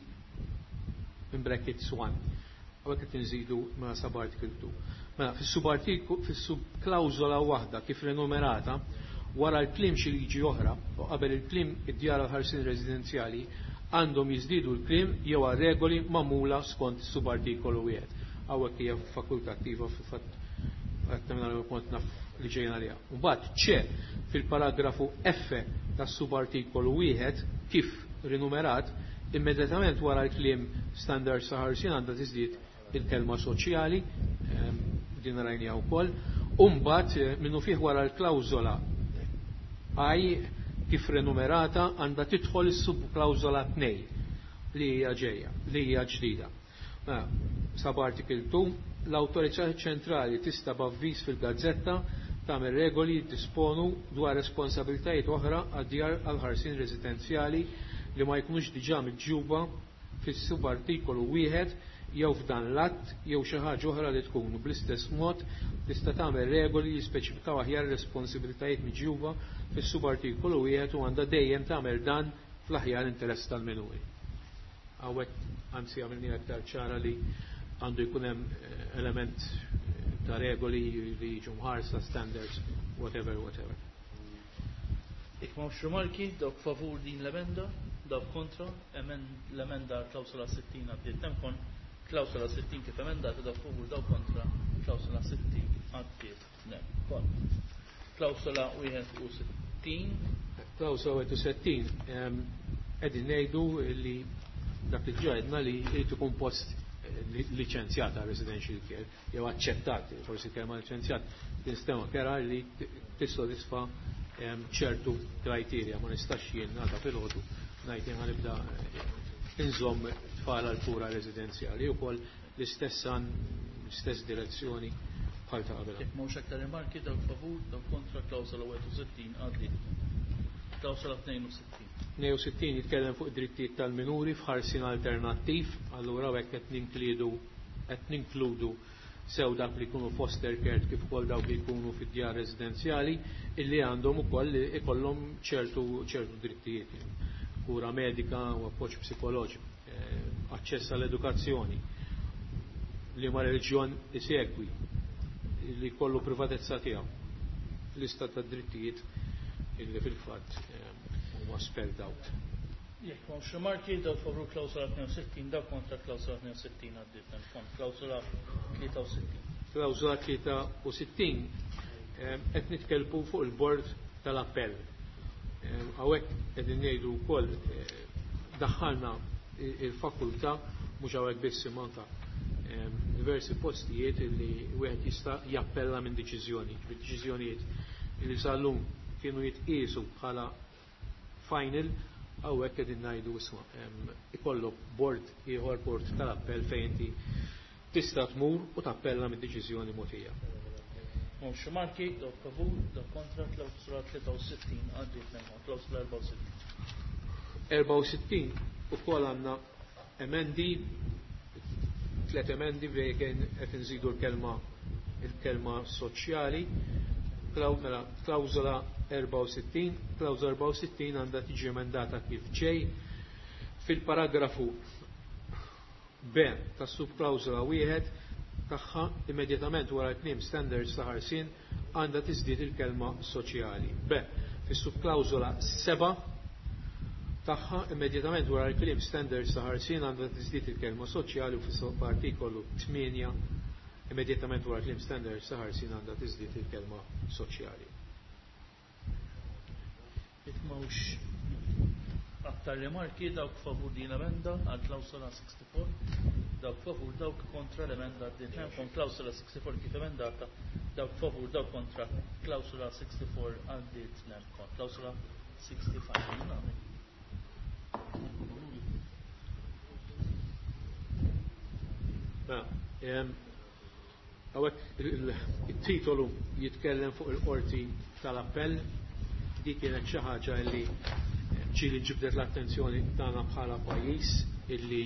in brackets one. Hawnhekk qed inżidu mela subartiklu two. Mela, fis-subartiklu, fis-subklawsola waħda kif rinumerata, wara l-kliem xi liġi oħra u qabel il-kliem id-djar għall-ħarsien residenzjali għandhom jiżdiedu l-kliem jew għal regoli magħmula skont is-subartikolu wieħed. Hawnhekk hija fakultattiva fil-fatt għattamina kont naf li ġejna liha. Mbagħad ċe fil-paragrafu F tas-subartikolu wieħed kif rinumerat, immedjatament wara l-kliem standard sa ħarsien għandha tiżdied il-kelma soċjali, din rajnija wkoll, u mbagħad minnu fih wara l-klawżola I kif renumerata għandha tidħol is-subklawżola tnejn li hija ġejja, li hija ġdida. Mela, subarticle two, l-awtorità ċentrali tista' b'avviż fil-gazzetta tagħmel regoli jiddisponu dwar responsabilitajiet oħra għad-djar għall-ħarsien residenzjali li ma jkunux diġà miġjuba fis-subartikolu wieħed jew f'dan l-att jew xi ħaġa oħra li tkun. Bl-istess mod tista' tagħmel regoli li jispeċifikaw aħjar responsabilitajiet miġjuba fis-subartikolu wieħed u għandha dejjem tagħmel dan fl-aħjar interess tal-minuri. Hawnhekk anzi għamilni aktar ċara li għandu jkun hemm element ta' regoli li jiġu mħarsa, standards, whatever, whatever. Jekk m'hawnx rimarki, dawk favur din l-emenda, dawk kontra, l-emenda klawsola sittin għaddiet temkon, klawsola sittin kif emendata, dawk favur, dawk kontra, klawsola sittin għaddiet nemkon. Klawsola wieħed u sittin. Klawsola wieħed u sittin, qegħdin ngħidu li dak li ġedna li jrid ikun post liċenzjata residential care, jew aċċettat, forsi kelma liċenzjat tinstema kera li tissodisfa ċertu kriterja, ma nistax jien nagħta filgħodu ngħid jien ħanibda inżomm tfal għal kura residenzjali wkoll l-istess għan, l-istess direzzjoni bħal ta' qabel. Jekk m'hawnx aktar rimarki, dawk favur, dawk kontra, klawsola wieħed u sittin għaddiet. Klawsola tnejn u sittin. tnejn u sittin jitkellem fuq drittijiet tal-minuri f'ħarsien alternattiv, allura hekk qed ninkludu qed ninkludu sew dak li jkunu foster care kif ukoll dawk li jkunu fid-djar residenzjali illi għandhom ukoll ikollhom ċertu ċertu drittijiet, kura medika u appoġġ psikoloġiku, aċċess għall-edukazzjoni, li ma reliġjon isegwi, li jkollu privatezza tiegħu, lista ta' drittijiet illi fil-fatt huma spelled out. Jekk m'hawnx rimarki, dawk favur klawsola tnejn u sittin, dawk kontra klawsola tnejn u sittin għaddiet hemm. Klawsola tlieta u sittin. Klawsola tlieta u sittin, qed nitkellmu fuq il-bord tal-appell. Hawnhekk qegħdin ngħidu wkoll daħħalna il-fakultà mhux hawnhekk biss imma anke diversi postijiet li wieħed jista' jappella minn deċiżjoni, ġifieri deċiżjonijiet li sal-lum kienu jitqiesu bħala final, hawnhekk qegħdin ngħidu isma' ikollok bord ieħor, bord tal-appell fejn inti tista' tmur u tappella mid-deċiżjoni mogħtija. Mhux marki, dawk favur, dawk kontra, klawsola tlieta u sittin għaddiet nemma, klawsola erbgħa u sittin. erbgħa u sittin ukoll għandna emendi, tliet emendi fejn kien qed inżidu l-kelma il-kelma soċjali. Mela, klawsola erbgħa u sittin, klawsola erbgħa u sittin għandha tiġi emendata kif ġej. Fil-paragrafu B tas-subklawsola wieħed tagħha immedjatament wara l-kliem standards ta' ħarsien għandha tiżdied il-kelma soċjali. B, fis-subklawsola seba' tagħha immedjatament wara l-kliem standards ta' ħarsien għandha tiżdied il-kelma soċjali, u fis-artikolu tmienja immedjatament wara l-kliem standards ta' ħarsien għandha tiżdied il-kelma soċjali. Jekk m'hawnx aktar rimarki, dawk favur din l-emenda għal klawsola sixty-four, dawk favur, dawk kontra l-emenda għaddiet. Hemm klawsola sixty-four kif emendata, dawk favur, dawk kontra, klawsola sixty-four għaddiet nemkon. Klawsola sixty-five. Mela, hawnhekk il-titolu jitkellem fuq il-qorti tal-appell. Dik kienet xi ħaġa li ġieli ġibdet l-attenzjoni tagħna bħala pajjiż, illi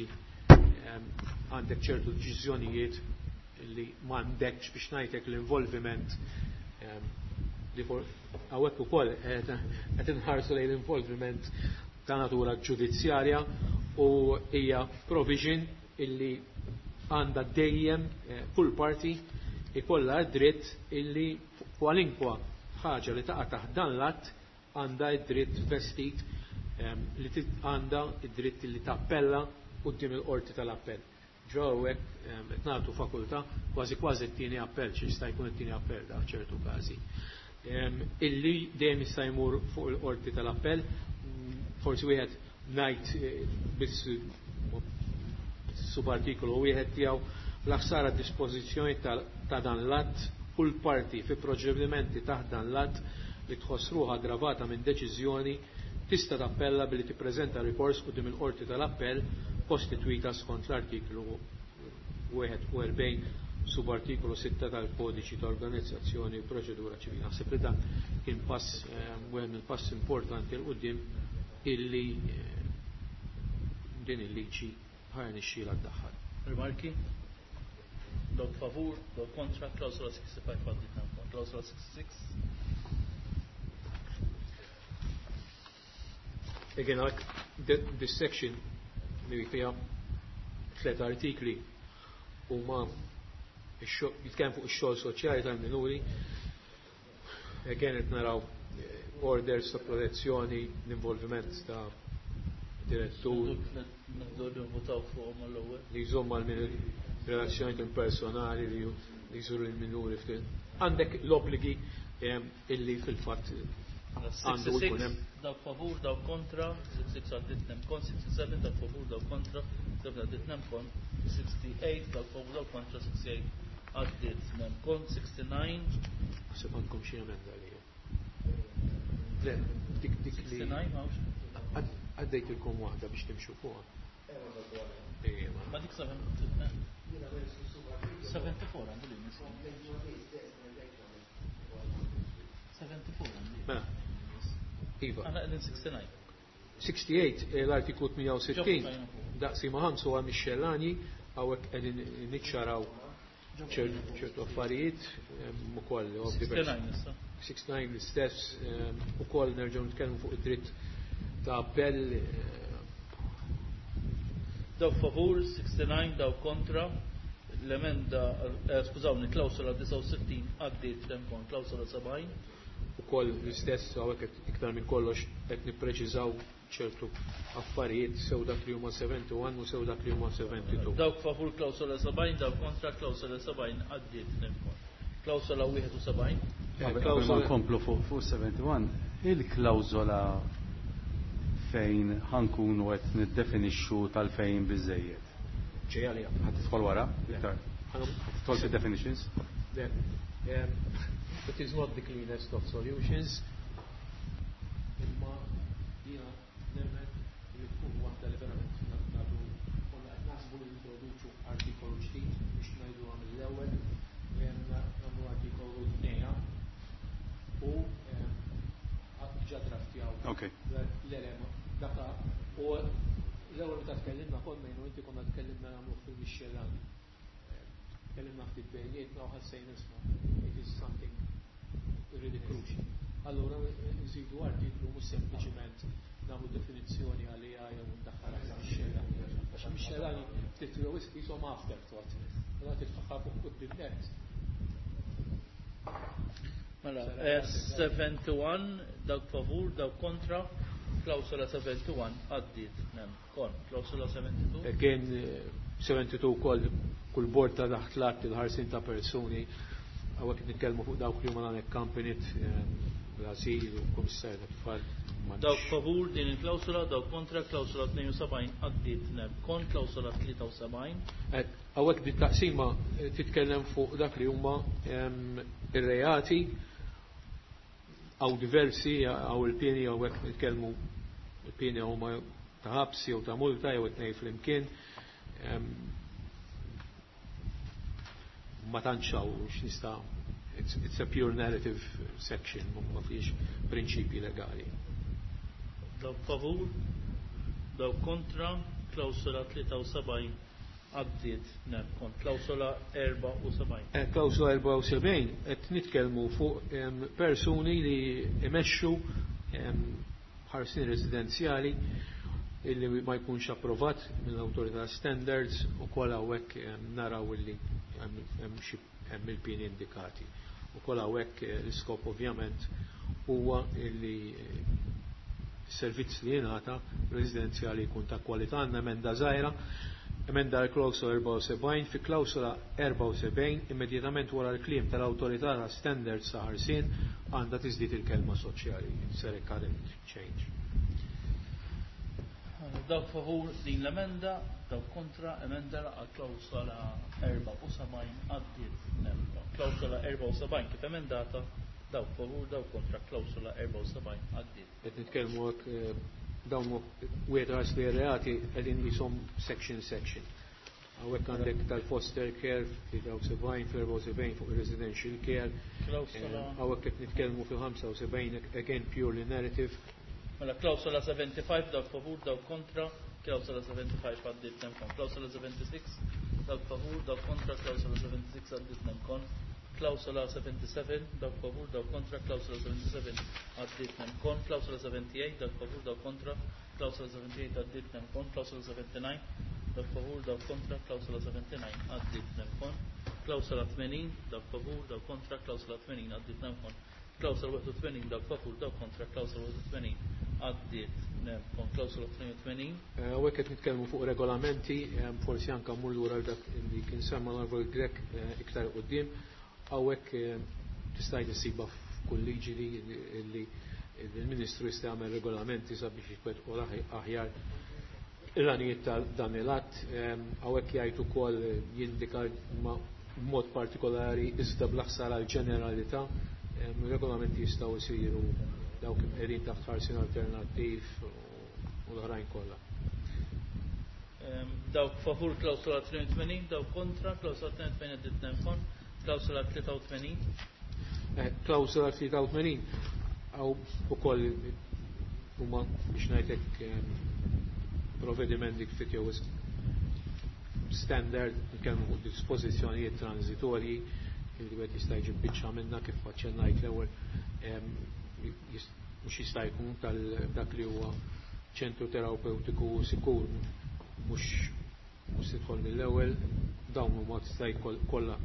għandek ċertu deċiżjonijiet illi m'għandekx biex ngħidlek l-involviment li hawnhekk ukoll qed inħarsu lejn l-involviment ta' natura ġudizzjarja, u hija provision illi għandha dejjem kull parti ikollha d-dritt illi kwalinkwa ħaġa li taqa' taħt dan l-att għandha d-dritt vestit li għandha d-dritt li tappella quddiem il-qorti tal-appell. Ġo hawnhekk qed nagħtu fakultà kważi kważi t-tieni appell, xi jista' jkun it-tieni appell da f'ċertu każi. Illi dejjem jista' jmur fuq il-qorti tal-appell, forsi wieħed ngħid biss subartikolu wieħed tiegħu l-ħsara dispożizzjoni ta' dan l-att, kull parti fi proċedimenti taħt dan l-att li tħoss ruħha aggravata minn deċiżjoni tista' tappella billi tippreżenta rikors quddiem il-qorti tal-appell kostitwita skont l-artiklu wieħed u erbgħin subartikolu sitta tal-Kodiċi ta' Organizzazzjoni u Proċedura Ċivili. Naħseb li dan kien pass, wieħed mill-pass importanti l quddiem illi din il-liġi ħajja nixxiela ddaħħal. Rimarki? Dawk favur, dawk kontra, klawsola sixty-five għaddiet nagħmlu. Klawsola sixty-six. Again, like this section li fiha tliet artikli huma jitkellem fuq ix-xogħol soċjali tal-minuri. Again qed naraw orders ta' protezzjoni, l-involviment ta' direttur li jżomm mal-minuri, relazzjoni personali li jżuru l-minuri ftit. Għandek l-obbligi illi fil-fatt għandu jkun hemm. Dawk favur, dawk kontra, sixty-six għaddiet nemkon, sixty-seven dawk favur, dawk kontra, seven għaddiet nemkon, sixty-eight dawk favur, dawk kontra, sixty-eight għaddiet nemkon, sixty-nine. Naħseb għandkom xi emenda li. Le, dik dik li sixty-nine m'hawnx. Għaddejtilkom waħda biex timxu fuqha. Ejja, ma. Ma dik seventy-four għandu li nisma. seventy-four għandu. Mela. Iva. Għana qegħdin sixty-nine. sixty-eight, l-artiklu tmienja u sittin, daqsi ma' ħamsa huwa mixxellani, hawnhekk qegħdin niċċaraw ċertu affarijiet, ukoll huwa diversi. sixty-nine issa. sixty-nine l-istess, ukoll nerġgħu nitkellmu fuq id-dritt ta' appell. Dawk favur, sixty-nine, dawk kontra, l-emenda, eh, skużawni, klawsola disgħa u sittin għaddiet l-emkon, klawsola sebgħin. Ukoll l-istess, hawnhekk iktar minn kollox qed nippreċiżaw ċertu affarijiet, sew dak li huma seventy-one u sew dak li huma seventy-two. Dawk favur klawsola sebgħin, dawk kontra klawsola sebgħin għaddiet l-emkon. Klawsola wieħed u sebgħin. Qabel ma nkomplu fuq, fuq seventy-one, il-klawsola fejn ħankunu qed niddefinixxu tal-fejn biżejjed. Ġejja li Ħa tidħol wara? Le. Iktar. Ħa tidħol fid-definitions? Le. Ehm, it is not the cleanest of solutions. Imma Jiena nemmen li tkun waħda li verament nagħtu konna qed naħsbu li nintroduċu artikolu ġdid biex ngħidu mill-ewwel, nagħmlu artikolu tnejn u diġà draftjaw l-elema daka u l-ewwel meta tkellimna konna jien u inti konna tkellimna nagħmluh fil-mixxellani. Tkellimna ftit bejnietna u ħassejna isma' it is something really crucial. Allura nżidu artiklu mhux sempliċiment nagħmlu definizzjoni għaliha jew ndaħħalha fil-mixxellani. Għax mixxellani ftit jew wisq qishom afterthought. Allura titfaħħa fuq quddiem nett. Mela, sebgħa u sebgħin dawk favur, dawk kontra, klawsola sebgħa u sebgħin għaddiet, nem, kon, klawsola sebgħa u sebgħin. Again, sebgħa u sebgħin ukoll kull bord ta' taħt l-att il-ħarsin ta' persuni, hawnhekk nitkellmu fuq dawk li huma unaccompanied, l-asil u kummissarju tat-tfal. Dawk favur din il-klawsola, dawk kontra, klawsola tnejn u sebgħin għaddiet, nem, kon, klawsola tlieta u sebgħin. Hawnhekk din taqsima titkellem fuq dak li huma ir-reati għaw diversi, għaw il-pieni, hawnhekk nitkellmu il-pieni huma ta' ħabs jew ta' multa jew it-tnejn flimkien. Ma tantx hawn x'nista' it's, it's a pure narrative section, ma fiex prinċipji legali. Dawk favur, dawk kontra, klawsola tlieta u sebgħin għaddiet, nem, kon, klawsola erbgħa u sebgħin. Eh, klawsola erbgħa u sebgħin qed nitkellmu fuq persuni li imexxu ħarsin residenzjali illi ma jkunx approvat mill-awtorità standards u kol hawnhekk naraw illi hemm il-pieni indikati. U kol hawnhekk l-iskop ovvjament huwa illi servizz li jingħata residenzjali jkun ta' kwalità. Għandna emenda żgħira, emenda l-klawsola erbgħa u sebgħin, fi klawsola erbgħa u sebgħin immedjatament wara l-kliem tal-awtorità ta' standards ta' ħarsien għandha tiżdied il-kelma soċjali. It's a current change. Dawk favur din l-emenda, dawk kontra, emenda għal klawsola erbgħa u sebgħin għaddiet, nem. Klawsola erbgħa u sebgħin kif emendata, dawk favur, dawk kontra, klawsola erbgħa u sebgħin għaddiet. Qed nitkellmu hekk dawn wieħed ras li reati qegħdin jisom section section. Hawnhekk għandek tal-foster care tlieta u sebgħin, fl-erbgħa u sebgħin fuq residential care. Hawnhekk qed nitkellmu fil-ħamsa u sebgħin again purely narrative. Mela klawsola ħamsa u sebgħin dawk favur, dawk kontra, klawsola ħamsa u sebgħin għaddiet, nem kon. Klawsola sitta u sebgħin dawk favur, dawk kontra, klawsola sitta u sebgħin għaddiet, nem kon. Klawsola sebgħa u sebgħin dawk favur, dawk kontra, klawsola sebgħa u sebgħin għaddiet, nem kon. Klawsola sebgħa u sebgħin dawk favur, dawk kontra, klawsola sebgħa u sebgħin għaddiet, nem kon. Klawsola sebgħa u sebgħin dawk favur, dawk kontra, klawsola sebgħa u sebgħin għaddiet, nem kon. Klawsola tmenin dawk favur, dawk kontra, klawsola tmenin għaddiet, nem kon. Klawsola wieħed u tmenin dawk favur, dawk kontra, klawsola wieħed u tmenin għaddiet, nem kon. Klawsola tnejn u tmenin. Hawnhekk qed nitkellmu fuq regolamenti, forsi anke mmur lura dak li kien semma l Grech iktar quddiem. Hawnhekk tista' issibha f'kull liġi li il-Ministru jista' jagħmel regolamenti sabiex jitwettqu aħjar il-għanijiet ta' dan il-att. Hawnhekk jgħid ukoll jindika b'mod partikolari iżda bla ħsara l-ġeneralità, regolamenti jistgħu jsiru dawk qegħdin taħt ħarsien alternattiv u l-oħrajn kollha. Dawk favur klawsola tnejn u tmenin, dawk kontra, klawsola tnejn u tmenin għaddiet, nem kon. Klawsola tlieta u tmenin. Klawsola tlieta u tmenin għaw ukoll huma biex ngħidlek provvedimenti ftit jew standard, nitkellmu fuq dispożizzjonijiet transitorji li wieħed jista' jġib biċċa minna kif aċċennajt l-ewwel, mhux jista' jkun tal dak li huwa ċentru terapeutiku sikur mhux mhux tidħol mill-ewwel, dawn huma tista' kollha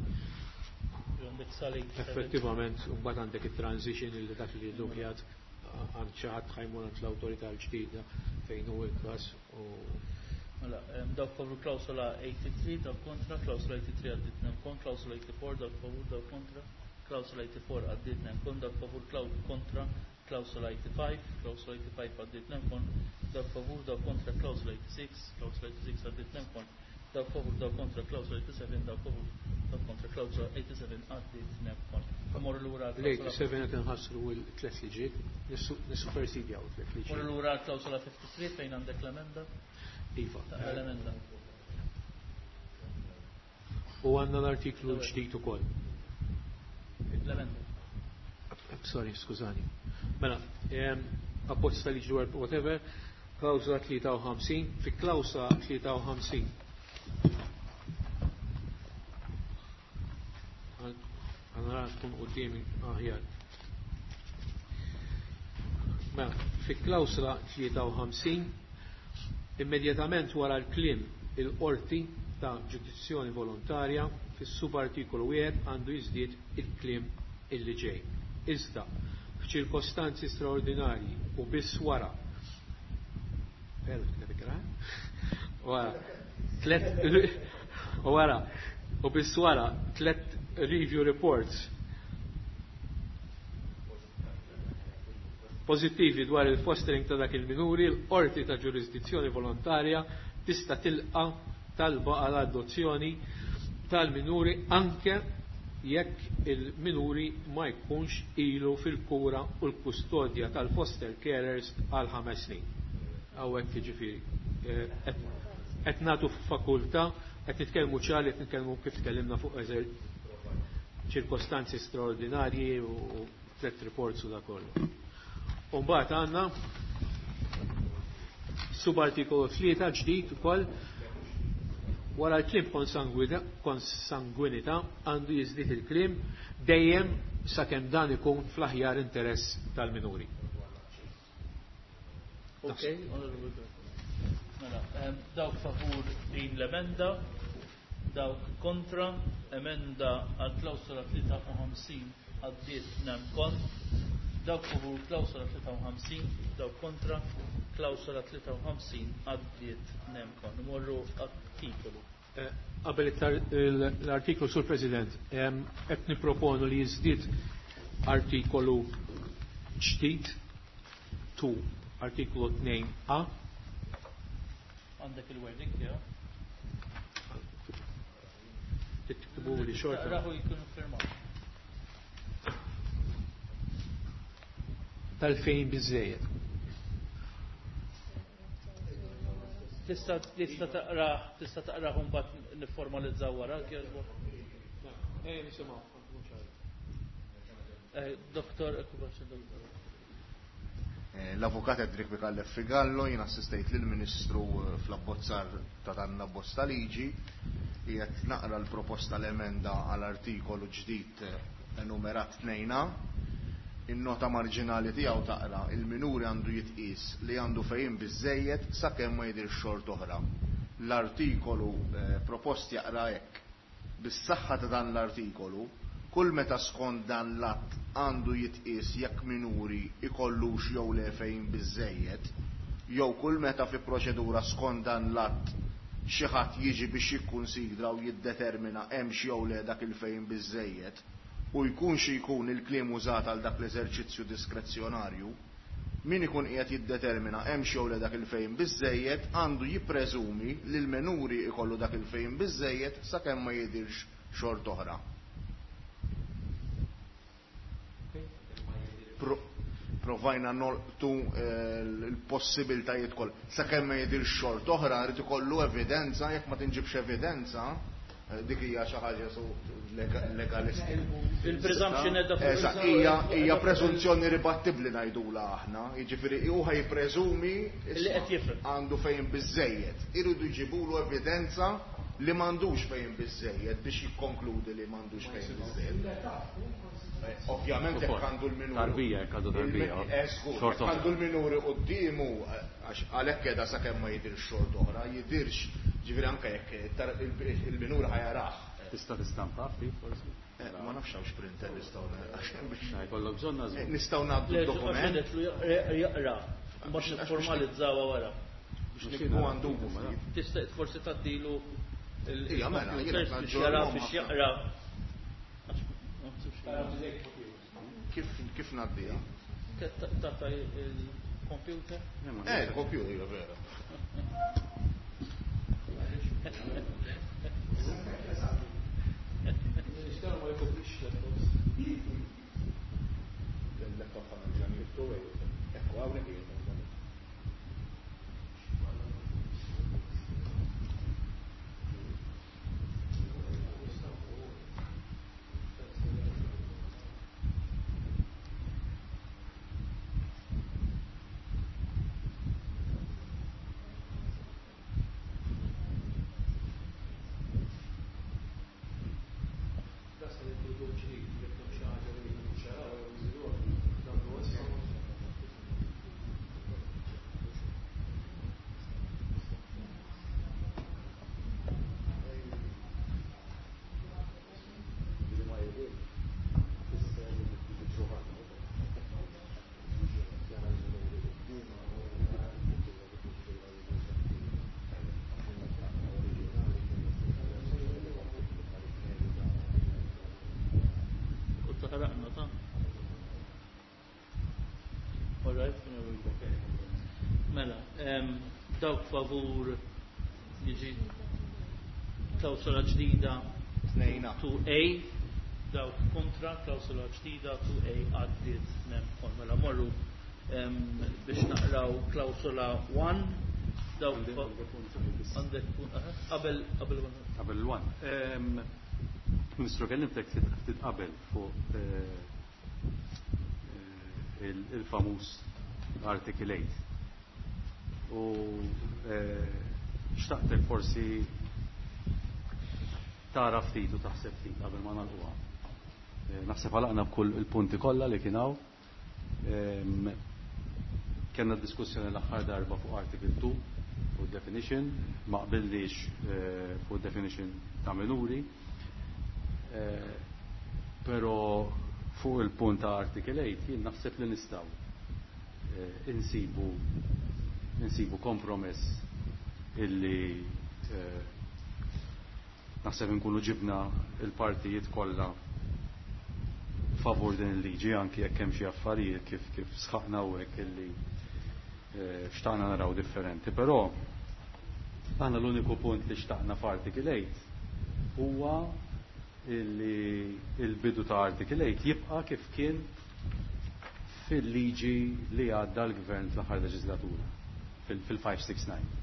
effettivament mbagħad għandek it-transition illi dak li dukjat għand xi ħadd ħa jmur għand l-awtorità l-ġdida fejn hu l-każ u Mela, dawk favur klawsola tmienja u tmenin, dawk kontra, klawsola tmienja u tmenin għaddiet, nem kon. Klawsola erbgħa u tmenin, dawk favur, dawk kontra, klawsola erbgħa u tmenin għaddiet, nem kon. Dawk favur kontra klawsola ħamsa u tmenin, klawsola ħamsa u tmenin għaddiet, nem kon. Dawk favur, dawk kontra, klawsola sitta u tmenin, klawsola sitta u tmenin għaddiet, nem kon. Dawk favur, dawk kontra klawsola eighty-seven, dawk favur, dawk kontra klawsola eighty-seven għaddiet nem kon. Morru lura l-eighty-seven qed inħassru l-tliet liġijiet, nissupersidjaw tliet liġijiet. Morru lura klawsola fifty-three fejn għandek l-emenda? Iva. L-emenda. U għandna l-artiklu l-ġdid ukoll. L-emenda. Sorry, skużani. Mela, abbozz ta' liġi dwar whatever, klawsola tlieta u ħamsin, fi klawsola tlieta u ħamsin. Għanra tkun quddiemi aħjar. Mela, fi klawsola tlieta u ħamsin, immedjatament wara l-kliem il-qorti ta' ġurisdizzjoni volontarja, fis-subartikolu wieħed għandu jiżdied il-kliem illi ġej. Iżda, f'ċirkostanzi straordinarji u biss wara wara tlet wara u biss wara tlet review reports pożittivi dwar il-fostering ta' dak il-minuri, l-qorti ta' ġurisdizzjoni volontarja tista' tilqa' talba għal adozzjoni tal-minuri anke jekk il-minuri ma jkunx ilu fil-kura u l-kustodja tal-foster carers għal ħames snin. Hawnhekk jiġifieri qed nagħtu fakultà, qed nitkellmu ċari, qed nitkellmu kif tkellimna fuq eżer ċirkostanzi straordinarji u tliet reports u da kollu. U mbagħad għandna subartikolu tlieta ġdid ukoll wara l-kliem konsangwinità għandu jiżdied il-kliem dejjem sakemm dan ikun fl-aħjar interess tal-minuri. Ok, onorevole. Mela, dawk favur din l-emenda, dawk kontra, emenda għal klawsola tlieta u ħamsin għaddiet nem kont, dawk favur klawsola tlieta u ħamsin, dawk kontra, klawsola tlieta u ħamsin għaddiet nem kont. Morru għat-titolu. Qabel l-artiklu, Sur President, qed nipproponu li jiżdied artikolu ġdid tu artiklu tnejn A. Għandek il-wording tiegħu? Tiktbu li xorta. Raħu jkunu firmat. Tal-fejn biżejjed. Tista' tista' taqra tista' taqra mbagħad nifformalizzaw wara kieżbu. Eh, nisimgħu. Eh, Doktor, ekkubax doktor. L-avukat Edric Micallef Figallo, jien assistejt lill-Ministru fl-abbozzar ta' dan l-abbozz ta' liġi, qiegħed naqra l-proposta l-emenda għal artikolu ġdid enumerat tnejn A. In-nota marġinali tiegħu taqra il-minuri għandu jitqies li għandu fejn biżejjed sakemm ma jidhirx xort oħra. L-artikolu propost jaqra hekk. Bis-saħħa ta' dan l-artikolu, kull meta skont dan l-att għandu jitqies jekk minuri ikollux jew le fejn biżejjed, jew kull meta fi proċedura skont dan l-att xi ħadd jiġi biex jikkunsidra u jiddetermina hemmx jew le dak il-fejn biżejjed, u jkun xi jkun il-kliem użat għal dak l-eżerċizzju diskrezzjonarju, min ikun qiegħed jiddetermina hemmx jew le dak il-fejn biżejjed għandu jippreżumi li l-minuri ikollu dak il-fejn biżejjed sakemm ma jidhirx xort oħra. Provajna nolqtu l-possibiltajiet kollha. Sakemm ma jidhirx xort oħra, rid ikollu evidenza, jekk ma tinġibx evidenza, dik hija xi ħaġa su legalistika. Il-presumption edha fuq Eżatt, hija hija preżunzjoni ribattibbli ngħidula aħna, jiġifieri hu ħajpreżumi li qed jifhem għandu fejn biżejjed. Iridu jġibulu evidenza li m'għandux fejn biżejjed biex jikkonkludi li m'għandux fejn biżejjed. Ovvjament jekk għandu l-minuri. Tarbija, jekk għandu tarbija. Jekk għandu l-minuri quddiemu, għax għalhekk qiegħda sakemm ma jidhirx xort oħra, jidhirx, ġifieri anke jekk il-minuri ħajarah. Tista' tistampa ftit forsi? Ma nafx hawnx printer nistgħu għax biex jkollok bżonn nażmu. Nistgħu ngħaddu d-dokument. Jaqra, mbagħad nifformalizzawha wara. Biex nikbu għandu. Tista' forsi tgħaddilu Ija, mela, il-computer biex jara biex jaqra. Kif kif ngħaddiha? Tata il-computer? Eh, il-computer hija vera. Dawk favur jiġi klawsola ġdida two A, dawk kontra klawsola ġdida two A għaddiet nemkon. Mela morru biex naqraw klawsola one, dawk għandek qabel qabel qabel one. Ministru, kellimtek ftit qabel fuq il-famuż Article eight. U xtaqtek forsi tara ftit u taħseb ftit qabel ma nagħlquha. Naħseb għalaqna b'kull il-punti kollha li kien hawn. Kellna diskussjoni l-aħħar darba fuq Article two fuq definition, ma qbillix fuq definition ta' minuri. Però fuq il-punt ta' Article eight jien naħseb li nistgħu insibu insibu kompromess illi naħseb inkunu ġibna il-partijiet kollha favur din il-liġi, anki jekk hemm xi affarijiet kif kif sħaqna hawnhekk illi xtaqna naraw differenti. Però aħna l-uniku punt li xtaqna f'Article eight huwa illi il-bidu ta' Article eight jibqa' kif kien fil-liġi li għadda l-gvern fl-aħħar leġislatura, fil-five six nine.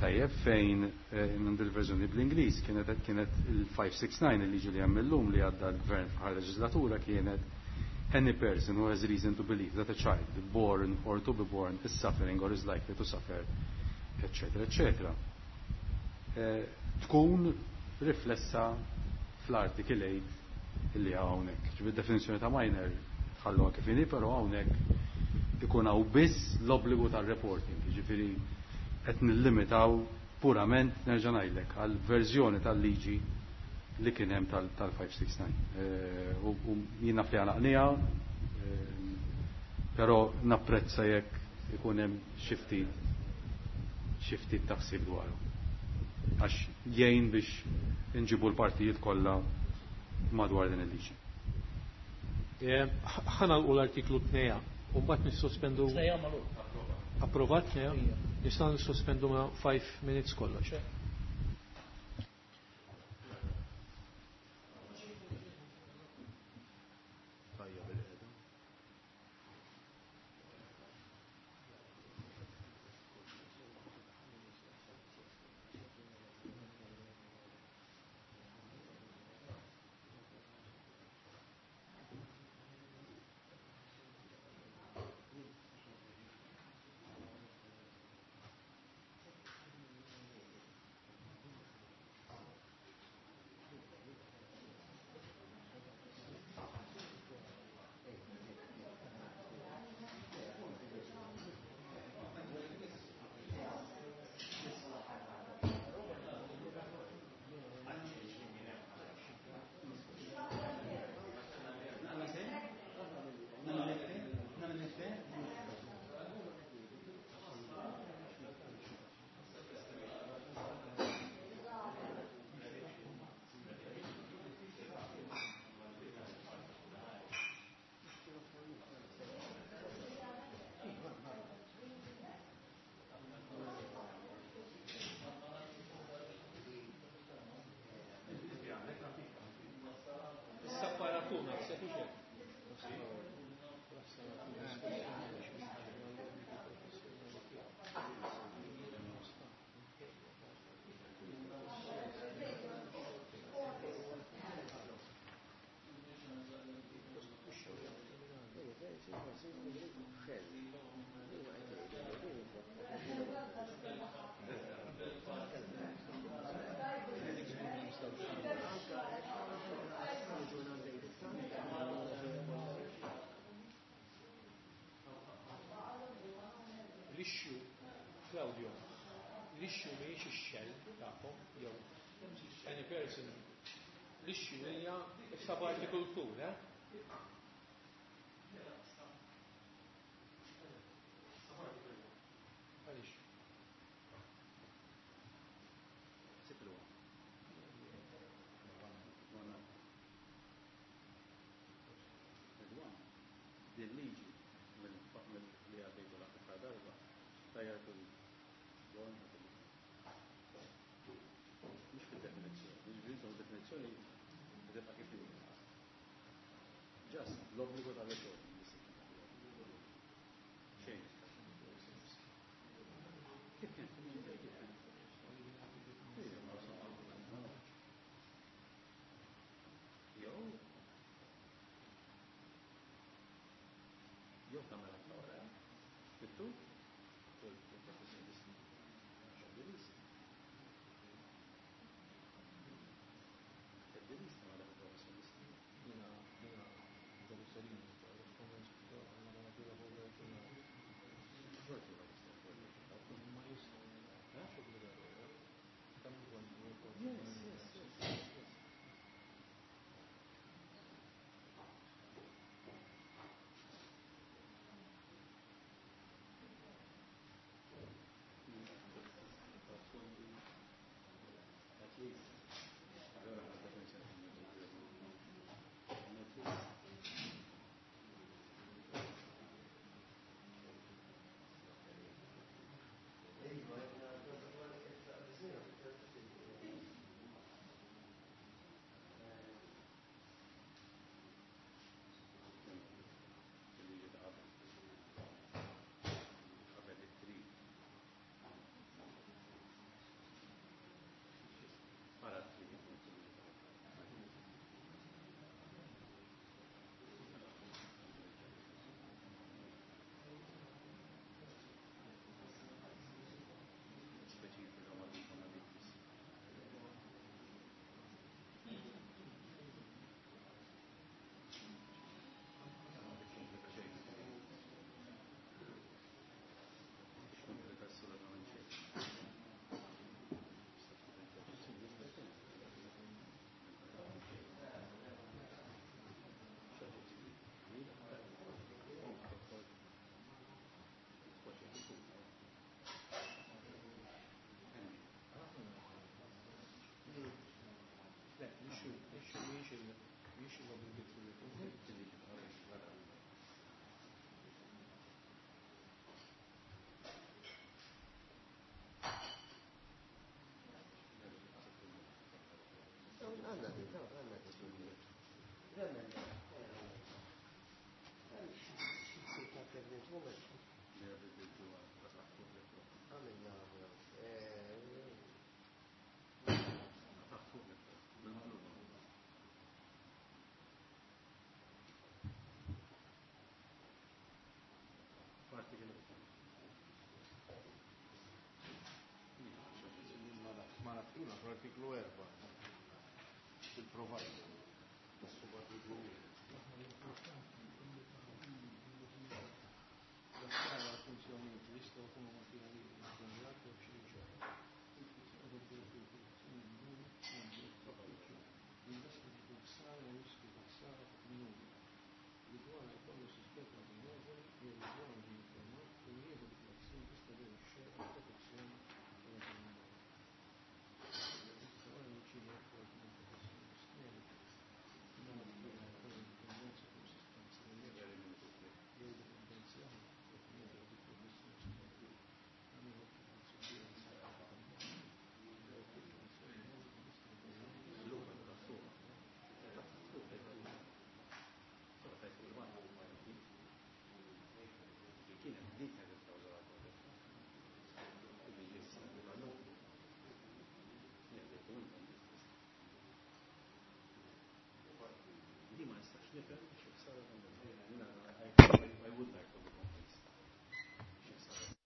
Tajjeb, fejn għand il-verżjoni bl-Ingliż kienet kienet il-five six nine, il-liġi li hemm illum li għadda l-gvern fl-aħħar leġislatura kienet any person who has reason to believe that a child born or to be born is suffering or is likely to suffer, eccetera, eccetera. Tkun riflessa fl-Article eight illi hawnhekk. Ġifieri definizzjoni ta' minor tħalluha kif inhi, però hawnhekk ikun hawn biss l-obbligu tar-reporting. Ġifieri qed nillimitaw purament, nerġa' ngħidlek, għal verżjoni tal-liġi li kien hemm tal-five six nine. U jien naf li għalaqniha, però napprezza jekk ikun hemm xi ftit xi ftit taħsib dwaru. Għax jgħin biex inġibu l-partijiet kollha madwar din il-liġi. Ħanalqu l-artiklu tnejn u mbagħad nissospendu. Tnejn magħluq. Approvat tnejn? Nistgħu nissospendu ma' five minutes kollox. L-issue, Claudio, l-issue mhijiex ix-xell tagħkom jew any person. L-issue hija sub-article two, eh? Għaliex? Din liġi mill-li għaddejtu l-aħħar darba tajjar Definizzjoni tibqa' kif hi. Just l-obbligu tal-recording. Xejn. Kif kien? Kif kien? Jew jew tagħmel aktar wara. Fittu? Professjonisti. Lista ma dak professjonisti. Jiena jiena Yes, yes, yes, yes, yes. At least. Allora, At least. Il-liġi ta' qabel. Qabel it-tri. Wara t-tri, il-liġi ta' qabel. Speċifika ma' dik ma' dik biss. Ma tikkomplika xejn. Tikkomplika assolutament xejn. Le, l-issue, l-issue mhijiex il- mhijiex l-obligatory reporting. Għanna di, għanna di. Remenda. Ta' pregnant woman. Għamilna, eh, Ma naftina fl-artiklu erba' fil-provider tas-subartiklu wieħed. L-aħħar funzjonijiet li jistgħu jkunu materjali ġenerati b'xi ġara. Jinvestigu ħsara u riskju ta' ħsara fuq minuri li dwarha jkollu suspett raġonevoli jew li dwarha ġie informat u li jieħu dik l-azzjoni tistabilixxi għall-protezzjoni ta' dak il-minuri. Wara jirċievi rapport minn professjonist mediku minn jkollu dipendenza fuq sostanzi illeċiti jew dipendenzi oħra definita dik professjonist mediku għamil observanza jew kontrazzjoni mediku Di ma nistax nifhem xi ħsara tagħmel. I would like to be convinced. Xi ħsara.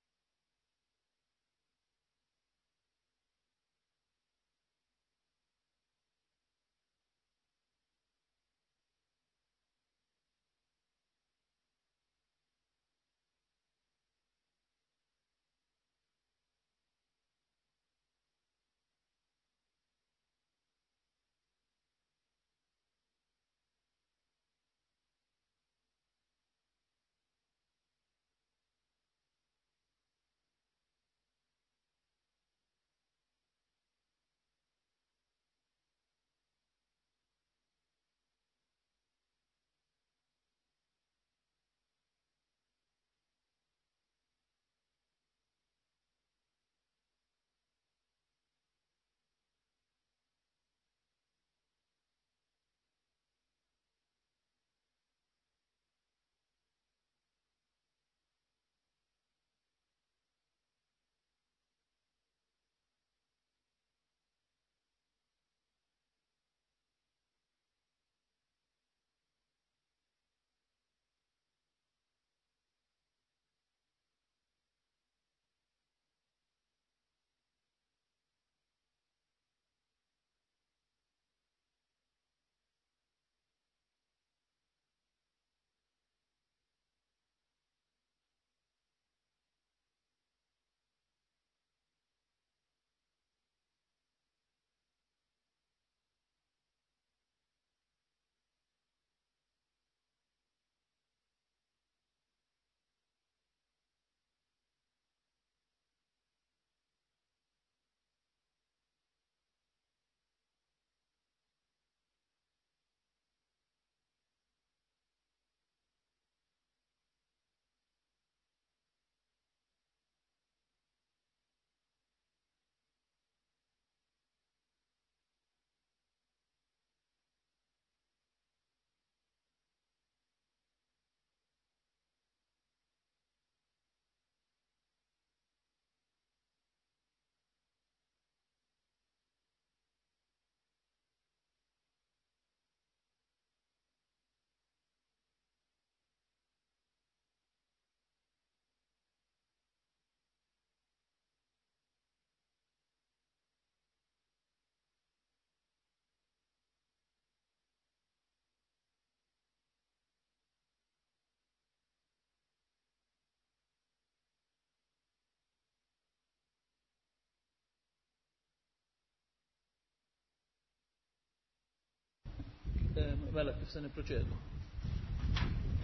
Mela kif se nipproċedu?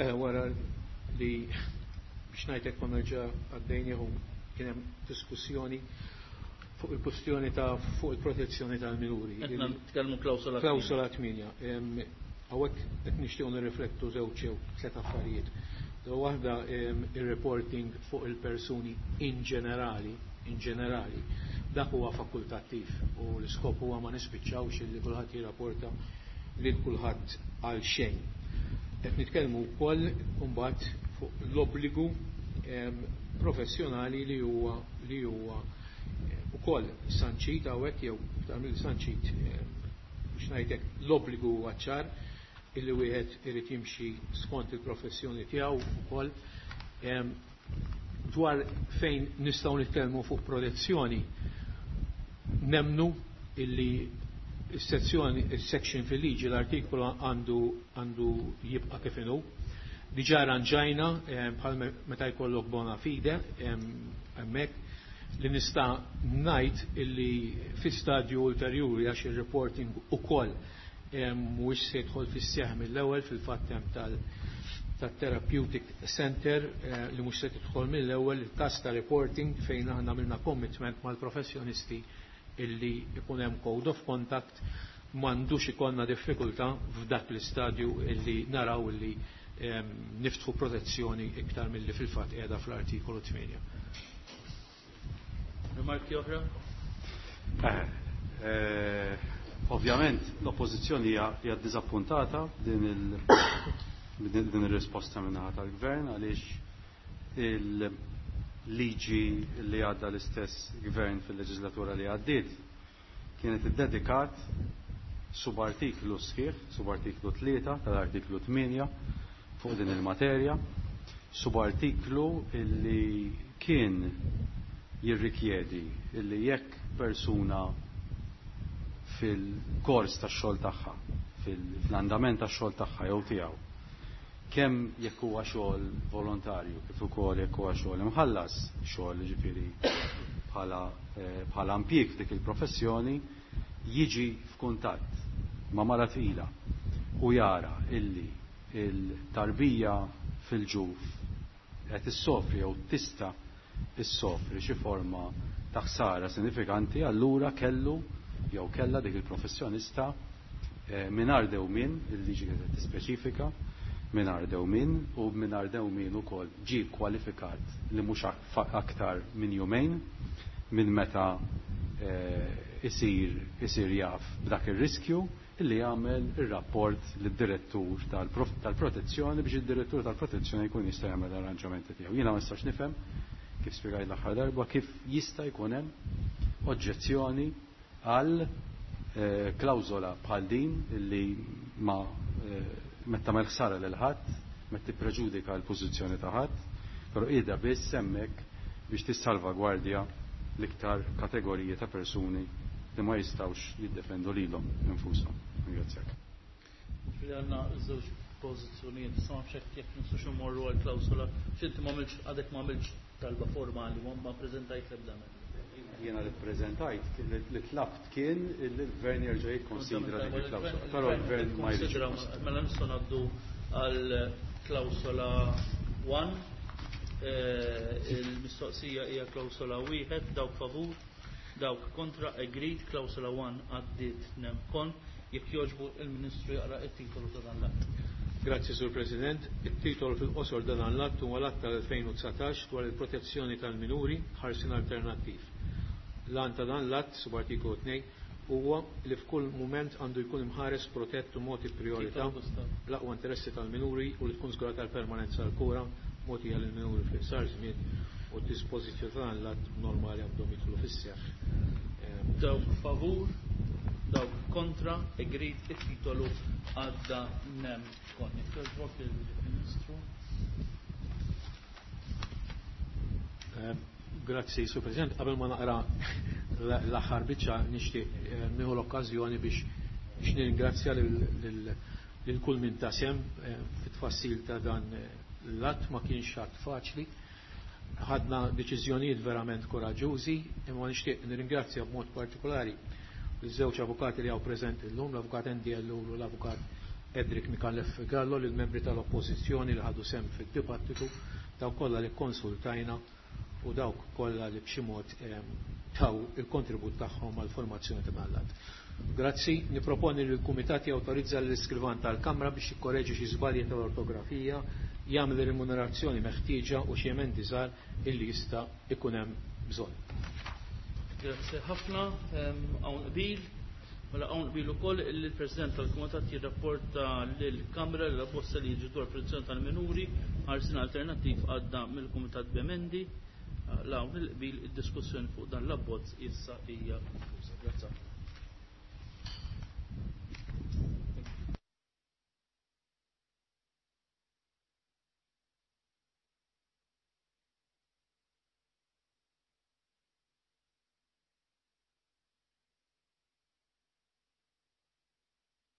Eh, wara li biex ngħidlek konna ġa għaddejniehom kien hemm diskussjoni fuq il-kwestjoni ta' fuq il-protezzjoni tal-minuri. Qed nitkellmu klawsola Klawsola tmienja. Hawnhekk qed nixtiequ nirriflettu żewġ jew tliet affarijiet. Waħda ir-reporting fuq il-persuni in ġenerali, in ġenerali, dak huwa fakultattiv u l-iskop huwa ma nispiċċawx illi kulħadd jirrapporta lil kulħadd għal xejn. Qed nitkellmu wkoll imbagħad fuq l-obbligu professjonali li huwa li huwa ukoll sanċit hawnhekk jew iktar mill sanċit biex ngħidlek l-obbligu huwa ċar illi wieħed irid jimxi skont il-professjoni tiegħu ukoll. Dwar fejn nistgħu nitkellmu fuq protezzjoni, nemnu illi is-sezzjoni, is-section fil-liġi, l-artikolu għandu għandu jibqa' kif inhu. Diġà arranġajna bħal meta jkollok bona fide hemmhekk li nista' ngħid illi fi stadju ulterjuri għax ir-reporting ukoll mhuwiex se jidħol fis-seħħ mill-ewwel, fil-fatt hemm tal tat-Therapeutic Center li mhux se tidħol mill-ewwel il-każ ta' reporting fejn aħna għamilna commitment mal-professjonisti illi ikun hemm code of conduct, m'għandux ikollna diffikultà f'dak l-istadju illi naraw illi niftħu protezzjoni iktar milli fil-fatt qiegħda fl-artikolu tmienja. Rimarki oħra? Eh, ovvjament l-oppożizzjoni hija ddiżappuntata din il din ir-risposta min-naħa tal-gvern għaliex il-liġi li għadda l-istess gvern fil-leġislatura li għaddiet kienet iddedikat subartiklu sħiħ, subartiklu tlieta tal-artiklu tmienja fuq din il-materja, subartiklu illi kien jirrikjedi illi jekk persuna fil-kors tax-xogħol tagħha, fil-andament tax-xogħol tagħha jew tiegħu, kemm jekk huwa xogħol volontarju kif ukoll jekk huwa xogħol imħallas, xogħol ġifieri bħala bħala impjieg f'dik il-professjoni, jiġi f'kuntatt ma' mara tqila u jara illi il-tarbija fil-ġuf qed issofri jew tista' issofri xi forma ta' ħsara sinifikanti, allura kellu jew kellha dik il-professjonista mingħajr dewmien, il-liġi kienet tispeċifika mingħajr dewmien u mingħajr dewmien ukoll ġie kwalifikat li mhux aktar minn jumejn minn meta isir isir jaf b'dak ir-riskju illi jagħmel ir-rapport lid-direttur tal-protezzjoni biex id-direttur tal-protezzjoni jkun jista' jagħmel l-arranġamenti tiegħu. Jiena ma nistax nifhem kif spjegajt l-aħħar darba kif jista' jkun hemm oġġezzjoni għal klawżola bħal din illi ma meta tagħmel ħsara lil ħadd, meta tippreġudika l-pożizzjoni ta' ħadd, però qiegħda biss hemmhekk biex tissalvagwardja l-iktar kategoriji ta' persuni li ma jistgħux jiddefendu lilhom infushom. Ringrazzjak. Li għandna żewġ pożizzjonijiet, issa ma nafx jekk nistgħux immorru għal klawsola, x'inti ma għamilx għadek ma għamilx talba formali, ma ppreżentajt l-ebda emenda. Jiena li ppreżentajt, li tlabt kien li l-gvern jerġa' jikkonsidra dik il-klawsola, però l-gvern ma jridx. Mela nistgħu ngħaddu għal klawsola wieħed, il-mistoqsija hija klawsola wieħed, dawk favur, dawk kontra, agreed, klawsola wieħed għaddiet nemkon. Jekk jogħġbu il-Ministru jaqra it-titolu ta' dan l-att. Grazzi, Sur President. Il-titolu fil-qosor ta' dan l-att huwa l-att tal-elfejn u dsatax dwar il-protezzjoni tal-minuri ħarsien alternattiv. L-għan ta' dan l-att, subartikolu tnejn, huwa li f'kull mument għandu jkun imħares protett u mogħti priorità l-aqwa interessi tal-minuri u li tkun żgurata l-permanenza tal-kura mogħtija lill-minuri fl-iqsar żmien u d-dispożizzjoni ta' dan l-att normali għandhom jidħlu fis-seħħ. Dawk favur, dawk kontra, agreed, it-titolu għadda nem kon. Jekk il-Ministru. Grazzi, Sur President. Qabel ma naqra l-aħħar biċċa nixtieq nieħu l-okkażjoni biex biex nirringrazzja lil kull min ta sehem fit-tfassil ta' dan l-att. Ma kienx att faċli. Ħadna deċiżjonijiet verament koraġġużi, imma nixtieq nirringrazzja b'mod partikolari l-żewġ avukati li hawn preżenti llum, l-avukat Andy Ellul u l-avukat Edric Micallef Gallo, lill-membri tal-Oppożizzjoni li ħadu sehem fid-dibattitu, dawk kollha li konsultajna u dawk kollha li b'xi mod taw il-kontribut tagħhom għall-formazzjoni ta' dan l-att. Grazzi, niproponi li l-Kumitat jawtorizza l-iskrivan tal-Kamra biex jikkoreġi xi żbalji tal-ortografija, jagħmel ir-remunerazzjoni meħtieġa u xi emendi żgħar illi jista' ikun hemm bżonn. Grazzi ħafna, hawn qbil. Mela hawn qbil ukoll illi l-President tal-Kumitat jirrapporta lill-Kamra li l-abbozz ta' liġi dwar protezzjoni tal-minuri ħarsien alternattiv għadda mill-Kumitat b'emendi. La hawn il-qbil, id-diskussjoni fuq dan l-abbozz issa hija konkluża. Grazzi.